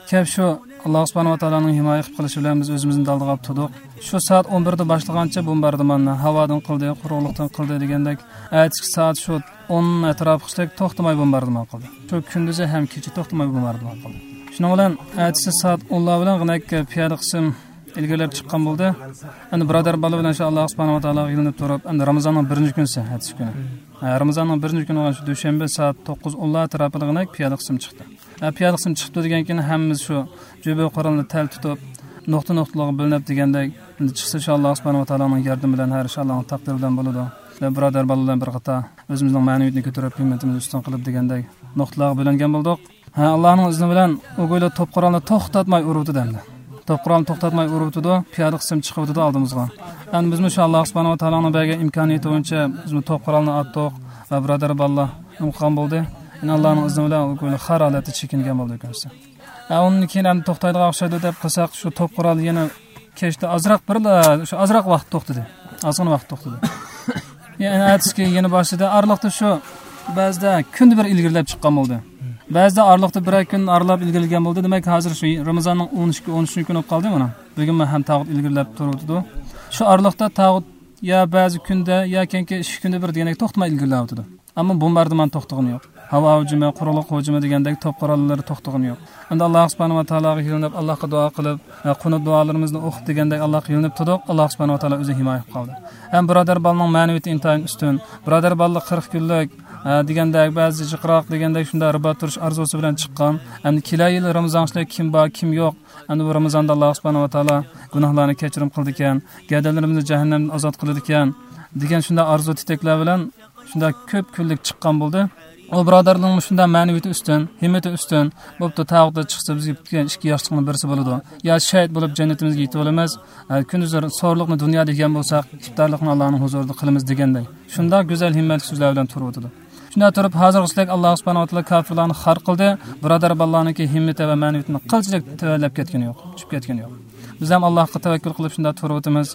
كەپ شۇ ئاللا سۇبھانەھۇ ۋە تائالانىڭ ھىمايە قىلىپ قېلىشى بىلەن بىز ئۆزىمىزنى دالدىغا ئاپتۇدۇق. شۇ سائەت ئون بىردە باشلىغانچە بومباردىماننى ھاۋادىن قىلدى، قۇرۇقلۇقتىن قىلدى دېگەندەك، ئەتىسى سائەت شۇ ئون ئەتراپىغىچىلىك توختىماي بومباردىمان قىلدى. شۇ كۈندۈزى ھەم كېچە توختىماي بومباردىمان قىلدى. شۇنىڭ بىلەن ئەتىسى سائەت ئونلار بىلەن غىنەك پىيادە قىسىم ئىلگىرىلەپ چىققان بولدى. ئەمدى بۇرادەر بالا بىلەن شۇ ئاللا سۇبھانەھۇ ۋە تائالاغا يېلىنىپ تۇرۇپ، ئەمدى رامىزاننىڭ بىرىنچى كۈنىسى، ئەتىسى كۈنى. ھە، رامىزاننىڭ بىرىنچى كۈنى بولغان شۇ دۈشەنبە سائەت توققۇز ئونلار ئەتراپىدا غىنەك پىيادە قىسىم چىقتى. ھە، پىيادە قىسىم چىقىپتۇ دېگەن كېيىن ھەممىمىز شۇ جۈبە قورالنى تەل تۇتۇپ، نۇقتا نۇقتىلارغا بۆلۈنۈپ دېگەندەك، ئەمدى چىقسا شۇ ئاللاھ سۇبھانەھۇ ۋە تائالانىڭ ياردىمى بىلەن، ھەر ئىش ئاللاھنىڭ تەقدىرى بىلەن بولىدۇ. ۋە بۇرادەر بالىلار بىلەن بىر قاتار ئۆزىمىزنىڭ مەنىۋىيىتىنى كۆتۈرۈپ، ھىممىتىمىزنى ئۈستۈن قىلىپ دېگەندەك نۇقتىلارغا بۆلۈنگەن بولدۇق. ھە، ئاللاھنىڭ ئىزنى بىلەن ئۇ گويلا توپ قورالنى توختاتماي ئۇرۇۋاتىدۇ ئەمدى. توپ قورالنى توختاتماي ئۇرۇۋاتىدۇ، پىيادە قىسىم چىقىۋاتىدۇ ئالدىمىزغا. ئەمدى بىزمۇ شۇ ئاللاھ سۇبھانەھۇ ۋە تائالانىڭ بەرگەن ئىمكانىيىتى بويىچە بىزمۇ توپ قورالنى ئاتتۇق ۋە بۇرادەر بالىلار نېمە قىلغان بولدى. يەنە ئاللاھنىڭ ئىزنى بىلەن ئۇ گويلا خار ھالەتتە چېكىنگەن بولدى ئۆكۈنۈشسىز. ھە، ئۇندىن كېيىن ئەمدى توختايدىغان ئوخشايدۇ دەپ قىلساق، شۇ توپ قورال يەنە كەچتە ئازراق بىرلا، شۇ ئازراق ۋاقىت توختىدى. ئازغىنە ۋاقىت توختىدى. يەنە ئەتىسى يەنە باشلىدى. ئارىلىقتا شۇ بەزىدە كۈندە بىر ئىلگىرىلەپ چىققان بولدى. بەزىدە ئارىلىقتا بىرەر كۈن ئارىلاپ ئىلگىرىلىگەن بولدى. دېمەك، ھازىر شۇ رامىزاننىڭ ئون ئىككى، ئون ئۈچىنچى كۈنى بولۇپ قالدى مانا. بۈگۈنمۇ ھەم تاغۇت ئىلگىرىلەپ تۇرۇۋاتىدۇ. شۇ ئارىلىقتا تاغۇت يا بەزى كۈندە، يا كېيىنكى ئىككى كۈندە بىر دېگەندەك توختىماي ئىلگىرىلەۋاتىدۇ. ئەمما بومباردىمان توختىغىنى يوق. ھاۋا ھۇجۇمى، قۇرۇقلۇق ھۇجۇمى دېگەندەك توپ قوراللىرى توختىغىنى يوق. ئەمدى ئاللاھ سۇبھانەھۇ ۋە تائالاغا يېلىنىپ، ئاللاھقا دۇئا قىلىپ، ۋە قۇنۇت دۇئالىرىمىزنى ئوقۇپ دېگەندەك ئاللاھقا يېلىنىپ تۇردۇق. ئاللاھ سۇبھانەھۇ ۋە تائالا ئۆزى ھىمايە قىلىپ قالدى. ھەم بۇرادەر بالىنىڭ مەنىۋىيىتى ئىنتايىن ئۈستۈن. بۇرادەر بالىلار قىرىق كۈنلۈك، ھە، دېگەندەك، بەزى جىقراق دېگەندەك شۇنداق رىبات تۇرۇش ئارزۇسى بىلەن چىققان. ئەمدى كېلەر يىل رامىزان ئىچىدە كىم بار، كىم يوق. ئەمدى بۇ رامىزاندا ئاللاھ سۇبھانەھۇ ۋە تائالا گۇناھلارنى كەچۈرۈم قىلىدىكەن، گەدەنلىرىمىزنى جەھەننەمدىن ئازاد قىلىدىكەن، دېگەن شۇنداق ئارزۇ تىتەكلەر بىلەن شۇنداق كۆپ كۈنلۈك چىققان بولدى. ئۇ بۇرادەرلىرىمنىڭ شۇنداق مەنىۋىيىتى ئۈستۈن، ھىممىتى ئۈستۈن، بوپتۇ، تاغۇتتا چىقسا بىزگە پۈتكەن ئىككى ياشلىقنىڭ بىرسى بولىدۇ. يا شەھىت بولۇپ جەننىتىمىزگە يېتىۋالىمىز، ھە، كۈندۈزلىرى سورلۇقنى دۇنيادا يېگەن بولساق، ئىپتارلىقنى ئاللانىڭ ھۇزۇرىدا قىلىمىز دېگەندەك. شۇنداق گۈزەل ھىممەتلىك سۆزلەر بىلەن تۇرۇۋاتىدۇ. شۇنداق تۇرۇپ، ھازىرغىچىلىك ئاللاھ سۇبھانەھۇ ۋە تائالا كاپىرلارنى خار قىلدى، بۇرادەر بالىلارنىڭكى ھىممىتى ۋە مەنىۋىيىتىنى قىلچىلىك تۆۋەنلەپ كەتكىنى يوق، چۈشۈپ كەتكىنى يوق. بىز ھەم ئاللاھقا تەۋەككۈل قىلىپ شۇنداق تۇرۇۋاتىمىز.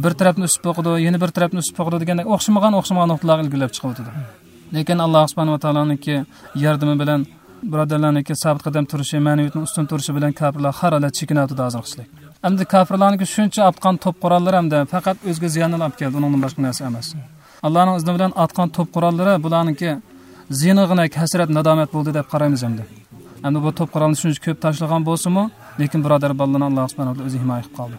بىر تەرەپنى ئۈسۈپ بوقىدۇ، يەنە بىر تەرەپنى ئۈسۈپ بوقىدۇ دېگەندەك ئوخشىمىغان، ئوخشىمىغان نۇقتىلارغا ئىلگىرىلەپ چىقىۋاتىدۇ. لېكىن ئاللاھ سۇبھانەھۇ ۋە تائالانىڭكى ياردىمى بىلەن بۇرادەرلەرنىڭكى سابىت قەدەم تۇرۇشى، مەنىۋىيىتىنىڭ ئۈستۈن تۇرۇشى بىلەن كاپىرلار خار ھالەتتە چېكىنىۋاتىدۇ ھازىرغىچىلىك. ئەمدى كاپىرلارنىڭكى شۇنچە ئاتقان توپ قوراللىرى ئەمدى پەقەت ئۆزىگە زىياننىلا ئەپ كەلدى، ئۇنىڭدىن باشقا نەرسە ئەمەس. ئاللانىڭ ئىزنى بىلەن ئاتقان توپ قوراللىرى بۇلارنىڭكى زىيىنىغىنەك ھەسرەت، نادامەت بولدى دەپ قارايمىز ئەمدى. ئەمدى بۇ توپ قورالنى شۇنچە كۆپ تاشلىغان بولسىمۇ، لېكىن بۇرادەر بالىلارنى ئاللاھ سۇبھانەھۇ ۋە تائالا ئۆزى ھىمايە قىلىپ قالدى.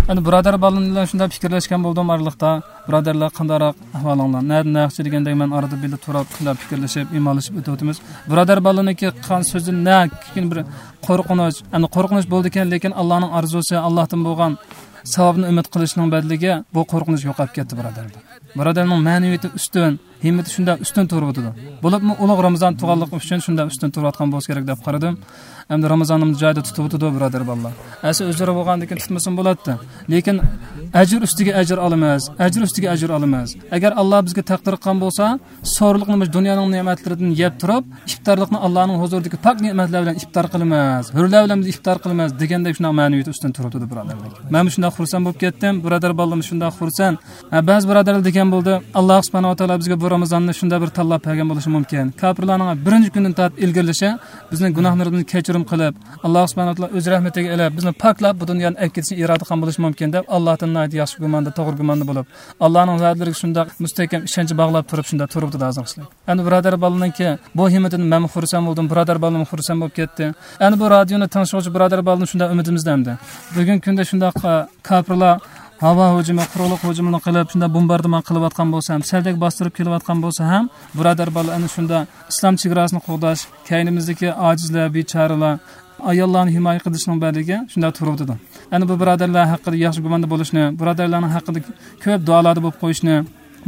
ئەمدى بۇرادەر بالىلار بىلەن شۇنداق پىكىرلەشكەن بولدۇم ئارىلىقتا. بۇرادەرلەر، قانداقراق ئەھۋالىڭلار؟ نەدە، نەقچە دېگەندەك مەن ئارىدا بىللە تۇرۇپ، شۇنداق پىكىرلىشىپ، ئىمانلىشىپ ئۆتۈۋاتىمىز. بۇرادەر بالىلارنىڭكى قىلغان سۆزىدىن نەكىن بىر قورقۇنچ، ئەمدى قورقۇنچ بولىدىكەن، لېكىن ئاللانىڭ ئارزۇسى، ئاللاھتىن بولغان ساۋابنى ئۈمىد قىلىشنىڭ بەدىلىگە بۇ قورقۇنچ يوقاپ كەتتى، بۇرادەرلەر. بۇرادەرنىڭ مەنىۋىيىتى ئۈستۈن، ھىممىتى شۇنداق ئۈستۈن تۇرۇۋاتىدۇ. بولۇپمۇ ئۇلۇغ رامىزان تۇرغانلىقى ئۈچۈن شۇنداق ئۈستۈن تۇرۇۋاتقان بولسا كېرەك دەپ قارىدىم. ئەمدى رامىزاننىمۇ جايىدا تۇتۇۋاتىدۇ، بۇرادەر بالىلار. ئەسلى ئۆزلىرى بولغاندىكىن تۇتمىسىمۇ بولاتتى. لېكىن ئەجىر ئۈستىگە ئەجىر ئالىمىز، ئەجىر ئۈستىگە ئەجىر ئالىمىز. ئەگەر ئاللا بىزگە تەقدىر قىلغان بولسا، سورلۇقنى مۇشۇ دۇنيانىڭ نېمەتلىرىدىن يەپ تۇرۇپ، ئىپتارلىقنى ئاللانىڭ ھۇزۇرىدىكى پاك نېمەتلەر بىلەن ئىپتار قىلىمىز، ھۆرلەر بىلەن بىز ئىپتار قىلىمىز دېگەندەك شۇنداق مەنىۋىيىتى ئۈستۈن تۇرۇۋاتىدۇ، بۇرادەرلەر. مەنمۇ شۇنداق خۇرسەن بولۇپ كەتتىم، بۇرادەر بالىلىرىممۇ شۇنداق خۇرسەن. ھە، بەزى بۇرادەرلەر دېگەن بولدى، ئاللا سۇبھانەھۇ ۋە تائالا بىزگە بۇ رامىزاننى شۇنداق بىر تاللاپ بەرگەن بولۇشى مۇمكىن. كاپىرلارنىڭ بىرىنچى كۈندىن تارتىپ ئىلگىرىلىشى، بىزنىڭ گۇناھلىرىمىزنى كەچۈرۈم قىلىپ، ئاللا سۇبھانەھۇ ۋە تائالا ئۆز رەھمىتىگە ئېلىپ، بىزنى پاكلاپ، بۇ دۇنيانى ئەكېتىشنى ئىرادە قىلغان بولۇشى مۇمكىن دەپ، ئاللاھتىن ناھايىتى ياخشى گۇماندا، توغرا گۇماندا بولۇپ، ئاللانىڭ ۋەدىلىرىگە شۇنداق مۇستەھكەم ئىشەنچ باغلاپ تۇرۇپ، شۇنداق تۇرۇپتۇ ھازىرغىچىلىك. ئەمدى بۇرادەر بالىنىڭكى بۇ ھىممىتىدىن مەنمۇ خۇرسەن بولدۇم، بۇرادەر بالىمۇ خۇرسەن بولۇپ كەتتى. ئەمدى بۇ رادىيونى تىڭشىغۇچى بۇرادەر بالىدىن شۇنداق ئۈمىدىمىزدە ئەمدى. بۈگۈنكى كۈندە شۇنداق، ئە، كاپىرلار ھاۋا ھۇجۇمى، قۇرۇقلۇق ھۇجۇمىنى قىلىپ، شۇنداق بومباردىمان قىلىۋاتقان بولسا ھەم، سەلدەك باستۇرۇپ كېلىۋاتقان بولسا ھەم، بۇرادەر بالىلار ئەنە شۇنداق ئىسلام چېگراسىنى قوغداش، كەينىمىزدىكى ئاجىزلار، بىچارىلار، ئاياللارنى ھىمايە قىلىشنىڭ بەدىلىگە شۇنداق تۇرۇۋاتىدۇ. ئەنە بۇ بۇرادەرلەر ھەققىدە ياخشى گۇماندا بولۇشنى، بۇرادەرلەرنىڭ ھەققىدە كۆپ دۇئالاردا بولۇپ قويۇشنى،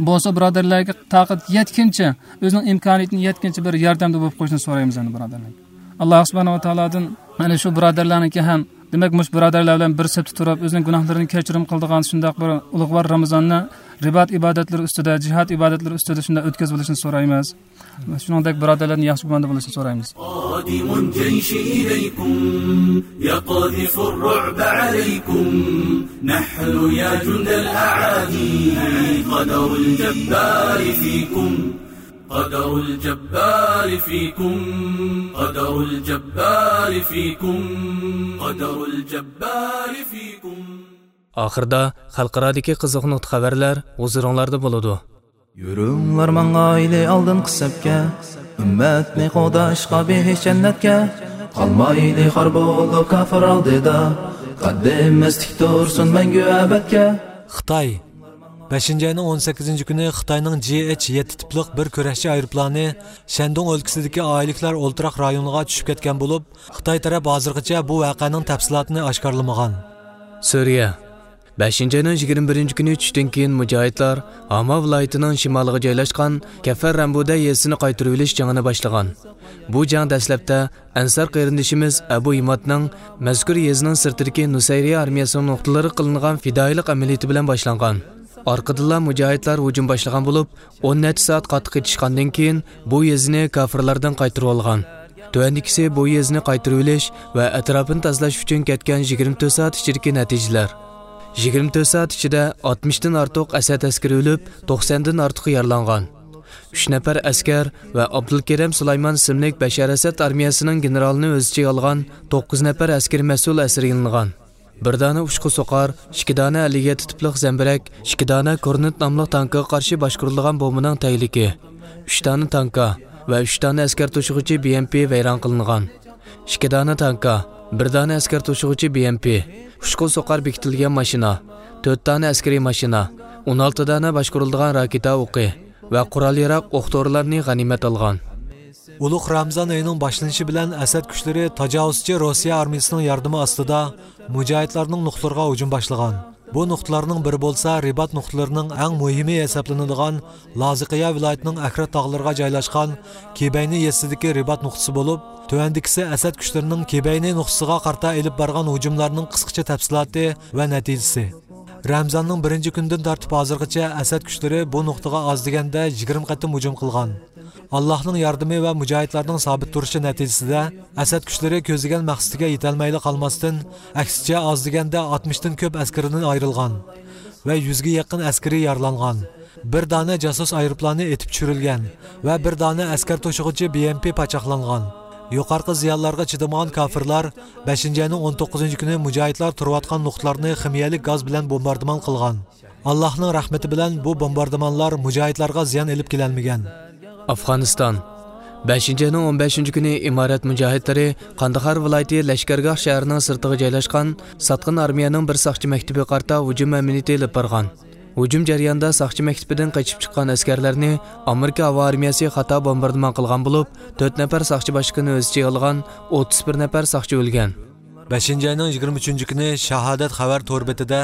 بولسا بۇرادەرلەرگە تاقەت يەتكىنچە، ئۆزىنىڭ ئىمكانىيىتىنىڭ يەتكىنچە بىر ياردەمدە بولۇپ قويۇشنى سورايمىز ئەمدى بۇرادەرلەر. ئاللا سۇبھانەھۇ ۋە تائالادىن، يەنى شۇ بۇرادەرلەرنىڭكى ھەم، دېمەك، مۇشۇ بۇرادەرلەر بىلەن بىر سەپتە تۇرۇپ، ئۆزىنىڭ گۇناھلىرىنى كەچۈرۈم قىلىدىغان شۇنداق بىر ئۇلۇغۋار رامىزاننى رىبات ئىبادەتلىرى ئۈستىدە، جىھاد ئىبادەتلىرى ئۈستىدە شۇنداق ئۆتكۈزۈۋېلىشنى سورايمىز. شۇنىڭدەك بۇرادەرلەرنى ياخشى گۇماندا بولۇشنى سورايمىز. قادم الجيش إليكم يقذف الرعب عليكم، نحن يا جند الأعادي قدر الجبار فيكم، قدر الجبار فيكم، قدر الجبار فيكم، قدر الجبار فيكم. ئاخىردا خەلقئارادىكى قىزىق نۇقتا خەۋەرلەر ھۇزۇرۇڭلاردا بولىدۇ. يۈرۈڭلار ماڭايلى ئالدىنقى سەپكە، ئۈممەتنى قوغداشقا بېھىش جەننەتكە. قالمايلى خار بولۇپ كاپىر ئالدىدا، قەددىمىز تىك تۇرسۇن مەڭگۈ ئەبەدكە. خىتاي بەشىنچى ئاينىڭ ئون سەككىزىنچى كۈنى خىتاينىڭ جى ئېچ يەتتە تىپلىق بىر كۈرەشچى ئايروپىلانى شەندۇڭ ئۆلكىسىدىكى ئائىلىكلەر ئولتۇراق رايونىغا چۈشۈپ كەتكەن بولۇپ، خىتاي تەرەپ ھازىرغىچە بۇ ۋەقەنىڭ تەپسىلاتىنى ئاشكارىلىمىغان. سۈرىيە. بەشىنچى ئاينىڭ يىگىرمە بىرىنچى كۈنى چۈشتىن كېيىن مۇجاھىدلار ھاما ۋىلايىتىنىڭ شىمالىغا جايلاشقان كەفەر رەمبۇدە يېزىسىنى قايتۇرۇۋېلىش جېڭىنى باشلىغان. بۇ جەڭ دەسلەپتە ئەنسار قېرىندىشىمىز ئەبۇ ئىمادنىڭ مەزكۇر يېزىنىڭ سىرتىدىكى نۇسەيرىيە ئارمىيەسىنىڭ نۇقتىلىرىغا قىلىنغان پىدائىيلىق ئەمەلىيىتى بىلەن باشلانغان. ئارقىدىنلا مۇجاھىدلار ھۇجۇم باشلىغان بولۇپ، ئون نەچچە سائەت قاتتىق ئېتىشقاندىن كېيىن، بۇ يېزىنى كافىرلاردىن قايتۇرۇۋالغان. تۆۋەندىكىسى بۇ يېزىنى قايتۇرۇۋېلىش ۋە ئەتراپىنى تازىلاش ئۈچۈن كەتكەن يىگىرمە تۆت سائەت ئىچىدىكى نەتىجىلەر. يىگىرمە تۆت سائەت ئىچىدە ئاتمىشتىن ئارتۇق ئەسەد ئەسكىرى ئۆلۈپ، توقسەندىن ئارتۇقى يارىلانغان. ئۈچ نەپەر ئەسكەر ۋە ئابدۇلكېرىم سۇلايمان ئىسىملىك بەشار ئەسەد ئارمىيەسىنىڭ گېنېرالىنى ئۆز ئىچىگە ئالغان توققۇز نەپەر ئەسكىرىي مەسئۇل ئەسىرگە ئېلىنغان. بىر دانە ئۇچقۇ سوقار، ئىككى دانە ئەللىك يەتتە تىپلىق زەمبىرەك، ئىككى دانە كورنېت ناملىق تانكىغا قارشى باشقۇرۇلىدىغان بومبىنىڭ تەگلىكى، ئۈچ دانە تانكا ۋە ئۈچ دانە ئەسكەر توشۇغۇچى بى ئېم پى ۋەيران قىلىنغان. ئىككى دانە تانكا، بىر دانە ئەسكەر توشۇغۇچى بى ئېم پى، ئۇچقۇ سوقار بېكىتىلگەن ماشىنا، تۆت دانە ئەسكىرىي ماشىنا، ئون ئالتە دانە باشقۇرۇلىدىغان راكېتا ئوقى ۋە قورال-ياراغ ئوق-دورىلارنى غەنىيمەت ئالغان. ئۇلۇغ رامزان ئېيىنىڭ باشلىنىشى بىلەن ئەسەد كۈچلىرى تاجاۋۇزچى روسىيە ئارمىيىسىنىڭ ياردىمى ئاستىدا مۇجاھىدلارنىڭ نۇقتىلىرىغا ھۇجۇم باشلىغان. بۇ نۇقتىلارنىڭ بىرى بولسا رىبات نۇقتىلىرىنىڭ ئەڭ مۇھىمى ھېسابلىنىدىغان لازىقىيە ۋىلايىتىنىڭ ئەكرەت تاغلىرىغا جايلاشقان كېبەينى يېزىسىدىكى رىبات نۇقتىسى بولۇپ، تۆۋەندىكىسى ئەسەد كۈچلىرىنىڭ كېبەينى نۇقتىسىغا قارىتا ئېلىپ بارغان ھۇجۇملارنىڭ قىسقىچە تەپسىلاتى ۋە نەتىجىسى. رەمزاننىڭ بىرىنچى كۈنىدىن تارتىپ ھازىرغىچە ئەسەد كۈچلىرى بۇ نۇقتىغا ئاز دېگەندە يىگىرمە قېتىم ھۇجۇم قىلغان. ئاللاھنىڭ ياردىمى ۋە مۇجاھىدلارنىڭ سابىت تۇرۇشى نەتىجىسىدە، ئەسەد كۈچلىرى كۆزلىگەن مەقسىتىگە يېتەلمەيلا قالماستىن، ئەكسىچە ئاز دېگەندە ئاتمىشتىن كۆپ ئەسكىرىدىن ئايرىلغان ۋە يۈزگە يېقىن ئەسكىرى يارىلانغان. بىر دانە جاسۇس ئايروپىلانى ئېتىپ چۈشۈرۈلگەن ۋە بىر دانە ئەسكەر توشۇغۇچى بى ئېم پى پاچاقلانغان. يۇقىرىقى زىيانلارغا چىدىمىغان كافىرلار بەشىنچى ئاينىڭ ئون توققۇزىنچى كۈنى مۇجاھىدلار تۇرۇۋاتقان نۇقتىلارنى خىمىيەلىك گاز بىلەن بومباردىمان قىلغان. ئاللاھنىڭ رەھمىتى بىلەن بۇ بومباردىمانلار مۇجاھىدلارغا زىيان ئېلىپ كېلەلمىگەن. ئافغانىستان. بەشىنچى ئاينىڭ ئون بەشىنچى كۈنى ئىمارەت مۇجاھىدلىرى قانداخار ۋىلايىتى لەشكەرگاھ شەھىرىنىڭ سىرتىغا جايلاشقان ساتقىن ئارمىيەنىڭ بىر ساقچى مەكتىپىگە قارىتا ھۇجۇم ئەمەلىيىتى ئېلىپ بارغان. ھۇجۇم جەريانىدا ساقچى مەكتىپىدىن قېچىپ چىققان ئەسكەرلەرنى ئامېرىكا ھاۋا ئارمىيەسى خاتا بومباردىمان قىلغان بولۇپ، تۆت نەپەر ساقچى باشلىقىنى ئۆز ئىچىگە ئالغان ئوتتۇز بىر نەپەر ساقچى ئۆلگەن. بەشىنچى ئاينىڭ يىگىرمە ئۈچىنچى كۈنى شاھادەت خەۋەر تور بېتىدە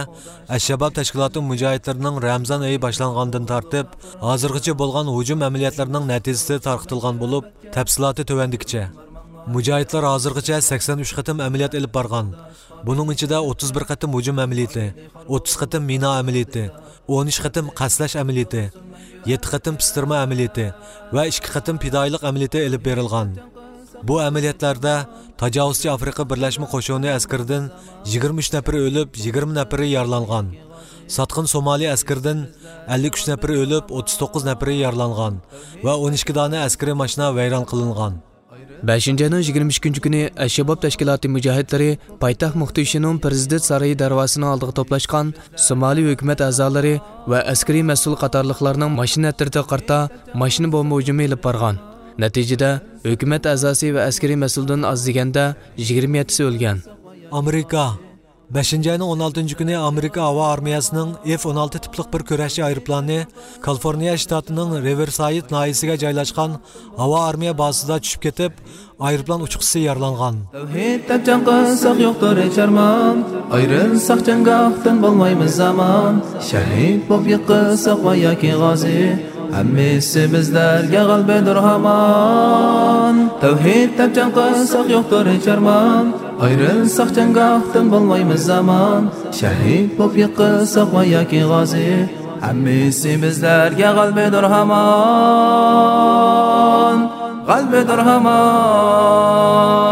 ئەششەباب تەشكىلاتى مۇجاھىدلىرىنىڭ رەمزان ئېيى باشلانغاندىن تارتىپ، ھازىرغىچە بولغان ھۇجۇم ئەمەلىياتلىرىنىڭ نەتىجىسى تارقىتىلغان بولۇپ، تەپسىلاتى تۆۋەندىكىچە. مۇجاھىدلار ھازىرغىچە سەكسەن ئۈچ قېتىم ئەمەلىيات ئېلىپ بارغان. بۇنىڭ ئىچىدە ئوتتۇز بىر قېتىم ھۇجۇم ئەمەلىيىتى، ئوتتۇز قېتىم مىنا ئەمەلىيىتى، ئون ئۈچ قېتىم قەستلەش ئەمەلىيىتى، يەتتە قېتىم پىستىرما ئەمەلىيىتى ۋە ئىككى قېتىم پىدائىيلىق ئەمەلىيىتى ئېلىپ بېرىلغان. بۇ ئەمەلىيەتلەردە تاجاۋۇزچى ئافرىقا بىرلەشمە قوشۇنى ئەسكىرىدىن يىگىرمە ئۈچ نەپىرى ئۆلۈپ، يىگىرمە نەپىرى يارىلانغان. ساتقىن سومالى ئەسكىرىدىن ئەللىك ئۈچ نەپىرى ئۆلۈپ، ئوتتۇز توققۇز نەپىرى يارىلانغان ۋە ئون ئىككى دانە ئەسكىرىي ماشىنا ۋەيران قىلىنغان. بەشىنچى ئاينىڭ يىگىرمە ئىككىنچى كۈنى ئەششەباب تەشكىلاتى مۇجاھىدلىرى پايتەخت مۇختىشىنىڭ پىرېزىدېنت سارىيى دەرۋازىسىنىڭ ئالدىغا توپلاشقان سومالى ھۆكۈمەت ئەزالىرى ۋە ئەسكىرىي مەسئۇل قاتارلىقلارنىڭ ماشىنا ئەترىتىگە قارىتا ماشىنا بومبا ھۇجۇمى ئېلىپ بارغان. نەتىجىدە، ھۆكۈمەت ئەزاسى ۋە ئەسكىرىي مەسئۇلدىن ئاز دېگەندە يىگىرمە يەتتىسى ئۆلگەن. ئامېرىكا. بەشىنچى ئاينىڭ ئون ئالتىنچى كۈنى ئامېرىكا ھاۋا ئارمىيەسىنىڭ ئېف ئون ئالتە تىپلىق بىر كۈرەشچى ئايروپىلانى كالىفورنىيە شتاتىنىڭ رىۋېرسايد ناھىيەسىگە جايلاشقان ھاۋا ئارمىيە بازىسىدا چۈشۈپ كېتىپ، ئايروپىلان ئۇچقۇچىسى يارىلانغان. تەۋھىد دەپ جەڭ قىلساق يوقتۇر ھېچ ئارمان، ئايرىلساق جەڭگاھتىن بولمايمىز ئامان، شەھىد بولۇپ يىقىلساق ۋە ياكى غازى، ھەممىسى بىزلەرگە غەلىبىدۇر ھامان. تەۋھىد دەپ جەڭ قىلساق يوقتۇر ھېچ ئارمان، ئايرىلساق جەڭگاھتىن بولمايمىز ئامان، شەھىد بولۇپ يىقىلساق ۋە ياكى غازى، ھەممىسى بىزلەرگە غەلىبىدۇر ھامان، غەلىبىدۇر ھامان.